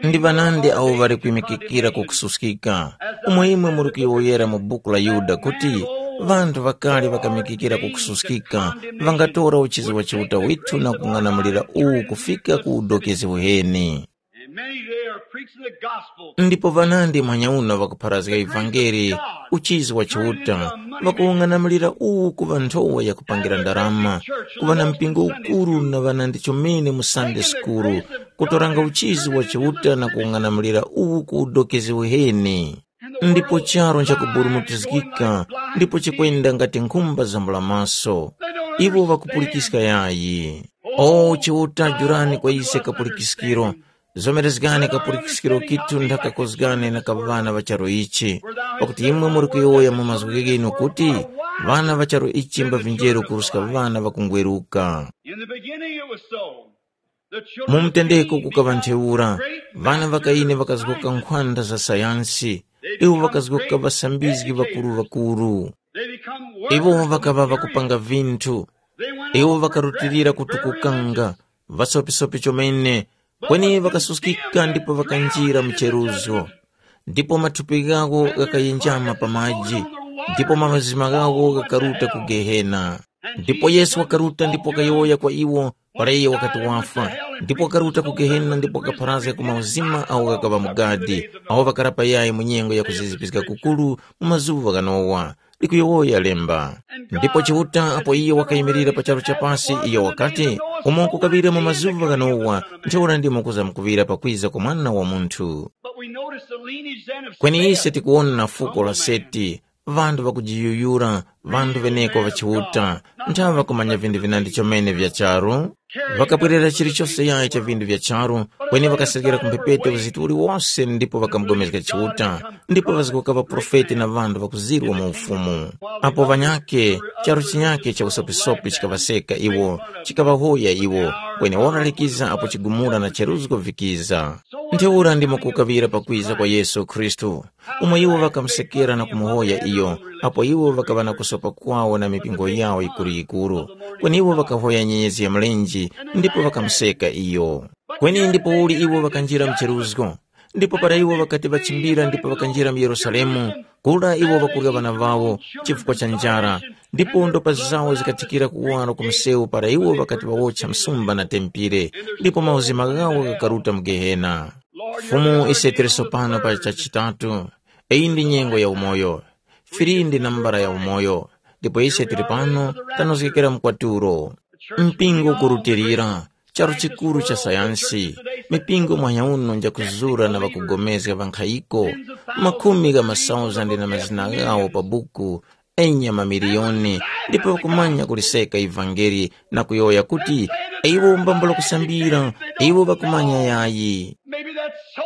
ndi ŵanandi awo ŵali kwimikikira ku kususkika, umo imwe muri kuyowoyera mu buku la Yuda kuti, ŵanthu ŵakale ŵakamikikira ku kususkika ŵangatora uchizi wa Chiuta withu na kung'anamulira uwu kufika ku udokezi uheni. And many today are preaching the gospel. Ndipo ŵanandi mwanyauno ŵakupharazga ivangeli, uchizi wa Chiuta, ŵakuwung'anamulira uwu kuŵa nthowa yakupangira ndarama, kuŵa na mpingo ukuru na ŵanandi chomene mu Sunday school, kutoranga uchizi wa Chiuta na kuwung'anamulira uwu ku udokezi uheni. Ndipo charu nchakuburumutizgika, ndipo chikwenda ngati nkhumba zambula maso. Iwo ŵakupulikiska yayi. O Chiuta, jurani kwa ise kapulikiskiro. Zomerezgani kapulikiskiro kithu nthakakozgane na ka ŵana ŵa charu ichi, pakuti imwe muri kuyowoya mu mazgu ghinu kuti, ŵana ŵa charu ichi mbavinjeru kuruska ŵana ŵakungweruka. In the beginning it was so. The children Mu mtendeko kukaŵa ntheura, ŵana ŵa Kaini ŵakazgoka nkhwanda za sayansi, iwo ŵakazgoka ŵasambizgi ŵakuru-ŵakuru. They become Iwo workers ŵakaŵa of ŵakupanga vinthu, iwo ŵakarutilira kutukukanga, ŵasopisopis chomene, kweni ŵakasuskika ndipo ŵakanjira mu cheruzgo. Ndipo mathupi ghawo ghakayenjama pa maji, ndipo mazima ghawo ghakaruta ku Gehena. Ndipo Yesu wakaruta ndipo wakayowoya kwa iwo, para iye wakati wafwa, ndipo wakaruta ku Gehena ndipo wakapharazga ku mauzima awo ghakaŵa mu gadi, awo ŵakarapa yayi mu nyengo ya kuzizipiska kukuru mu mazuŵa gha Nowa. Likuyowoya lemba. Ndipo Chiuta apo iyo wakayimirira pa charu cha pasi, iyo wakati, umo kukaŵira mu mazuŵa gha Nowa, ntheura ndimo kuzamkuŵira pakwiza kwa Mwana wa Munthu. But we notice the lineage then of Kweni Seth. Ise tikuwona na fuko la Seti, ŵanthu ŵakujiyuyura, ŵanthu ŵeneko ŵa Chiuta, nthaŵa kumanya vinthu vinandi chomene vya charu. Ŵakabwerera chilichose yayi cha vinthu vya charu, kweni ŵakaserekera ku mphepete uzitu uliwose ndipo ŵakamugomezga Chiuta, ndipo ŵazgoka ŵaprofeti na ŵanthu ŵakuzirwa mu Ufumu. Apo ŵanyakhe, charu chinyakhe cha usopisopi chikaŵaseka iwo, chikaŵahoya iwo, kweni ora likiza apo chigumula na cheruzgo vikiza. Ntheura ndimo kukaŵira pakwiza kwa Yesu Khristu, umo iwo ŵakamusekera na kumuhoya iyo, apo iwo ŵakaŵa na kusopa kwawo na mipingo yawo yikuru-yikuru, kweni iwo ŵakahoya nyenyezi ya mlenje ndipo ŵakamuseka iyo. Kweni ndipouli iwo ŵakanjira mcheruzgo, ndipo para iwo ŵakati ŵachimbira ndipo ŵakanjira mu Yerusalemu, kura iwo ŵakurya ŵana ŵawo chifukwa cha njara, ndipo ndopa zawo zikathikira kuwaro ku msewu para iwo ŵakati ŵawotcha msumba na tempire, ndipo mauzima ghawo ghakaruta mu Gehena. Fumu, ise tili sopano pa chachitatu. Iyi ndi nyengo ya umoyo. Fili ndi nambala ya umoyo, ndipo ise tili pano tanozgekera mkwatulo. Mpingo ukurutilira, charu chikuru cha sayansi, mipingo mwanyauno njakuzura na ŵakugomezga ŵankhayiko, makhumi gha masauzande na mazina ghawo pa buku, enya mamiliyoni, ndipo ŵakumanya kuliseka ivangeli na kuyowoya kuti, iwo mbambula kusambira, iwo ŵakumanya yayi.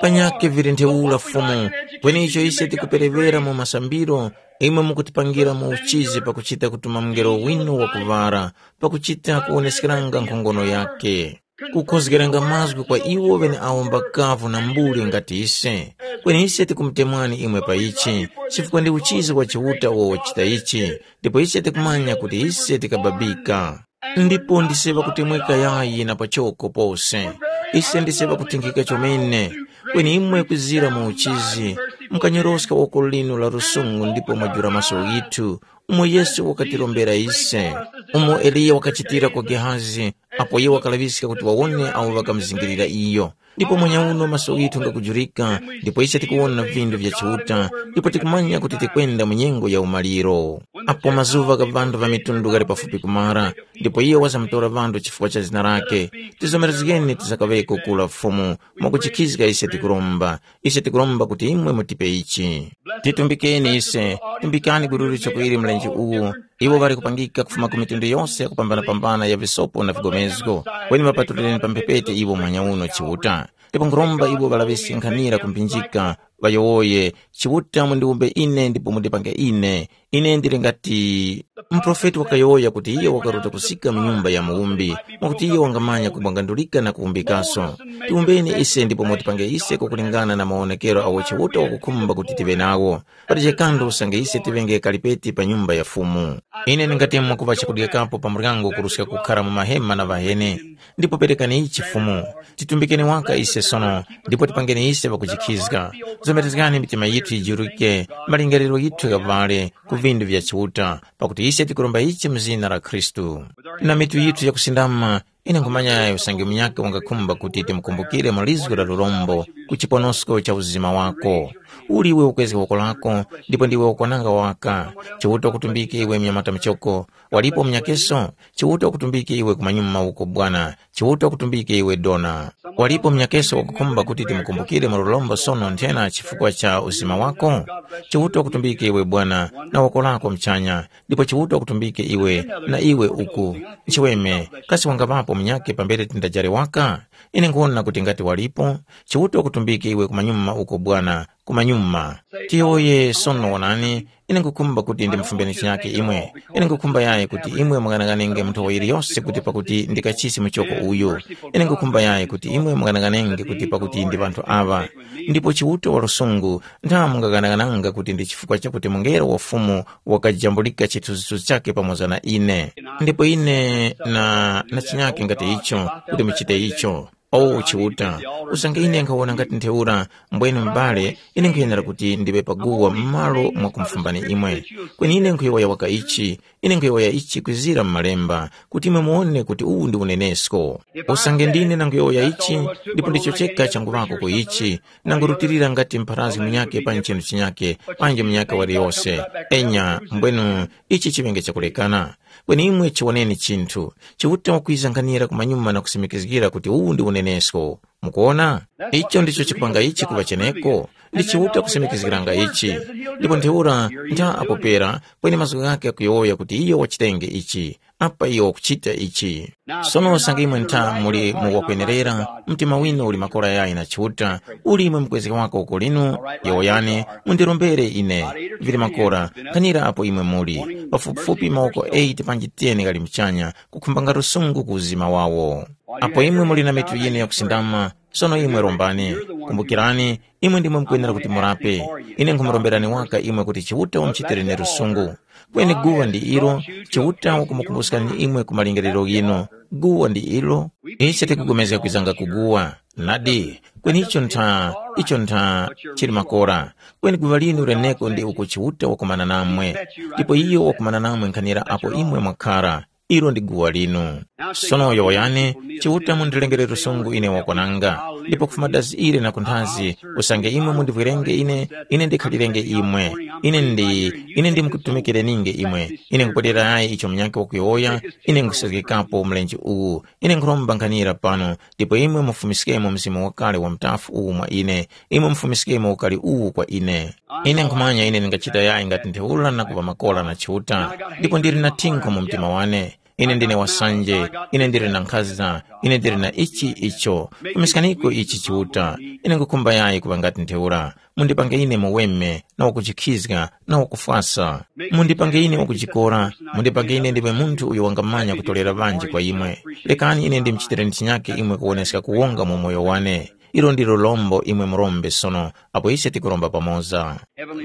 Panyakhe vili ntheura Fumu, kweni icho ise tikuperewera mu masambiro, imwe mukutipangira mu uchizi pakuchita kutuma mungelo winu wakuŵara, pakuchita kuwoneskeranga nkhongono yakhe, kukhozgeranga mazgu kwa iwo ŵeneawo mbakavu na mbuli ngati ise. Kweni ise tikumutemwani imwe pa ichi, chifukwa ndi uchizi wa Chiuta uwo wachita ichi, ndipo ise tikumanya kuti ise tikababika. Ndipo ndise ŵakutemweka yayi na pachoko pose. Ise ndise ŵakutinkhika chomene. Kweni imwe kwizira mu uchizi, mukanyoroska woko linu la lusungu ndipo mwajula maso ghithu, umo Yesu wakatirombera ise, umo Eliya wakachitira kwa Gehazi, apo iye wakalaŵiska kuti wawone awo ŵakamuzingirira iyo. Ndipo mwenyauno maso ghithu ngakujurika, ndipo ise tikuwona vinthu vya Chiuta, ndipo tikumanya kuti tikwenda mu nyengo ya umaliro. Apo mazuŵa gha ŵanthu ŵa mitundu ghali pafupi kumara, ndipo iyo wazamutora ŵanthu chifukwa cha zina lake, tizomerezgeni tisakaŵeko kura Fumu, mwakuchikhizga ise tikuromba. Ise tikuromba kuti imwe mutipe ichi. Titumbikeni ise, tumbikani gululi choko ili mlenje uwu. Iwo ŵali kupangika kufuma ku mitundu yose yakupambana-pambana ya visopo na vigomezgo, kweni ŵapatulireni pa mphepete iwo mwanya uno Chiuta. Ndipo nkhuromba iwo ŵalaŵiske nkhanira kumphinjika, ŵayowoye, Chiuta mundiwumbe ine ndipo mundipange ine. Ine ndili ngati muprofeti wakayowoya kuti iyo wakaruta kusika mu nyumba ya muwumbi, mwakuti iyo wangamanya kubwangandulika na kuwumbikaso. Tiwumbeni ise ndipo mutipange ise kwakulingana na mawonekero awo Chiuta wakukhumba kuti tive nawo. Pati chekanthu usange ise tivenge kalipeti pa nyumba ya Fumu. Ine ndingati mwakupa chakudyekapo pa muryango kuruska kukhara mu mahema na ŵaheni. Ndipo perekani ichi Fumu, titumbikeni waka ise sono, ndipo tipangeni ise pakuchikhizga. Zomerezgani mitima yithu yijurike, malingaliro yithu ghaŵale ku vindu vya Chiuta, pakuti ise tikuromba ichi mu zina la Khristu. Na mitu yithu yakusindama, ine nkhumanya yayo usange munyakhe wangakhumba kuti timukumbukire mu lizgu la lurombo ku chiponosko cha uzima wako. Uli iwe ukwezga woko lako, ndipo ndiwe wakwananga waka. Chiuta wakutumbike iwe mnyamata muchoko. Walipo munyakeso? Chiuta wakutumbike iwe kumanyuma uko bwana. Chiuta wakutumbike iwe dona. Walipo munyakeso wakukhumba kuti timukumbukire mu lurombo sono nthena chifukwa cha uzima wako? Chiuta wakutumbike iwe bwana, na woko lako mchanya. Ndipo Chiuta wakutumbike iwe, na iwe uku. Nchiweme, kasi wangapapo munyakhe pambere tindajare waka? Ine nkuwona kuti ngati walipo, Chiuta wakutumbike iwe kumanyuma uko bwana, kumanyuma. Tiyowoye sono wonani, ine nkukhumba kuti ndimufumbeni chinyakhe imwe. Ine nkukhumba yayi kuti imwe mung'anang'anenge mu nthowa yiliyose kuti pakuti ndi kachisi muchoko uyu. Ine nkukhumba yayi kuti imwe mung'anang'anenge kuti pakuti ndi ŵanthu aŵa. Ndipo Chiuta wa lusungu, ntha mungaghanaghananga kuti ndi chifukwa chakuti mungelo wa Fumu wakajambulika chithunzithunzi chakhe pamoza na ine. Ndipo ine na, na chinyakhe ngati icho, kuti muchite icho. O Chiuta, usange ine nkhawona ngati ntheura, mbwene m'bale, ine nkhuyenera kuti ndiŵe paguwa m'malo mwa kumufumbani imwe. Kweni ine nkhuyowoya waka ichi, ine nkhuyowoya ichi kwizira mu Malemba, kuti imwe muwone kuti uwu ndi unenesko. Usange ndine nanguyowoya ichi, ndipo ndicho cheka changuŵako ku ichi, nangurutilira ngati mpharazgi munyakhe pa nchinu chinyakhe, panji munyakhe waliyose. Enya, mbwenu, ichi chiŵenge chakulekana. Kweni imwe chiwoneni chinthu, Chiuta wakwiza nkhanira kumanyuma na kusimikizgira kuti uwu ndi unenesko. Mukuwona? Icho ndicho chikupanga ichi kuŵa cheneko. Ndi Chiuta kusimikizgiranga ichi. Ndipo ntheura ntha apo pera, kweni mazgu ghakhe akuyowoya kuti iyo wachitenge ichi. Apa iyo wakuchita ichi. Sono usange imwe ntha muli mu wakwenerera, mtima winu uli makora yayi na Chiuta, uli imwe mukwezeka wako uko linu, yowoyani, mundirombere ine. Vili makora, nkhanira apo imwe muli. Pafupifupi mawoko eight panji ten ghali muchanya, kukhumbanga lusungu ku uzima wawo. Apo imwe muli na mitu yinu yakusindama, sono imwe rombani. Kumbukirani, imwe ndimwe mukwenera kuti murape. Ine nkhumuromberani waka imwe kuti Chiuta wamuchitireni lusungu. Kweni guwa ndi ilo, Chiuta wakumukumbuskani imwe ku malingaliro ghinu. Guwa ndi ilo. Ise tikugomezga kwizanga kuguwa. Nadi, kweni icho ntha, icho ntha chili makora. Kweni guŵa linu leneko ndi uko Chiuta wakumana namwe. Ndipo iyo wakumana namwe nkhanira apo imwe mwakhara. Ilo ndi guwa linu. Sono yowoyani, Chiuta mundilengere lusungu ine wakwananga, ndipo kufuma dazi ili na kunthazi, usange imwe mundivwerenge ine, ine ndikhalirenge imwe. Ine ndi, ine ndimkutumikireninge imwe. Ine nkupweterayi icho munyakhe wakuyowoya, ine nkusezgekapo mlenje uwu. Ine nkhuromba nkhanira pano, ndipo imwe mufumiskemo mzimu wakale wa mutafu uwu mwa ine, imwe mufumiskemo ukali uwu kwa ine. Ine nkhumanya ine ndingachita yayi ngati ntheura na kuŵa makora na Chiuta, ndipo ndili na thinkho mu mtima wane. Ine ndine wasanje, ine ndili na nkhaza, ine ndili na ichi icho. Fumiskaniko ichi Chiuta, ine nkhukhumba yayi kuŵa ngati ntheura. Mundipange ine muweme, na wakuchikhizga, na wakufwasa. Mundipange ine wakujikora, mundipange ine ndiwe munthu uyo wangamanya kutolera ŵanji kwa imwe. Lekani ine ndimuchitireni chinyake imwe kuwoneska kuwonga mu moyo wane. Ilo ndilo lombo imwe murombe sono, apo ise tikuromba pamoza.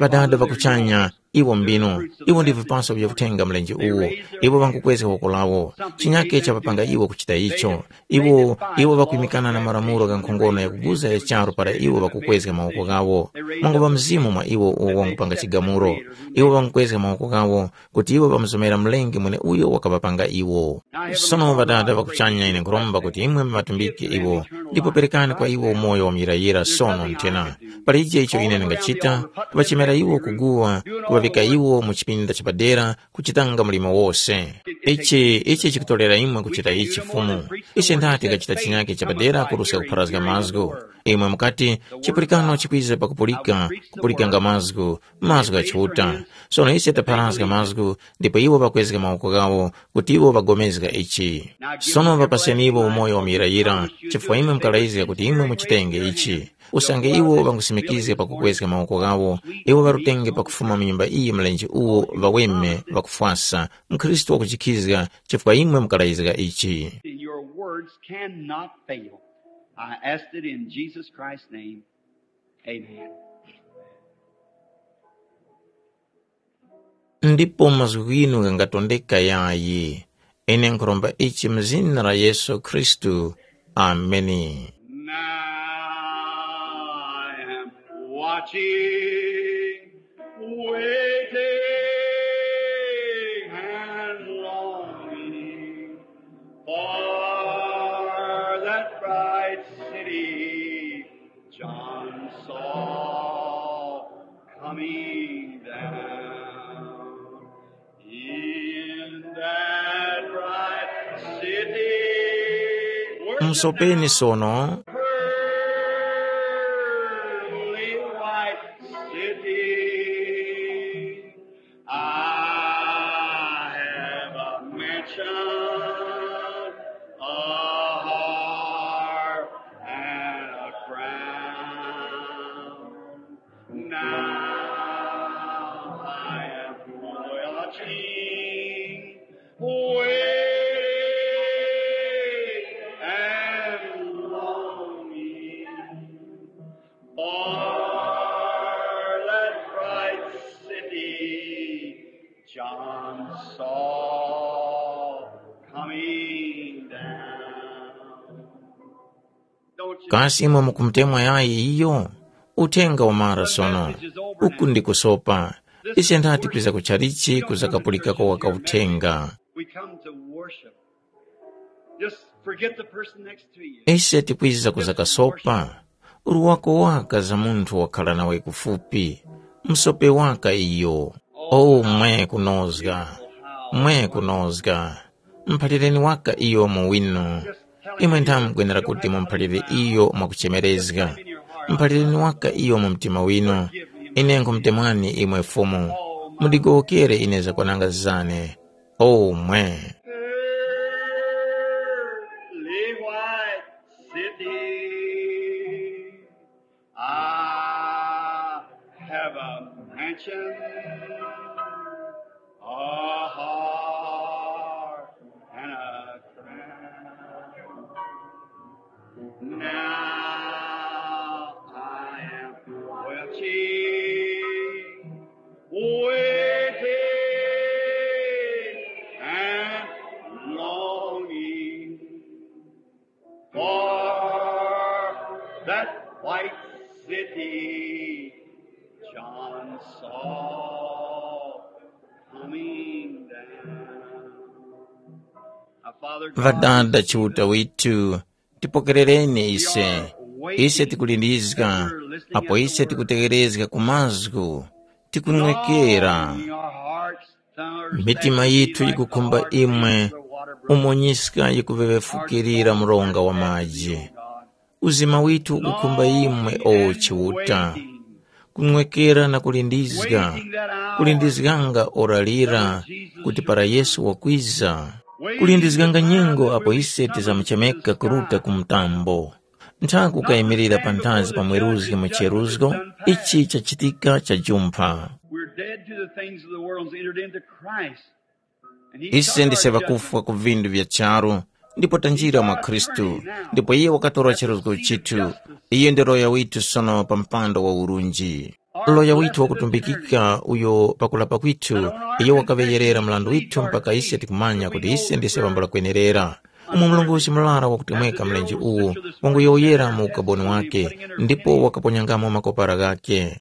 Ŵadada ŵa kuchanya, iwo mbinu, iwo ndi vipaso vya uthenga mlenje uwu. Iwo ŵangukwezga woko lawo. Chinyake chapapanga iwo kuchita icho. Iwo, iwo ŵakwimikana na malamulo gha nkhongono yakuguza ya charu para iwo ŵakukwezga mawoko ghawo. Mwanguŵa mzimu mwa iwo uwo wangupanga chigamulo. Iwo ŵangukwezga mawoko ghawo kuti iwo ŵamuzomera Mlengi mweneuyo wakaŵapanga iwo. Sono Ŵadada ŵa kuchanya ine nkhuromba kuti imwe mumatumbike iwo. Ndipo perekani kwa iwo umoyo wa muyirayira sono nthena. Palije icho ine ndingachita, kuŵachemera iwo kuguwa, kuŵavika iwo mu chipinda chapadera, kuchitanga mlimo wose. Ichi ichi chikutorera imwe kuchita ichi Fumu. Ise ndati ngachita chinyake chapadera kuruska kupharazga mazgu. Imwe mukati, chipulikano chikwiza pakupulika, kupulikanga mazgu, mazgu gha Chiuta. Sono ise tapharazga mazgu, ndipo iwo ŵakwezga mawoko ghawo, kuti iwo ŵagomezga ichi. Sono ŵapaseniwo umoyo wa muyirayira, chifukwa imwe mukalayizga kuti imwe muchitenge ichi. Usange iwo ŵangusimikizga pakukwezga mawoko ghawo, iwo ŵarutenge pakufuma mu nyumba iyi mlenje uwo ŵaweme ŵakufwasa, mkhristu wakujikhizga, chifukwa imwe mukalayizga ichi. And your words cannot fail. I asked it in Jesus Christ's name. Amen. Ndipo mazgu ghinu ghangatondeka yayi. Ine nkhuromba ichi mu zina la Yesu Khristu. Ameni. Now I am watching, waiting, and longing for that bright city John saw coming down. In that bright city, Musopeni sono. Pearly white city, I have a mansion, a heart, and a crown. Now I am watching, waiting, and longing for that bright city John saw coming down. Kasi imwe mukumutemwa yayi iyo? Uthenga wamara sono. Uku ndi kusopa. Ise ndati kwiza ku chalichi kuzakapulikako waka uthenga. We come to worship. Just forget the person next to you. Ise tikwiza kuzakasopa. Uli wako waka za munthu wakhala nawe kufupi. Msope waka iyo. O mwe kunozga. Mwe kunozga. Mphalireni waka iyo mu winu. Imwe nthamu mukwenera kuti mumuphalire iyo mwakuchemerezga. Mphalireni waka iyo mu mtima winu. Ine nkhumutemwani imwe Fumu. Mundigowokere ine zakwananga zane. O mwe. Pearly white city. I have a mansion, a heart, and a crown. Now I am watching, waiting, and longing for that white city John saw coming down. Now, Father God, Ŵadada Chiuta withu, tipokerereni ise. Ise tikulindizga, apo ise tikutegherezga ku mazgu, tikunwekera. Mitima yithu yikukhumba imwe, umo nyiska yikuveŵefukirira mronga wa maji. Uzima withu ukukhumba imwe, o Chiuta. Kunwekera na kulindizga, kulindizganga ora lira kuti para Yesu wakwiza. Kulindizganga nyengo apo ise tizamuchemeka kuruta ku mtambo. Nthaku kayimirira panthazi pa mweruzgi mu cheruzgo, ichi chachitika chajumpha. We're dead to the things of the world and entered into Christ. And he Ise took ndise our ŵakufwa ku vindu vya charu, ndipo tanjira mwa Khristu, ndipo iye wakatora cheruzgo chithu. Iye ndi loya withu sono pa mpando wa urunji. Loya withu wakutumbikika uyo pakulapa kwithu, iye wakaŵeyerera mrandu withu mpaka ise tikumanya kuti ise ndise ŵambula kwenerera. umo mlongosi murara wakutemweka mlenje uwu wanguyowoyera mu ukaboni wake, ndipo wakaponyangamo makopara ghake.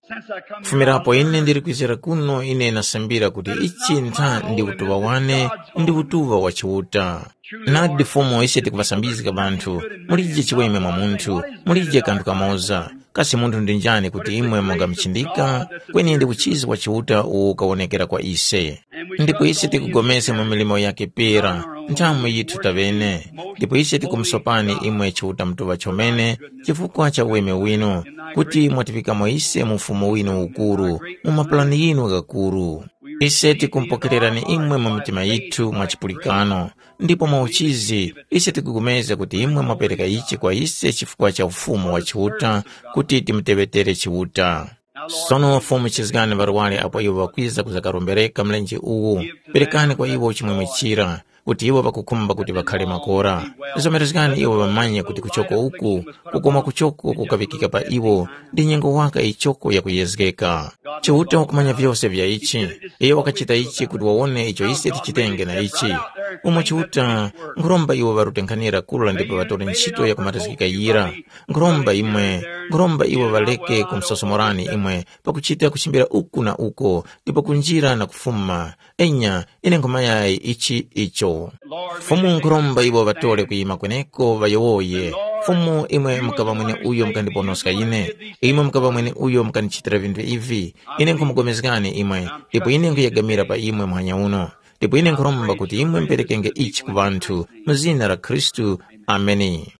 Kufumirapo ine ndili kwizira kuno, ine nasambira kuti ichi ntha ndi utuŵa wane, ndi utuŵa wa Chiuta. Nadi Fumu, ise tikuŵasambizga ŵanthu, mulije chiweme mwa munthu, mulije kanthu kamoza. Kasi munthu ndi njani kuti imwe mungamuchindika? Kweni ndi uchizi wa Chiuta uwo ukawonekera kwa ise. Ndipo ise tikupulikana mu milimo yakhe pera, nthamu yithu taŵene. Ndipo ise tikumusopani imwe Chiuta Mutuŵa chomene, chifukwa cha uweme winu, kuti mwatifikamo ise mu ufumu winu ukuru, mu mapulani yinu ghakuru. Ise tikumupokererani imwe mu mitima yithu mwa chipulikano, ndipo mwa uchizi ise tikupulikana kuti imwe mwapereka ichi kwa ise chifukwa cha ufumu wa Chiuta, kuti timuteŵetere Chiuta. Sono Fumu chizgani ŵarwari apo iwo ŵakwiza kuzakarombereka mlenje uwu, perekani kwa iwo chimwemwe chira, kuti iwo ŵakukhumba kuti ŵakhare makora. Zomerezgani iwo ŵamanye kuti kuchoko uku, kukoma kuchoko kukaŵikika pa iwo, ndi nyengo waka ichoko yakuyezgeka. Chiuta wakumanya vyose vya ichi, iyo wakachita ichi kuti wawone icho ise tichitenge na ichi. Umo Chiuta, nkhuromba iwo ŵarute nkhanira kura ndipo ŵatore ntchito yakumatazgika yira. Nkhuromba imwe, nkhuromba iwo ŵareke kumusosomorani imwe pakuchita kuchimbira uku na uko, ndipo kunjira na kufuma. Enya, ine nkhumayayi ichi icho. Fumu nkhuromba iwo ŵatore kuyima kweneko ŵayowoye. Fumu, imwe mukaŵa mwene uyo mukandiponoska ine, imwe mukaŵa mwene uyo mukandichitira vinthu ivi. Ine nkhumupulikana imwe, ndipo ine nkhuyegamira pa imwe muhanya uno. Ndipo ine nkhuromba kuti imwe muperekenge ichi ku ŵanthu, mu zina la Khristu. Ameni.